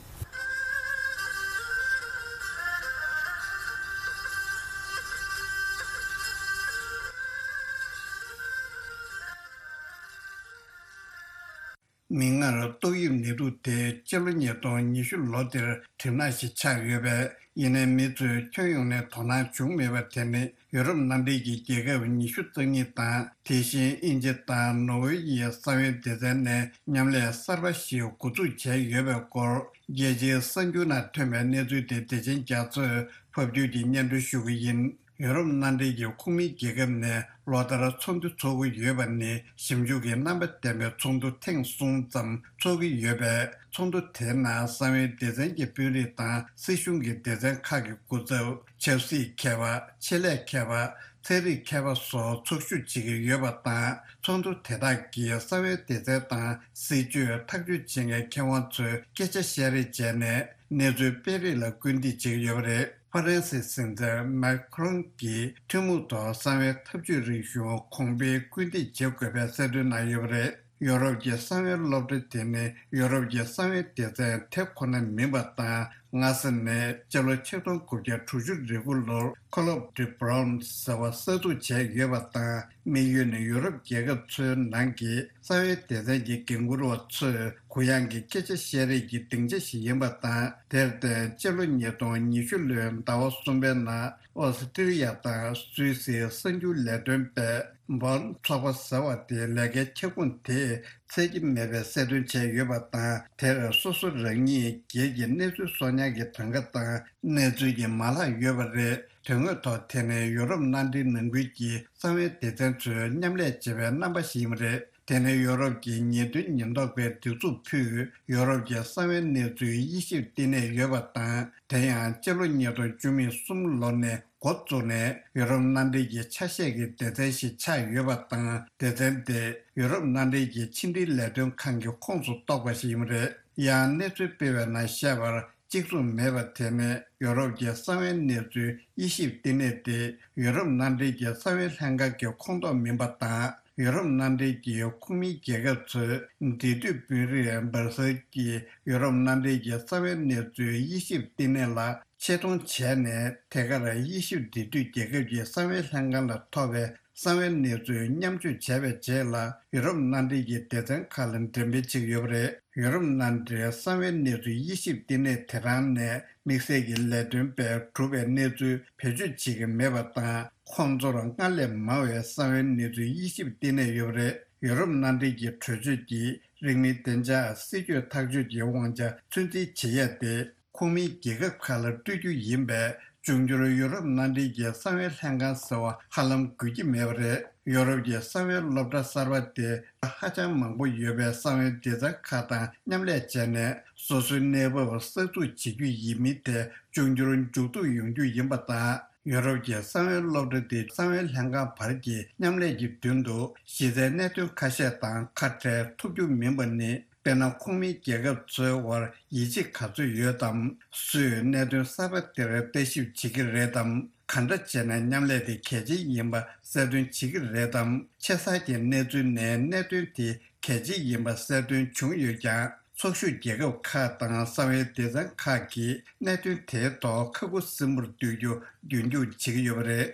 མིག་སྔར་ཏོག་དབྱིབས་ནད་དུག་དེ་སྤྱི་ལོ་ཉིས་སྟོང་ཉི་ཤུ་ལོ་དེར་གྲིབ་ནག་ཞིག་ཆགས་ཡོད་པས། ཡིན་ནའི་མི་ཚོས་ཁྱོན་ཡོངས་ནས་དོ་སྣང་བྱུང་མེད་པ་དེ་ནི་ཡུ་རོབ་མནའ་འབྲེལ་གྱི་རྒྱལ་ཁབ་ཉི་ཤུ་རྩ་གཉིས་དང་། དེ་བཞིན་དབྱིན་ཇི་དང་ནོར་ཝེ་ཡི་གསང་བའི་སྡེ་ཚན་ནས་མཉམ་ལས་གསར་པ་ཞིག་འགོ་འཛུགས་བྱས་ཡོད་པའི་སྐོར། རྒྱལ་སྤྱིའི་གསར་འགྱུར་ནང་ཐོན་པའི་གནས་ཚུལ་དེ་བདེ་ཆེན་རྒྱ་མཚོས་ཕབ་སྒྱུར་གྱིས་སྙན་སྒྲོན་ཞུ་གི་ཡིན། ཡུ་རོབ་མནའ་འབྲེལ་གྱི་ཁོངས་མིའི་རྒྱལ་ཁབ་ནས་ལོ་ལྟར་ཚོགས་འདུ་འཚོགས་ཀྱི་ཡོད་པ་ནི་ཞིབ་འཇུག་གི་རྣམ་པ་ལྡན་པའི་ཚོགས་འདུ་ཐེངས་གསུམ་ཙམ་འཚོགས་ཀྱི་ཡོད་པས། ཚོགས་འདུ་དེའི་ནང་གསང་བའི་སྡེ་ཚན་གྱི་དཔོན་རིགས་དང་སྲིད་གཞུང་གི་སྡེ་ཚན་ཁག་གི་སྐུ་ཚབ། ཆབ་སྲིད་མཁས་པ། ཆེད་ལས་མཁས་པ། ཚན་རིག་མཁས་པ་སོགས་ཚོགས་ཞུགས་བྱེད་ཀྱི་ཡོད་པ་དང་། ཚོགས་འདུ་དེ་དག་གིས་གསང་བའི་སྡེ་ཚན་དང་སྲིད་བྱུས་ཐག་གཅོད་བྱེད་མཁན་མཁས་དབང་ཚོས་སྐད་ཆ་བཤད་རེས་བྱས་ནས་གནས་ཚུལ་སྤེལ་རེས་ལ་སྐུལ་འདེད་བྱེད་ཀྱི་ཡོད་པ་རེད། ཧྥ་རན་སིའི་སྲིད་འཛིན་མཱ་ཁི་རོན་གྱིས་ཐུན་མོང་ཐོག་གསང་བའི་འཐབ་ཇུས་རིག་གཞུང་གོང་འཕེལ་སྐུལ་འདེད་བྱེད་དགོས་པའི་གསལ་སྟོན་གནང་ཡོད་པ་རེད། ཡོ་རོབ་ཀྱི་གསང་བའི་སློབ་གྲྭ་དེ་ནི་ཡོ་རོབ་ཀྱི་གསང་བའི་སྡེ་ཚན་དེ་ཁོ་ན་མིན་པ་དང་། སྔ་ས་ནས་སྤྱི་ལོ་ཆིག་སྟོང་དགུ་བརྒྱ་དྲུག་ཅུ་རེ་དགུ་ལོར་Collège de Bronn ཟེར་བ་གསར་འཛུགས་བྱས་ཡོད་པ་དང་། དམིགས་ཡུལ་ནི་ཡོ་རོབ་རྒྱལ་ཁབ་ཚོའི་ནང་གི་གསང་བའི་སྡེ་ཚན་གྱི་འགན་འཁུར་བ་ཚོས་གུ་ཡངས་ཀྱི་སྐད་ཆ་བཤད་རེས་ཀྱི་སྡིངས་ཆ་ཞིག་ཡིན་པ་དང་། དེར་བརྟེན་སྤྱི་ལོ་ཉིས་སྟོང་ཉི་ཤུ་ལོའི་ཟླ་བ་གསུམ་པའི་ནང་ཨོ་སི་ཀྲི་ཡ་དང་སུད་སིའི་གསར་འགྱུར་ལས་དོན་པས་Bern ཚོགས་པ་ཟེར་བ་དེའི་ལས་ཀའི་ཁྱབ་ཁོངས་དེས་ཚད་ཀྱི་མེད་པའི་གསལ་སྟོན་བྱས་ཡོད་པ་དང་། དེར་སོ་སོ་རང་ཉིད་སྒེར་གྱི་གནས་ཚུལ་གསོག་ཉར་གྱི་གྲངས་ཀ་དང་གནས་ཚུལ་གྱི་མ་ལག་ཡོད་པ་རེད། དོན་དངོས་ཐོག་དེ་ནི་ཡོ་རོབ་མནའ་འབྲེལ་ནང་ཁུལ་གྱི་གསང་བའི་སྡེ་ཚན་ཚོས་མཉམ་ལས་བྱེད་པའི་རྣམ་པ་ཞིག་ཡིན་པ་རེད། དེ་ནི་ཡོ་རོབ་ཀྱི་ཉེས་དོན་ཉེན་རྟོག་པས་སྒྲིག་འཛུགས་ཕུད་ཡོ་རོབ་ཀྱི་གསང་བའི་གནས་ཚུལ་དབྱེ་ཞིབ་བསྟི་གནས་ཡོད་པ་དང་། དེ་ཡང་སྤྱི་ལོ་ཉིས་སྟོང་བཅུ་མེད་གསུམ་ལོ་ནས་འགོ་བཙུགས་ནས་ཡོ་རོབ་མནའ་འབྲེལ་གྱི་ཆ་ཤས་ཀྱི་སྡེ་ཚན་ཞིག་ཆགས་ཡོད་པ་དང་། སྡེ་ཚན་དེ་ཡོ་རོབ་མནའ་འབྲེལ་གྱི་ཕྱི་འབྲེལ་ལས་དོན་ཁང་གི་ཁོངས་སུ་གཏོགས་པ་ཞིག་ཡིན་པ་རེད། ཡང་གནས་ཚུལ་སྤེལ་བའི་ནང་བཤད་པར། གཅིག་མཚུངས་མེད་པ་དེ་ནི་ཡོ་རོབ་ཀྱི་གསང་བའི་གནས་ཚུལ་དབྱེ་ཞིབ་བསྟི་གནས་དེ་ཡོ་རོབ་མནའ་འབྲེལ་གྱི་གསང་བའི་ལྷན་ཁང་གི་ཁོངས་གཏོགས་མིན་པ་དང་། ཡོ་རོབ་མནའ་འབྲེལ་གྱི་ཁོངས་མིའི་རྒྱལ་ཁབ་ཚོས་འབྲེལ་མཐུད་དཔོན་རིགས་སྦར་སེལ་གྱིས་ཡོ་རོབ་མནའ་འབྲེལ་གྱི་གསང་བའི་གནས་ཚུལ་དབྱེ་ཞིབ་བསྟི་གནས་ལ་ཆེད་གཏོང་བྱས་ནས། ཐད་ཀར་དབྱེ་ཞིབ་འབྲེལ་མཐུད་རྒྱལ་ཁབ་ཀྱི་གསང་བའི་ལྷན་ཁང་ལ་ཐོབ་པའི་གསང་བའི་གནས་ཚུལ་མཉམ་སྤྱོད་བྱས་པའི་རྗེས་ལ། ཡུ་རོབ་མནའ་འབྲེལ་གྱི་སྡེ་ཚན་ཁག་ལ་འགྲེམས་སྤེལ་བྱེད་ཀྱི་ཡོད་པ་རེད། ཡུ་རོབ་མནའ་འབྲེལ་གསང་བའི་གནས་ཚུལ་དབྱེ་ཞིབ་བསྟི་གནས་དེ་རང་ནས་དམིགས་བསལ་གྱི་ལས་དོན་པས་གྲུབ་པའི་གནས་ཚུལ་བེད་སྤྱོད་བྱེད་ཀྱི་མེད་པ་དང་། ཁོང་ཚོར་སྔར་ལས་མང་བའི་གསང་བའི་གནས་ཚུལ་དབྱེ་ཞིབ་བསྟི་གནས་ཡོད་པ་རེད། ཡུ་རོབ་མནའ་འབྲེལ་གྱི་གྲོས་ཆོད་ཀྱིས་རིང་མིན་བདེ་འཇགས་སྲིད་ཇུས་ཐག་གཅོད་ཀྱི་དབང་ཆ་ཚུད་འཛིན་བྱེད་ཡས་དེ། ཁོངས་མིའི་རྒྱལ་ཁབ་ཁག་ལ་སྤྲོད་རྒྱུ་ཡིན་པས། འབྱུང་འགྱུར་ཡུ་རོབ་མནའ་འབྲེལ་གྱི་གསང་བའི་ལྷན་ཁང་ཟེར་བ་ཧ་ལམ་དགོས་ཀྱི་མེད་པ་རེད། ཡོ་རོབ་ཀྱི་གསང་བའི་སློབ་གྲྭ་གསར་པ་དེ་ཧ་ཅང་མང་པོ་ཡོད་པའི་གསང་བའི་སྡེ་ཚན་ཁག་དང་མཉམ་ལས་བྱས་ནས། སོ་སོའི་གནས་བབ་གསར་འཛུགས་བྱེད་རྒྱུ་ཡིན་མིན་དེ་འབྱུང་འགྱུར་མཇུག་བསྡུ་ཡོང་རྒྱུ་ཡིན་པ་དང་། ཡོ་རོབ་ཀྱི་གསང་བའི་སློབ་གྲྭ་དེ་གསང་བའི་ལྷན་ཁང་བར་གྱི་མཉམ་ལས་ཀྱི་མདུན་དུ་གཞི་རྩའི་གནད་དོན་ཁ་ཤས་དང་ཁ་བྲལ་ཐུབ་རྒྱུ་མིན་པ་ནི། དཔེར་ན། ཁོངས་མིའི་རྒྱལ་ཁབ་ཚོའི་དབར་ཡིད་ཆེས་ག་ཚོད་ཡོད་དམ། སུས་གནད་དོན་གསར་པ་དེར་ལྟ་ཞིབ་བྱེད་ཀྱི་རེད་དམ། ག་འདྲ་བྱས་ན་མཉམ་ལས་དེ་གལ་ཆེན་ཡིན་པ་གསལ་སྟོན་བྱེད་ཀྱི་རེད་དམ། ཆེ་ས་ཀྱི་གནས་ཚུལ་ནས་གནད་དོན་དེ་གལ་ཆེན་ཡིན་པ་གསལ་སྟོན་བྱུང་ཡོད་ཀྱང་། ཚོགས་ཞུགས་རྒྱལ་ཁབ་ཁག་དང་གསང་བའི་སྡེ་ཚན་ཁག་གིས་གནད་དོན་དེའི་ཐོག་ཁ་ཁུ་སིམ་པོར་སྡོད་རྒྱུ་རྒྱུན་འཁྱོངས་བྱེད་ཀྱི་ཡོད་པ་རེད།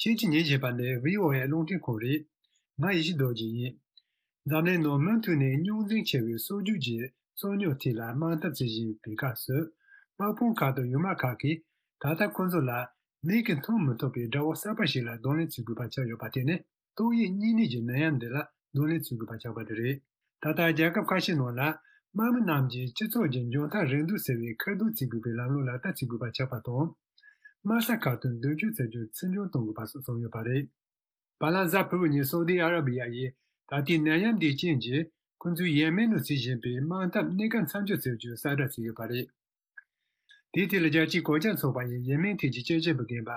ཁྱེད་ཀྱིས་ཉན་བཞིན་པ་ནི་བྷི་ཨོ་ཨེ་རླུང་འཕྲིན་ཁང་རེད། ང་ཡེ་ཤེས་རྡོ་རྗེ་ཡིན། འཛམ་གླིང་ནང་མུ་མཐུད་ནས་རྙོག་འཛིང་ཆེ་བའི་སྲོལ་རྒྱུན་གྱི་རྩོད་རྙོག་ཐད་ལ་དམག་འཐབ་བྱེད་བཞིན་པའི་སྐབས་སུ། དམག་དཔུང་ཁག་དང་ཡུལ་དམག་ཁག་གིས་ད་ལྟ་ཁོ་ཚོ་ལ་མིག་གིས་མཐོང་མི་ཐུབ་པའི་དགྲ་བོ་གསར་པ་ཞིག་ལ་གདོང་ལེན་བྱེད་དགོས་པ་ཆགས་ཡོད་པ་དེ་ནི། ཏོག་དབྱིབས་གཉན་ནད་ཀྱི་ནད་ཡམས་འདི་ལ་གདོང་ལེན་བྱེད་དགོས་པ་ཆགས་པ་དེ་རེད། ད་ལྟ་རྒྱལ་ཁབ་ཁ་ཤས་ནང་ལ་དམག་མི་རྣམས་ཀྱིས་སྤྱི་ཚོགས་ཀྱི་འཇོན་ཐང་རིན་བསྡུར་ཟེར་བའི་ཁ་རྡུང་བྱེད་དགོས་པའི་ལམ་ལུགས་ལག་བསྟར་བྱེད་དགོས་པ་ཆགས་པ་དང་། དམག་ས་ཁག་ཏུ་མདུན་སྐྱོད་བྱ་རྒྱུ་ཚིག་སྦྱོར་གཏོང་དགོས་པ་སོགས་གསུངས་ཡོད་པ་རེད། བ་ལན་གཟའ་ཕུར་བུ་ཉིན་སོ་ཏི་ཨ་ར་བི་ཡ་ཡིས་ད་ལྟའི་ནད་ཡམས་འདིའི་རྐྱེན་གྱིས་ཁོ་ཚོའི་ཡེ་མེན་ནང་བྱེད་བཞིན་པའི་དམག་འཐབ་གནས་སྐབས་མཚམས་འཇོག་བྱ་རྒྱུའི་གསལ་བསྒྲགས་བྱས་ཡོད་པ་རེད། དེའི་ཐད་ལ་རྒྱལ་སྤྱིའི་གོད་ཆག་ཚོགས་པ་ཡིས་ཡེ་མེན་ཐད་ཀྱི་དཔྱད་ཞིབ་པ་རྒན་པ་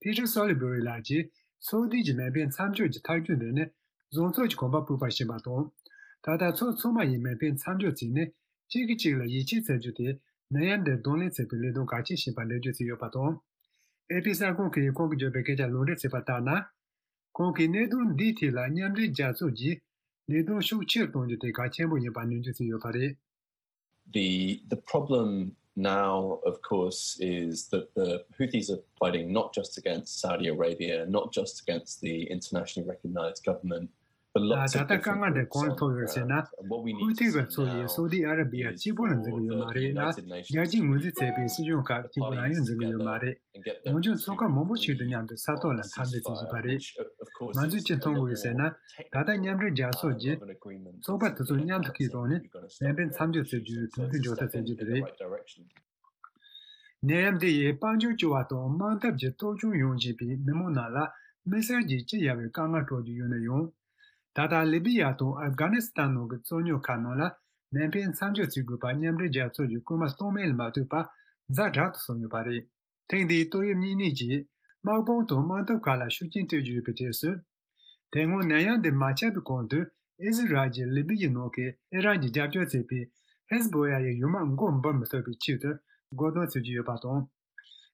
ཕི་ཊར་སོ་ལི་བྷེ་རི་ལགས་ཀྱིས། སོ་ཏི་གྱི་མེ་འཕེན་མཚམས་འཇོག་གི་ཐག་གཅོད་འདི་ནི་བཟང་ཕྱོགས་ཀྱི་གོམ་པ་སྤོས་པ་ཞིག་ཡིན་པ་དང་། ད་ལྟ་ཕྱོགས་ཚང་མ་ཡིས་མེ་འཕེན་མཚམས་འཇོག་བྱས་ནས་གཅིག་གིས་གཅིག་ལ་ཡིད་ཆེས་བྱ་རྒྱུ་དེ་ནད་ཡམས་འདིར་གདོང་ལེན་བྱེད་པའི་ལས་དོན་གལ་ཆེ་ཞིག་ཡིན་པ་ལེགས་བཅོས་བྱས་ཡོད་པ་དང་། ཨེ་པི་གསར་ཁང་གིས་ཁོང་གིས་བརྗོད་པའི་སྐད་ཆ་ལུང་འདྲེན་བྱས་པ་ལྟར་ན། ཁོང་གིས་གནད་དོན་འདིའི་ཐད་ལ་མཉམ་འབྲེལ་རྒྱལ་ཚོགས་ཀྱིས་ལས་དོན་ཤུགས་ཆེར་གཏོང་རྒྱུ་དེ་གལ་ཆེན་པོ་ཡིན་པ་ནན་བརྗོད་བྱས་ཡོད་པ་རེད། The, the problem now, of course, is that the Houthis are fighting not just against Saudi Arabia, not just against the internationally recognized government, but lots of different groups on the ground. And what we need to see now is, uh, the Houthis are fighting against the internationally recognized government. ད་ལྟ་དཀའ་ངལ་འདི་གང་ལ་ཐུག་ཡོད་ཟེར་ན། ཧུ་ཐི་གིས་གཙོས་པའི་སོ་ཏི་ཨ་ར་བི་ཡ་གཅིག་པུ་ལ་འཛིན་གྱི་ཡོད་མ་རེད་ལ། རྒྱལ་སྤྱིའི་ངོས་འཛིན་བྱས་པའི་སྲིད་གཞུང་ཁག་གཅིག་པུ་ལ་ཡང་འཛིན་གྱི་ཡོད་མ་རེད། གང་བྱུང་ཚོགས་ཁག་མང་པོ་ཞིག་དང་མཉམ་དུ་ས་ཐོག་ལ་འཐབ་འཛིང་བྱེད་བཞིན་པ་རེད། ང་ཚོས་ཅི་མཐོང་དགོས་ཟེར་ན། ད་ལྟ་མཉམ་འབྲེལ་རྒྱལ་ཚོགས་ཀྱིས་ཚོགས་པ་དེ་ཚོ་མཉམ་དུ་ཁྲིད་བཏང་ནས་ལན་འཕེན་མཚམས་འཇོག་བྱེད་རྒྱུའི་གྲོས་མཐུན་འཇོག་ཐབས་བྱེད་རྒྱུ་དེ་རེད། ནད་ཡམས་འདི་ཡིས་དཔལ་འབྱོར་སྐྱོ་བ་དང་དམག་འཐབ་ཀྱི་སྟོབས་ཆུང་ཡོང་བཞིན་པའི་མི་མང་རྣམས་ལ་དམིགས་བསལ་གྱིས་སྐྱི་གཡའ་བའི་དཀའ་ངལ་སྤྲོད་ཀྱི་ཡོད་ན་ཡང་། ད་ལྟ་ལི་བི་ཡ་དང་ཨབ་གྷ་ནི་སི་ཐན་ནང་གི་རྩོད་རྙོག་ཁག་ནང་ལ་ལན་འཕེན་མཚམས་འཇོག་བྱེད་དགོས་པ་མཉམ་འབྲེལ་རྒྱལ་ཚོགས་ཀྱི་སྐུལ་མ་གཏོང་མིན་ལ་མ་ལྟོས་པར་ཛ་དྲག་ཏུ་སོང་ཡོད་པ་རེད། ཐེངས་འདིའི་ཏོག་དབྱིབས་གཉན་ནད་ཀྱིས་དམག་དཔུང་དང་དམག་འཐབ་ཁག་ལ་ཤུགས་རྐྱེན་སྤྲད་ཀྱི་ཡོད་པའི་གྲས་སུ། དེ་སྔོན་ནད་ཡམས་འདི་མ་ཁྱབ་པའི་གོང་དུ་ཨི་ཟི་རལ་གྱིས་ལི་བི་ཡའི་ནང་གི་ཨི་རན་གྱིས་རྒྱབ་སྐྱོར་བྱེད་པའི་ཧེ་ཟི་བྷོ་ལ་ཡི་ཡུལ་དམག་མགོ་འབུར་མི་ཐུབ་པའི་ཆེད་དུ་རྒོལ་རྡུང་བྱེད་ཀྱི་ཡོད་པ་དང་།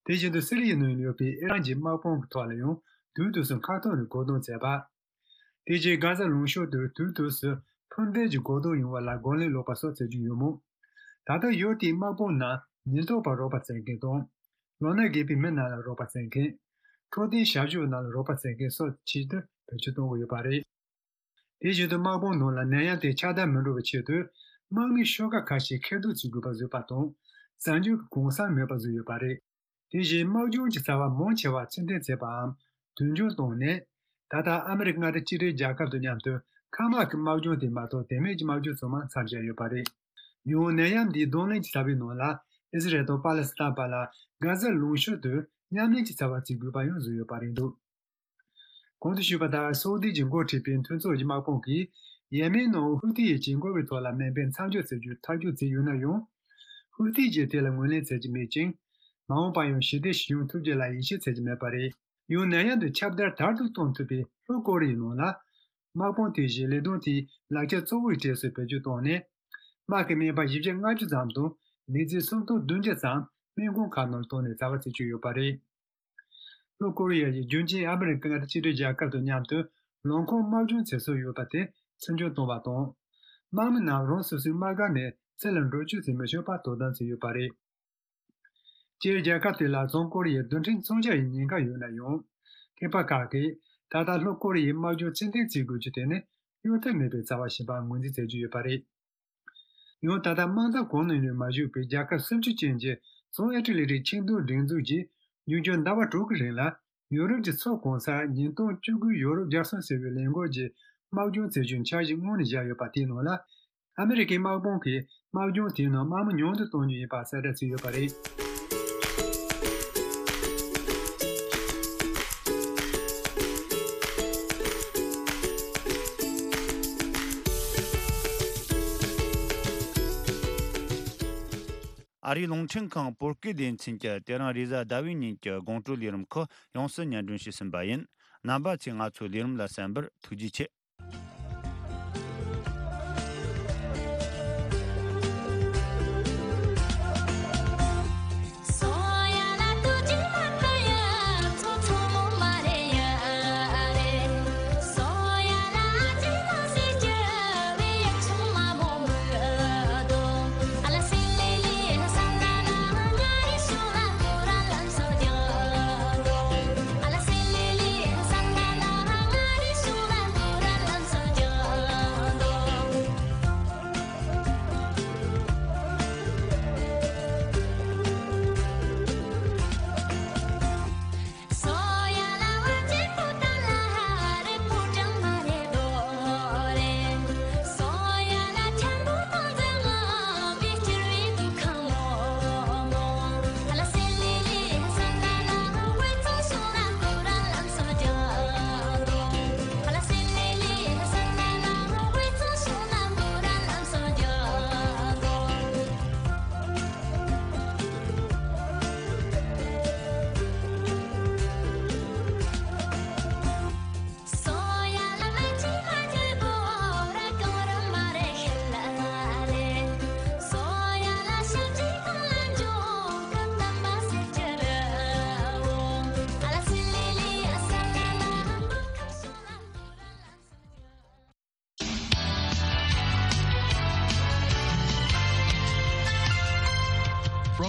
དེ་བཞིན་དུ་སི་རི་ཡའི་ནང་ཡོད་པའི་ཨི་རན་གྱི་དམག་དཔུང་གི་ཐོག་ལ་ཡང་དུས་དུས་སུ་མཁའ་ཐོག་ནས་རྒོལ་རྡུང་བྱས་པ། དེ་རྗེས་གྷ་ཟ་ལུང་གཤོང་དུ་དུས་དུས་སུ་འཕུར་མདེལ་གྱི་རྒོལ་རྡུང་ཡོང་བ་ལ་རྒོལ་ལན་སློག་པ་སོགས་བྱེད་ཀྱི་ཡོད་མོད། ད་ལྟ་ཡུལ་དེའི་དམག་དཔུང་ནང་ཉེན་རྟོག་པ་རོགས་པ་བྱེད་མཁན་དང་། ལོ་ན་རྒས་པའི་མི་རྣམས་ལ་རོགས་པ་བྱེད་མཁན། འཕྲོད་བསྟེན་ཞབས་ཞུ་རྣམས་ལ་རོགས་པ་བྱེད་མཁན་སོགས་ཆེད་དུ་བེད་སྤྱོད་གཏོང་གི་ཡོད་པ་རེད། དེ་བཞིན་དུ་དམག་དཔུང་ནང་ལ་ནད་ཡམས་དེ་ཁྱབ་གདལ་མི་འགྲོ་བའི་ཆེད་དུ། དམག་མིའི་ཤོག་ཁག་ཁ་ཤས་ཁེ་བསྡུར་བྱེད་དགོས་པ་བཟོས་པ་དང་། གསར་འགྱུར་གྱི་གུང་སེང་མེད་པ་བཟོས་ཡོད་པ་རེད། དེ་བཞིན་དམག་སྦྱོང་གི་རྩ་བ་མང་ཆེ་བ་ཕྱིར་འཐེན་བྱས་པའམ་དུས་འགྱངས་བཏང་ནས། ད་ལྟ་ཨ་མི་རི་ཀ་མངའ་སྡེ་གཅིག་སྒྲིལ་རྒྱལ་ཁབ་དང་མཉམ་དུ་མཁའ་དམག་གི་དམག་སྦྱོང་དེ་མ་གཏོགས་དེ་མིན་གྱི་དམག་སྦྱོང་ཚང་མ་མཚམས་བཞག་ཡོད་པ་རེད། ཡང་ནད་ཡམས་འདིའི་གདོང་ལེན་གྱི་རྩ་བའི་ནང་ལ་ཨི་ཟི་རལ་དང་པ་ལི་སི་ཐན་བར་ལ་གྷ་ཟ་ལུང་གཤོང་དུ་མཉམ་ལས་ཀྱི་རྩ་བ་བརྩི་དགོས་པ་ཡང་བཟོས་ཡོད་པ་རེད་འདུག་གོང་དུ་ཞུས་པ་ལྟར་སོ་ཏི་གྱིས་འགོ་ཁྲིད་པའི་མཐུན་ཚོགས་ཀྱི་དམག་དཔུང་གིས་ཡེ་མེན་ནང་ཧུ་ཐི་ཡི་བྱེད་སྒོ་བའི་ཐོག་ལ་མེ་འཕེན་མཚམས་འཇོག་བྱེད་རྒྱུའི་ཐག་གཅོད་བྱས་ཡོད་ན་ཡང་། ཧུ་ཐི་གྱིས་དེ་ལ་ངོས་ལེན་བྱེད་ཀྱི་མེད་ཅིང་། མ་འོངས་པར་ཡང་ཞི་བདེ་ཞིག་ཡོང་ཐུབ་རྒྱུ་ལ་ཡིད་ཆེས་བྱེད་ཀྱི་མེད་པ་རེད། ཡང་ནད་ཡམས་འདི་ཁྱབ་གདལ་དལ་དུ་གཏོང་ཐུབ་པའི་ལྷོ་ཀོ་རི་ཡའི་ནང་ལ། དམག་དཔུང་དེ་བཞིན་ལས་དོན་དེའི་ལག་ཆ་གཙོ་བོའི་གྲས་སུ་བེད་སྤྱོད་བཏང་ནས། དམག་གི་སྨན་པ་བཞི་བརྒྱ་ལྔ་བཅུ་ཙམ་དང་ལས་བྱེད་སུམ་སྟོང་བདུན་བརྒྱ་ཙམ་སྨན་ཁང་ཁག་ནང་བཏང་ནས་བྱ་བ་བྱེད་ཀྱི་ཡོད་པ་རེད། ལྷོ་ཀོ་རི་ཡ་ཡིས་རྒྱུན་གཅིག་ཨ་མི་རི་ཀ་མངའ་སྡེ་གཅིག་སྒྲིལ་རྒྱལ་ཁབ་དང་མཉམ་དུ་ལམ་ཁོག་དམག་སྦྱོང་བྱེད་སྲོལ་ཡོད་པ་དེ་ཚིག་སྦྱོར་བཏང་བ་དང་། དམག་མི་རྣམས་རང་སོ་སོའི་དམག་སྒར་ནས་ཕྱི་ལ་འགྲོ་སྐྱོད་བྱེད་མི་ཆོག་པར་དོ་དམ་བྱས་ཡོད་པ་རེད། སྤྱིར་རྒྱལ་ཁབ་དེ་ལ་བྱང་ཀོ་རི་ཡའི་རྡུལ་ཕྲན་མཚོན་ཆ་ཡི་ཉེན་ཁ་ཡོད་ན་ཡང་། མཁས་པ་ཁག་གིས་ད་ལྟ་ལྷོ་ཀོ་རི་ཡའི་དམག་སྦྱོང་ཕྱིར་འཐེན་བྱེད་དགོས་རྒྱུ་དེ་ནི་གཡོལ་ཐབས་མེད་པའི་རྩ་བ་ཞིག་ཡིན་པར་ངོས་འཛིན་བྱེད་ཀྱི་ཡོད་པ་རེད། ཡང་ད་ལྟ་དམག་འཐབ་གང་ནང་ཡང་མ་ཞུགས་པའི་རྒྱལ་ཁབ་སུམ་ཅུ་ཅན་གྱི་བྱང་ཨེ་ཊ་ལན་ཊིག་ཆིངས་འདུམ་སྒྲིག་འཛུགས་ཀྱིས་ཉིན་རྒྱུན་ཟླ་བ་དྲུག་གི་རིང་ལ་ཡུ་རོབ་ཀྱི་ཕྱོགས་གང་སར་ཉིས་སྟོང་བཅུ་དགུའི་ཡུ་རོབ་རྒྱལ་སྲུང་ཟེར་བའི་ལས་འགུལ་གྱི་དམག་སྦྱོང་བྱེད་རྒྱུའི་འཆར་གཞི་སྔོན་ནས་བཞག་ཡོད་པ་དེའི་ནང་ལ། ཨ་མི་རི་ཀའི་དམག་དཔུང་གིས་དམག་སྦྱོང་དེའི་ནང་དམག་མི་ཉུང་དུ་གཏོང་རྒྱུ་ཡིན་པ་གསལ་བསྒྲགས་བྱས་ཡོད་པ་རེད། ཨ་རིའི་རླུང་འཕྲིན་ཁང་བོད་སྐད་སྡེ་ཚན་གྱིས་དེ་རིང་རེས་གཟའ་ཟླ་བའི་ཉིན་གྱི་དགོང་དྲོའི་ལས་རིམ་ཁག་ཡོངས་སུ་སྙན་སྒྲོན་བྱས་ཟིན་པ་ཡིན། རྣམ་པ་ཚོས་ང་ཚོའི་ལས་རིམ་ལ་གསན་པར་ཐུགས་རྗེ་ཆེ།